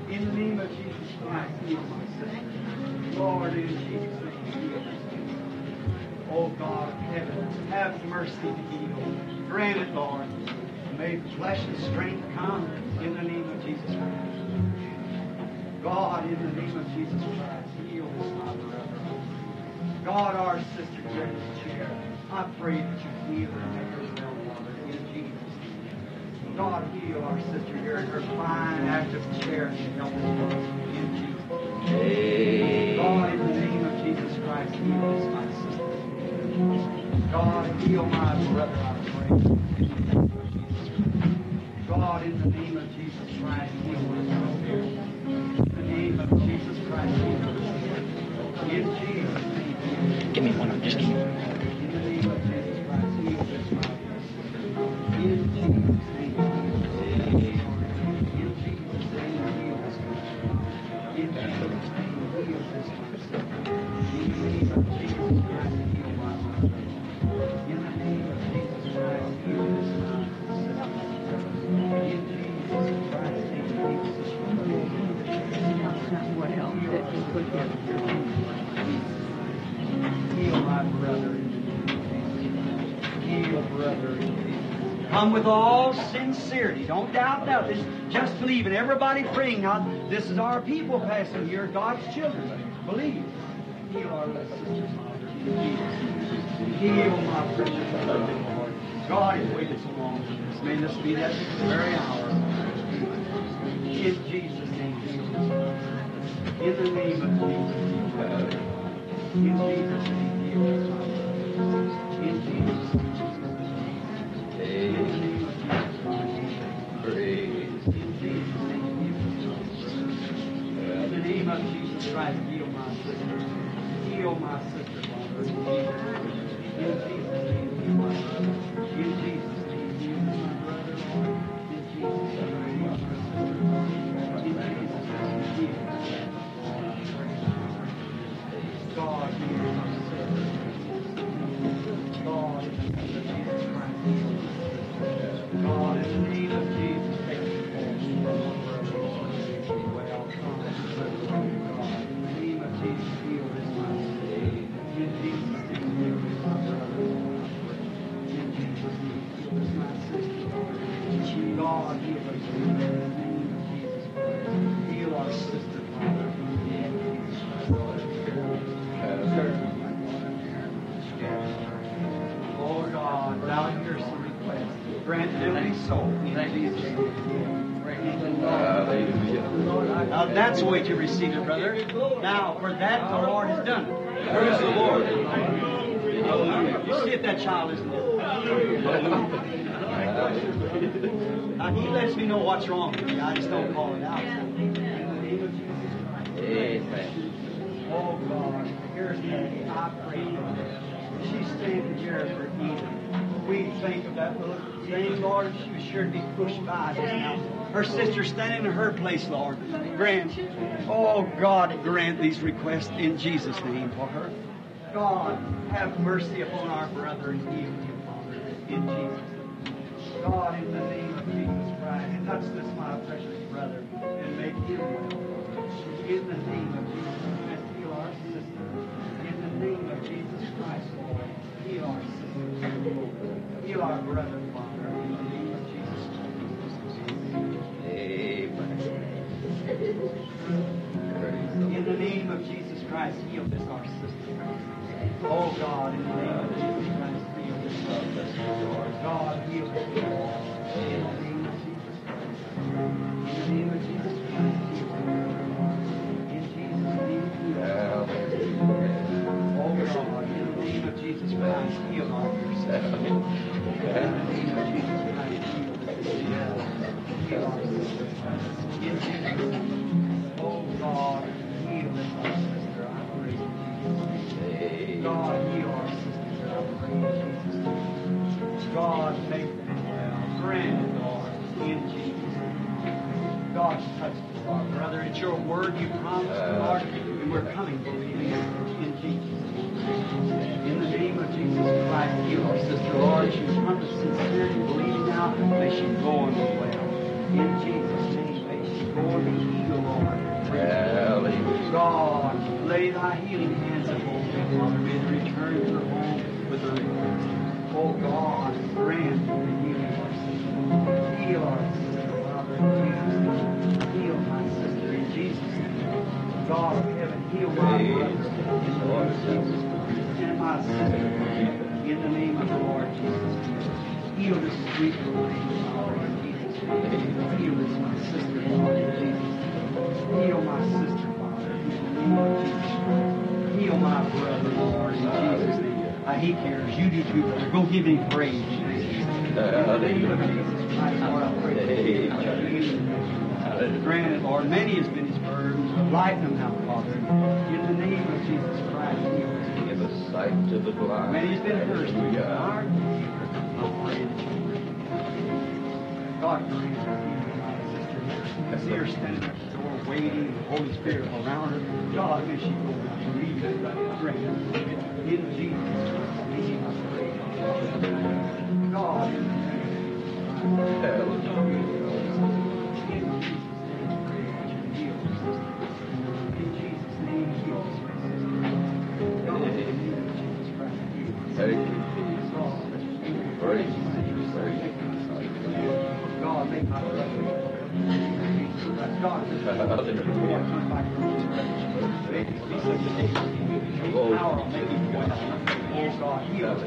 In the name of Jesus Christ, heal my sister. Lord, in Jesus' name, heal this sister. Oh God of heaven, have mercy to heal. Grant it, Lord. May flesh and strength come in the name of Jesus Christ. God, in the name of Jesus Christ, heal this my brother. God, our sister here in this chair, I pray that you heal her and make her well, Father, in Jesus' name. God, heal our sister here in her fine, active chair and help us, Lord, in Jesus' name. God, in the name of Jesus Christ, heal this my sister. God, heal my brother, I pray, in the name of Jesus Christ. God, in the name of Jesus Christ, heal this my sister. In the name of Jesus Christ, heal this sister. In Jesus' name. Give me one. Just give me one. In the name of Jesus Christ, heal this my sister. In Jesus' name, heal this. In Jesus' name, heal this my sister. In Jesus' name, heal this my sister. In the name of Jesus Christ, heal my brother. In the name of Jesus Christ, heal this my sister. In Jesus Christ's name, heal this my brother. What else that you put here? Heal my brother in Jesus. Heal brother in Jesus. Come with all sincerity. Don't doubt that. This, just believe. And everybody praying now. This is our people passing here, God's children. Believe. Heal our little sisters, Father, in Jesus. Heal my precious brother, Lord. God has waited so long for this. May this be that very hour. In Jesus' name, heal us. In the name of Jesus, heal us. In Jesus' name, heal us. In Jesus' name, in the name of Jesus Christ. In Jesus' name, heal us. In the name of Jesus Christ, heal my sister. Heal my sister, Father. In Jesus' name. In Jesus' name, heal my brother. In Jesus' name, heal my brother, Lord. In Jesus' name, heal my sister. In Jesus' name, heal. God, heal my sister. God, in the name of Jesus Christ, heal my sister. God, in the name of Jesus, take the force from my brother, Lord. Well, come, God. In the name of Jesus, heal this my sister. In Jesus' name, heal this my brother, Lord. In Jesus' name, heal this my sister, Lord. God, heal us in the name of Jesus Christ. Heal our sister, Father. In Jesus Christ. Oh God, thou hearest the request. Grant it to be so in Jesus' name. Now that's the way to receive it, brother. Now, for that the Lord has done it. Praise the Lord. Hallelujah. You see if that child isn't there. Hallelujah. Now, he lets me know what's wrong with me. I just don't call it out. In the name of Jesus Christ. Amen. Oh God, here's Patty. I pray for her. She's standing here for Eden. We think of that little thing, Lord. She was sure to be pushed by just now. Her sister standing in her place, Lord. Grant, oh God, grant these requests in Jesus' name for her. God, have mercy upon our brother and heal him, Father, in Jesus' name. God, in the name of Jesus Christ, touch this my precious brother and make him well, Father. In the name of Jesus Christ, heal our sister. In the name of Jesus Christ, Lord, heal our sister. Heal our brother, Father, in the name of Jesus Christ. Amen. In the name of Jesus Christ, heal this our sister. Oh God, in the name of Jesus Christ, heal this our sister. God, heal this. In the name of Heal our dear sister. In the name of Jesus Christ, heal this sister. Heal our sister. In Jesus' name. Oh God, heal this our sister, I pray in Jesus' name. God, heal our sister, I pray in Jesus' name. God, make them well. Grant it, Lord, in Jesus' name. God, touch us, our brother. It's your word you promised, Lord, and we're coming believing it in Jesus' name. In the name of Jesus Christ, heal our sister, Lord. She's come to sincerely believing now. May she go and be well. In Jesus' name, may she go and be healed, Lord. Hallelujah. God, lay thy healing hands upon them, Father. May they return to her home with her request. Oh God, grant the healing of our sister. Heal our sister, Father, in Jesus' name. Heal my sister in Jesus' name. God of heaven, heal my brother in the name of Jesus Christ, and my sister in the name of the Lord Jesus Christ. Heal this sweet little lady, Father, in Jesus' name. Heal this my sister, Lord, in Jesus' name. Heal my sister, Father, in the name of Jesus Christ. Heal my brother, Lord, in Jesus' name. He cares. You do too, brother. Go give him praise. In the name of Jesus Christ, Lord, I pray. Grant it, Lord. Many has been his burdens, but lighten them now, Father. In the name of Jesus Christ, heal us. Give us sight to the blind. Many has been hers. I pray that you grant. God grant her, my sister here. I see her standing at the door waiting, the Holy Spirit around her. God, may she go now. Believe it. Grant it. In Jesus' name, I pray. God, in the name of Jesus. In Jesus' name, I pray that you heal her sister. In Jesus' name, heal her sister. God, in the name of Jesus Christ, heal her sister. Thank you, Jesus. Praise you, praise you. God, make my brother. God, may it be such a day. Power will make it go down. Oh God, heal us.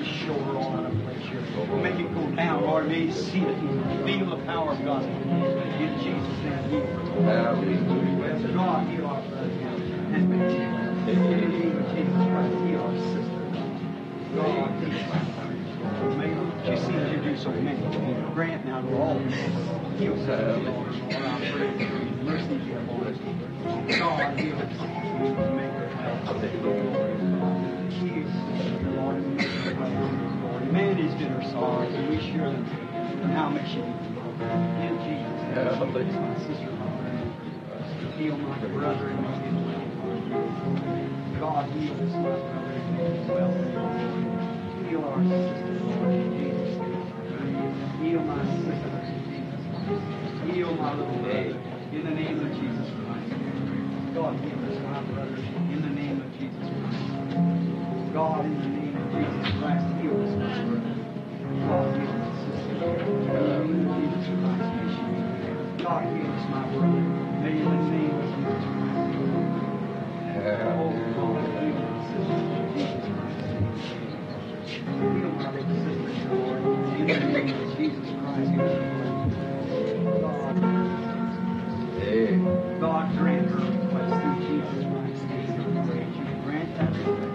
Shoulder all out of place here. Make it go down, Lord. May you see it and feel the power of God. In Jesus' name, heal. Hallelujah. God, heal our brother. And in the name of Jesus Christ, heal our sister. God, heal our brother. May she seems to do so many. Grant now to all. Heal sister, Lord. Lord, I pray for your mercy be upon us. God, heal us. Make her healthy. Heal sister, Lord, and make her well. Man has been her sorrows, and we share them. And how may she be healed? In Jesus' name, my sister, Lord. Heal my brother and make him well. God, heal this my brother and make him well. Heal our sister, Lord, in Jesus' name. Heal my sister in Jesus' name. Heal my little brother in the name of Jesus Christ. God, heal this my brother in the name of Jesus Christ. God, in the name of Jesus Christ, heal this my brother. God, heal this sister. In the name of Jesus Christ, may she be well. God, heal this my brother. May in the name of Jesus Christ. Oh, God, heal this sister in Jesus Christ. Heal my little sister, Lord, in the name of Jesus Christ. God, God, grant her request through Jesus Christ's name. I pray that you grant that request.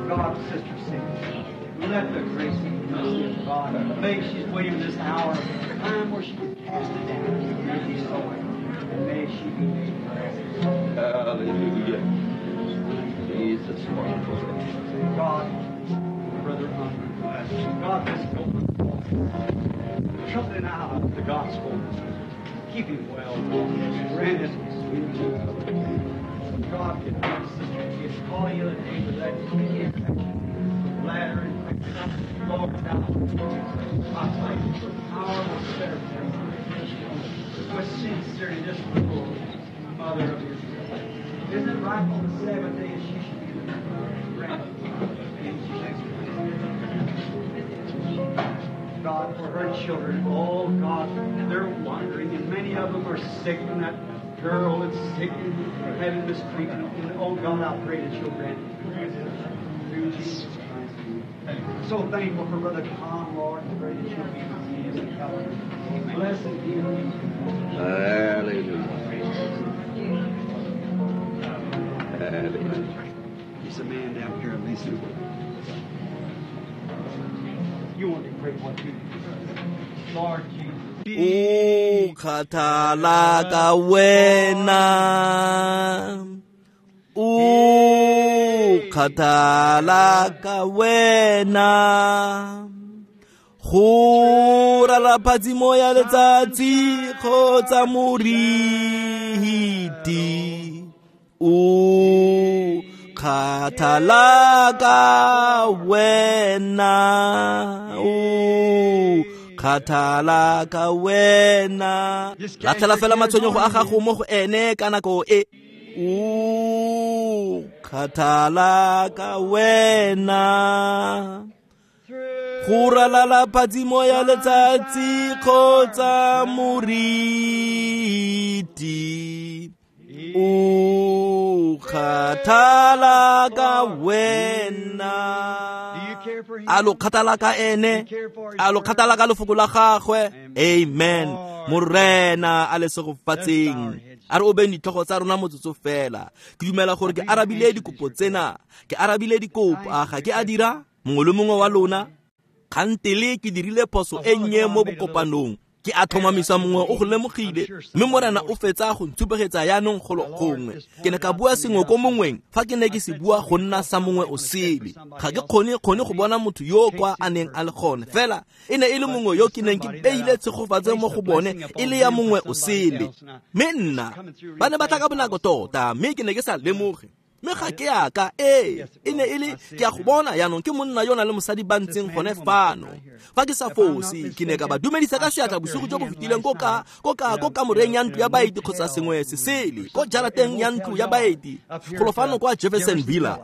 God, Sister Cindy, let the grace and mercy of God. May she's waiting this hour, time where she can cast it down and be soil, and may she be made well. Hallelujah. Jesus, wonderful. God, Brother Hunter, God, this open something out of the gospel. Keep him well, Lord. Grant it in Jesus' name. God, get my sister, get call you the other day with that kidney infection, bladder infection. Lord, now, I pray for the power of the better with sincerity, this little mother of Israel. Isn't it right on the seventh day she should be the granted in Jesus Christ? God, for her children, oh God, they're wandering, and many of them are sick, and that girl is sick and having mistreatment. And oh God, I pray that you'll grant it through Jesus Christ. So thankful for Brother Tom, Lord, and pray that you'll be with him and help him. Blessed be him. Hallelujah. Hallelujah. There's a man down here, Lisa. You want to pray for too. Lord Jesus. O kgathala ka wena, o kgathala ka wena, go rala phatsimo ya letsatsi kgotsa moriti, o kgathala ka wena, o kgathala ka wena. Latlhela fela matshwenyego a gago mo go ene ka nako e. O kgathala ka wena, go ralala phatsimo ya letsatsi kgotsa moriti, o kgathala ka wena. A lo kgathala ka ene, a lo kgathala ka lefoko la gagwe. Amen. Morena a le segofatseng. A re obeng ditlhogo tsa rona motsotso fela. Ke dumela gore ke arabile dikopo tsena, ke arabile dikopo. A ga ke a dira? Mongwe le mongwe wa lona. Kgantele ke dirile phoso e nnye mo bokopanong, ke a tlhomamisa mongwe o go lemogile, mme Morena o fetsa go ntshupegetsa yaanong golo gongwe. Ke ne ka bua sengwe ko mongweng fa ke ne ke se bua go nna sa mongwe o sele. Ga ke kgone go bona motho yo kwa a neng a le gone, fela e ne e le mongwe yo ke neng ke beile tshegofatso mo go bone e le ya mongwe o sele. Mme nna ba ne ba tla ka bonako tota, mme ke ne ke sa lemoge. Mme ga ke yaka, ee, e ne e le ke a go bona yaanong ke monna yo na le mosadi ba ntseng gone fano. Fa ke sa fose, ke ne ka ba dumedisa ka seatla bosigo jo bo fetileng ko kamoreng ya ntlo ya baeti kgotsa sengwe se sele, ko jarateng ya ntlo ya baeti, golo fano kwa Jefferson Villa.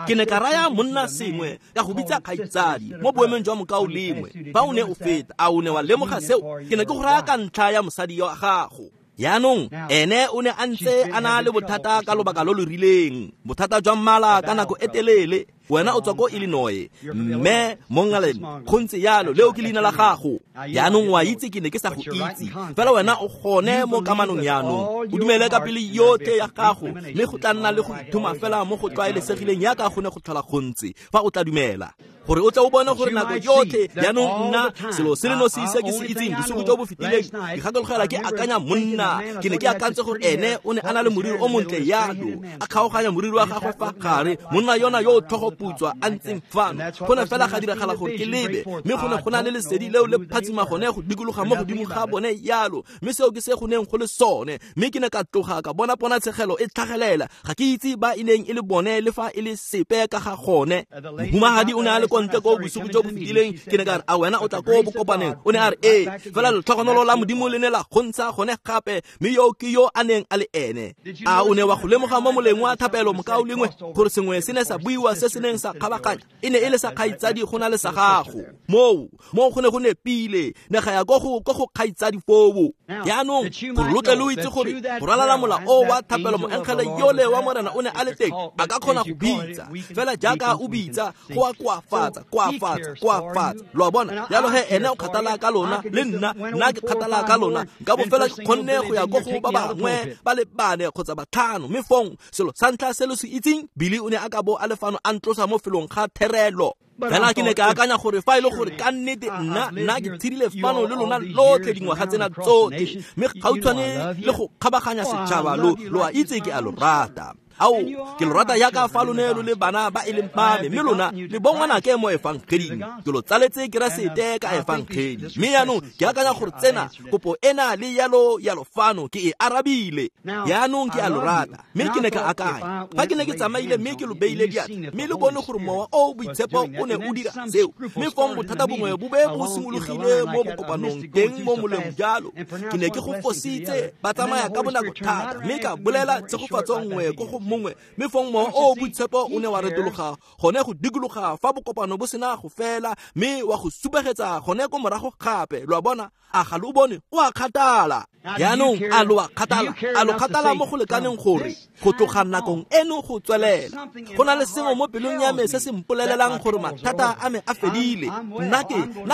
Ke ne ka raya monna sengwe ka go bitsa kgaitsadi mo boemong jwa mokao lengwe. Fa o ne o feta, a o ne wa lemoga seo? Ke ne ke go raya ka ntlha ya mosadi wa gago. Yaanong ene o ne a ntse a na le bothata ka lobaka lo lo rileng, bothata jwa mmala ka nako e telele. Wena o tswa ko Illinois, mme Mongalen, go ntse yalo, leo ke leina la gago. Yaanong wa itse ke ne ke sa go itse, fela wena o gone mo kamanong yaanong. O dumele ka pele yotlhe ya gago, mme go tla nna le go ithoma fela mo go tlwaelesegileng yaka go ne go tlhola go ntse, fa o tla dumela. Gore o tla o bone gore nako yotlhe yaanong nna selo se le nosi se ke se itseng bosigo jo bo fetileng, ke gakologela ke akanya monna, ke ne ke akantse gore ene o ne a na le moriri o montle yalo, a kgaoganya moriri wa gagwe fa gare, monna yona yo o tlhogo putswa a ntseng fano. Go ne fela ga diragala gore ke lebe, mme go ne go na le lesedi leo le phatsima gone go dikologa mo godimo ga bone yalo, mme seo ke se go neng go le sone. Mme ke ne ka tloga ka bona ponatshegelo e tlhagelela. Ga ke itse ba e neng e le bone le fa e le sepe ka ga gone. Mohumagadi o ne a le ntle ko bosigo jo bo fetileng, ke ne ka re, a wena o tla ko bokopaneng? O ne a re, ee, fela letlhogonolo la Modimo le ne la gontsha gone gape, mme yo ke yo a neng a le ene. A o ne wa go lemoga mo moleng wa thapelo mokao lengwe gore sengwe se ne sa buiwa se se neng sa kgabaganya, e ne e le sa kgaitsadi go na le sa gago. Moo go ne go nepile, ne ga ya ko go kgaitsadi foo. Yaanong gore lo tle lo itse gore go ralala mola o wa thapelo, moengele yole wa Morena o ne a le teng, a ka kgona go bitsa fela jaaka o bitsa, go a koafatsa, koafatsa. Lo a bona? Jalo he ene o kgathala ka lona, le nna ke kgathala ka lona. Nka bo fela ke kgonne go ya ko go ba bangwe ba le bane kgotsa batlhano, mme fong selo sa ntlha se lo se itseng, Billy o ne a ka bo a le fano a ntlosa mo felong ga therelo. Fela ke ne ka akanya gore fa e le gore ka nnete nna ke tshedile fano le lona lotlhe dingwaga tsena tsotlhe, mme gautshwane le go kgabaganya setšhaba, lo a itse ke a lo rata. Ao, ke lo rata yaka fa lone lo le bana ba e leng ba me, mme lona le bongwanake mo efangeding. Ke lo tsaletse Keresete ka efangedi. Mme yaanong ke akanya gore tsena kopo ena le yalo yalo fano ke e arabile. Yaanong ke a lo rata, mme ke ne ka akanya fa ke ne ke tsamaile mme ke lo beile diatla, mme le bone gore mowa o boitshepo o ne o dira seo, mme fong bothata bongwe bo be bo simologile mo bokopanong teng mo moleng jalo. Ke ne ke go fositse, ba tsamaya ka bonako thata, mme ka bolela tshegofatso nngwe ko go mongwe, mme fong mowa o boitshepo o ne wa retologa gone go dikologa fa bokopano bo sena go fela, mme wa go supegetsa gone ko morago gape. Lo a bona? A ga lo bone? O a kgathala. Yaanong a lo a kgathala, a lo kgathala mo go lekaneng gore go tloga nakong eno go tswelela go na le sengwe mo pelong ya me se se mpolelelang gore mathata a me a fedile. Nna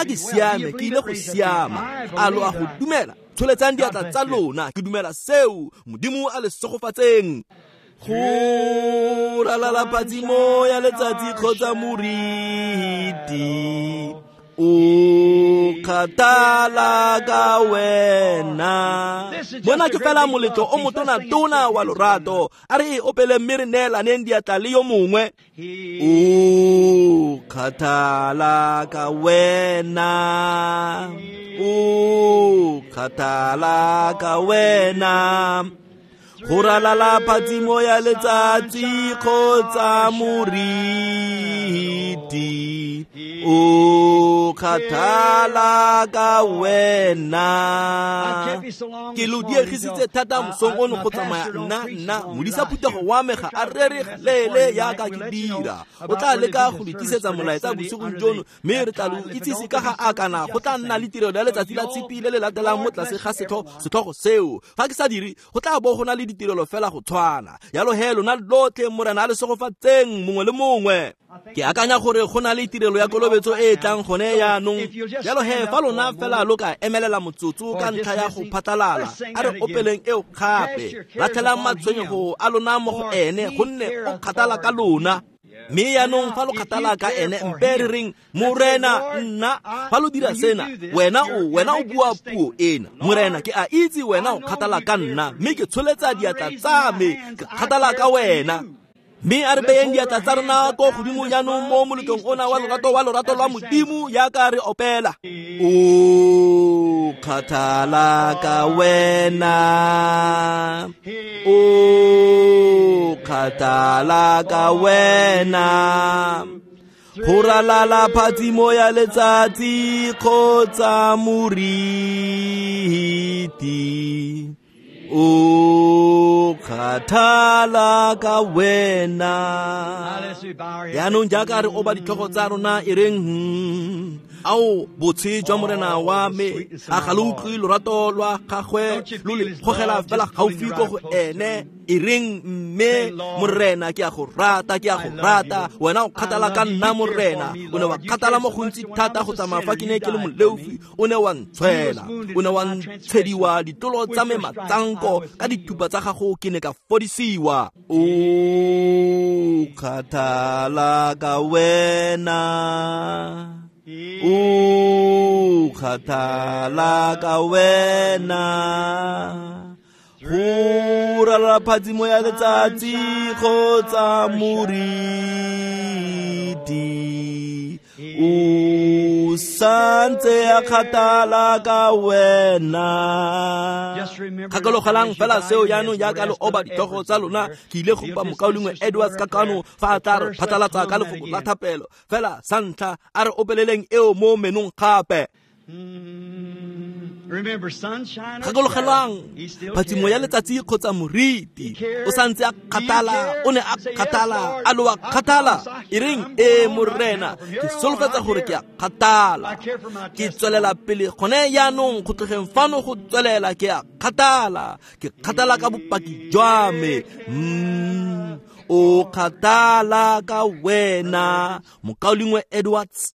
ke siame, ke ile go siama. A lo a go dumela? Tsholetsang diatla tsa lona, ke dumela seo. Modimo a le segofatseng. Go ralala phatsimo ya letsatsi kgotsa moriti, o kgathala ka wena. Mona ke fela moletlo o motona-tona wa lorato. A re e opele mme re neelaneng diatla le yo mongwe. O kgathala ka wena, o kgathala ka wena. Go ralala phatsimo ya letsatsi kgotsa moriti, o kgathala ka wena. Ke lo diegisitse thata mosong ono go tsamaya nna modisa phuthego wa me ga a rere leele yaka ke dira. O tla leka go le tlisetsa molaetsa bosigong jono, mme re tla lo itsise ka ga a kana go tla nna le tirelo ya letsatsi la tshipi le le latelang mo tlase ga setlhogo seo. Fa ke sa dire, go tla bo go na le ditirelo fela go tshwana. Yalo he lona lotlhe Morena a le segofatseng mongwe le mongwe. Ke akanya gore go na le tirelo ya kolobetso e e tlang gone yaanong. Jalo he fa lona fela lo ka emelela motsotso ka ntlha ya go phatlalala, a re opeleng eo gape. Latlhelang matshwenyego a lona mo go ene, gonne o kgathala ka lona. Mme yaanong fa lo kgathala ka ene, mpe re reng, Morena nna. Fa lo dira sena, wena o bua puo ena. Morena, ke a itse wena o kgathala ka nna, mme ke tsholetsa diatla tsa me, ke kgathala ka wena. Mme a re beyeng diatla tsa rona ko godimo jaanong mo moletlong ona wa lorato lwa Modimo yaka re opela. O kgathala ka wena, o kgathala ka wena. Go ralala phatsimo ya letsatsi kgotsa moriti, o kgathala ka wena. Yaanong jaaka re oba ditlhogo tsa rona e reng, ao botshe jwa Morena wa me, a ga lo utlwe lorato lwa gagwe lo le gogela fela gaufi ko go ene. E reng, mme Morena ke a go rata, ke a go rata. Wena o kgathala ka nna Morena. O ne wa kgathala mo gontsi thata go tsamaya fa ke ne ke le moleofi. O ne wa ntshwela, o ne wa ntshediwa ditlolo tsa me matsanko, ka dithupa tsa gago ke ne ka fodisiwa. O kgathala ka wena, o kgathala ka wena. Go ralala phatsimo ya letsatsi kgotsa moriti, o santse a kgathala ka wena. Gakologelang fela seo jaanong jaaka lo oba ditlhogo tsa lona. Ke ile go kopa mokaulengwe Edwards ka kano fa a tla re phatlalatsa ka lefoko la thapelo. Fela sa ntlha a re opeleleng eo mo menong gape. Gakologelwang phatsimo ya letsatsi kgotsa moriti, o santse a kgathala, o ne a kgathala, a lo a kgathala. E reng, ee Morena, ke solofetsa gore ke a kgathala, ke tswelela pele gone yaanong go tlogeng fano go tswelela ke a kgathala, ke kgathala ka bopaki jwa me. O kgathala ka wena. Mokaulengwe Edwards.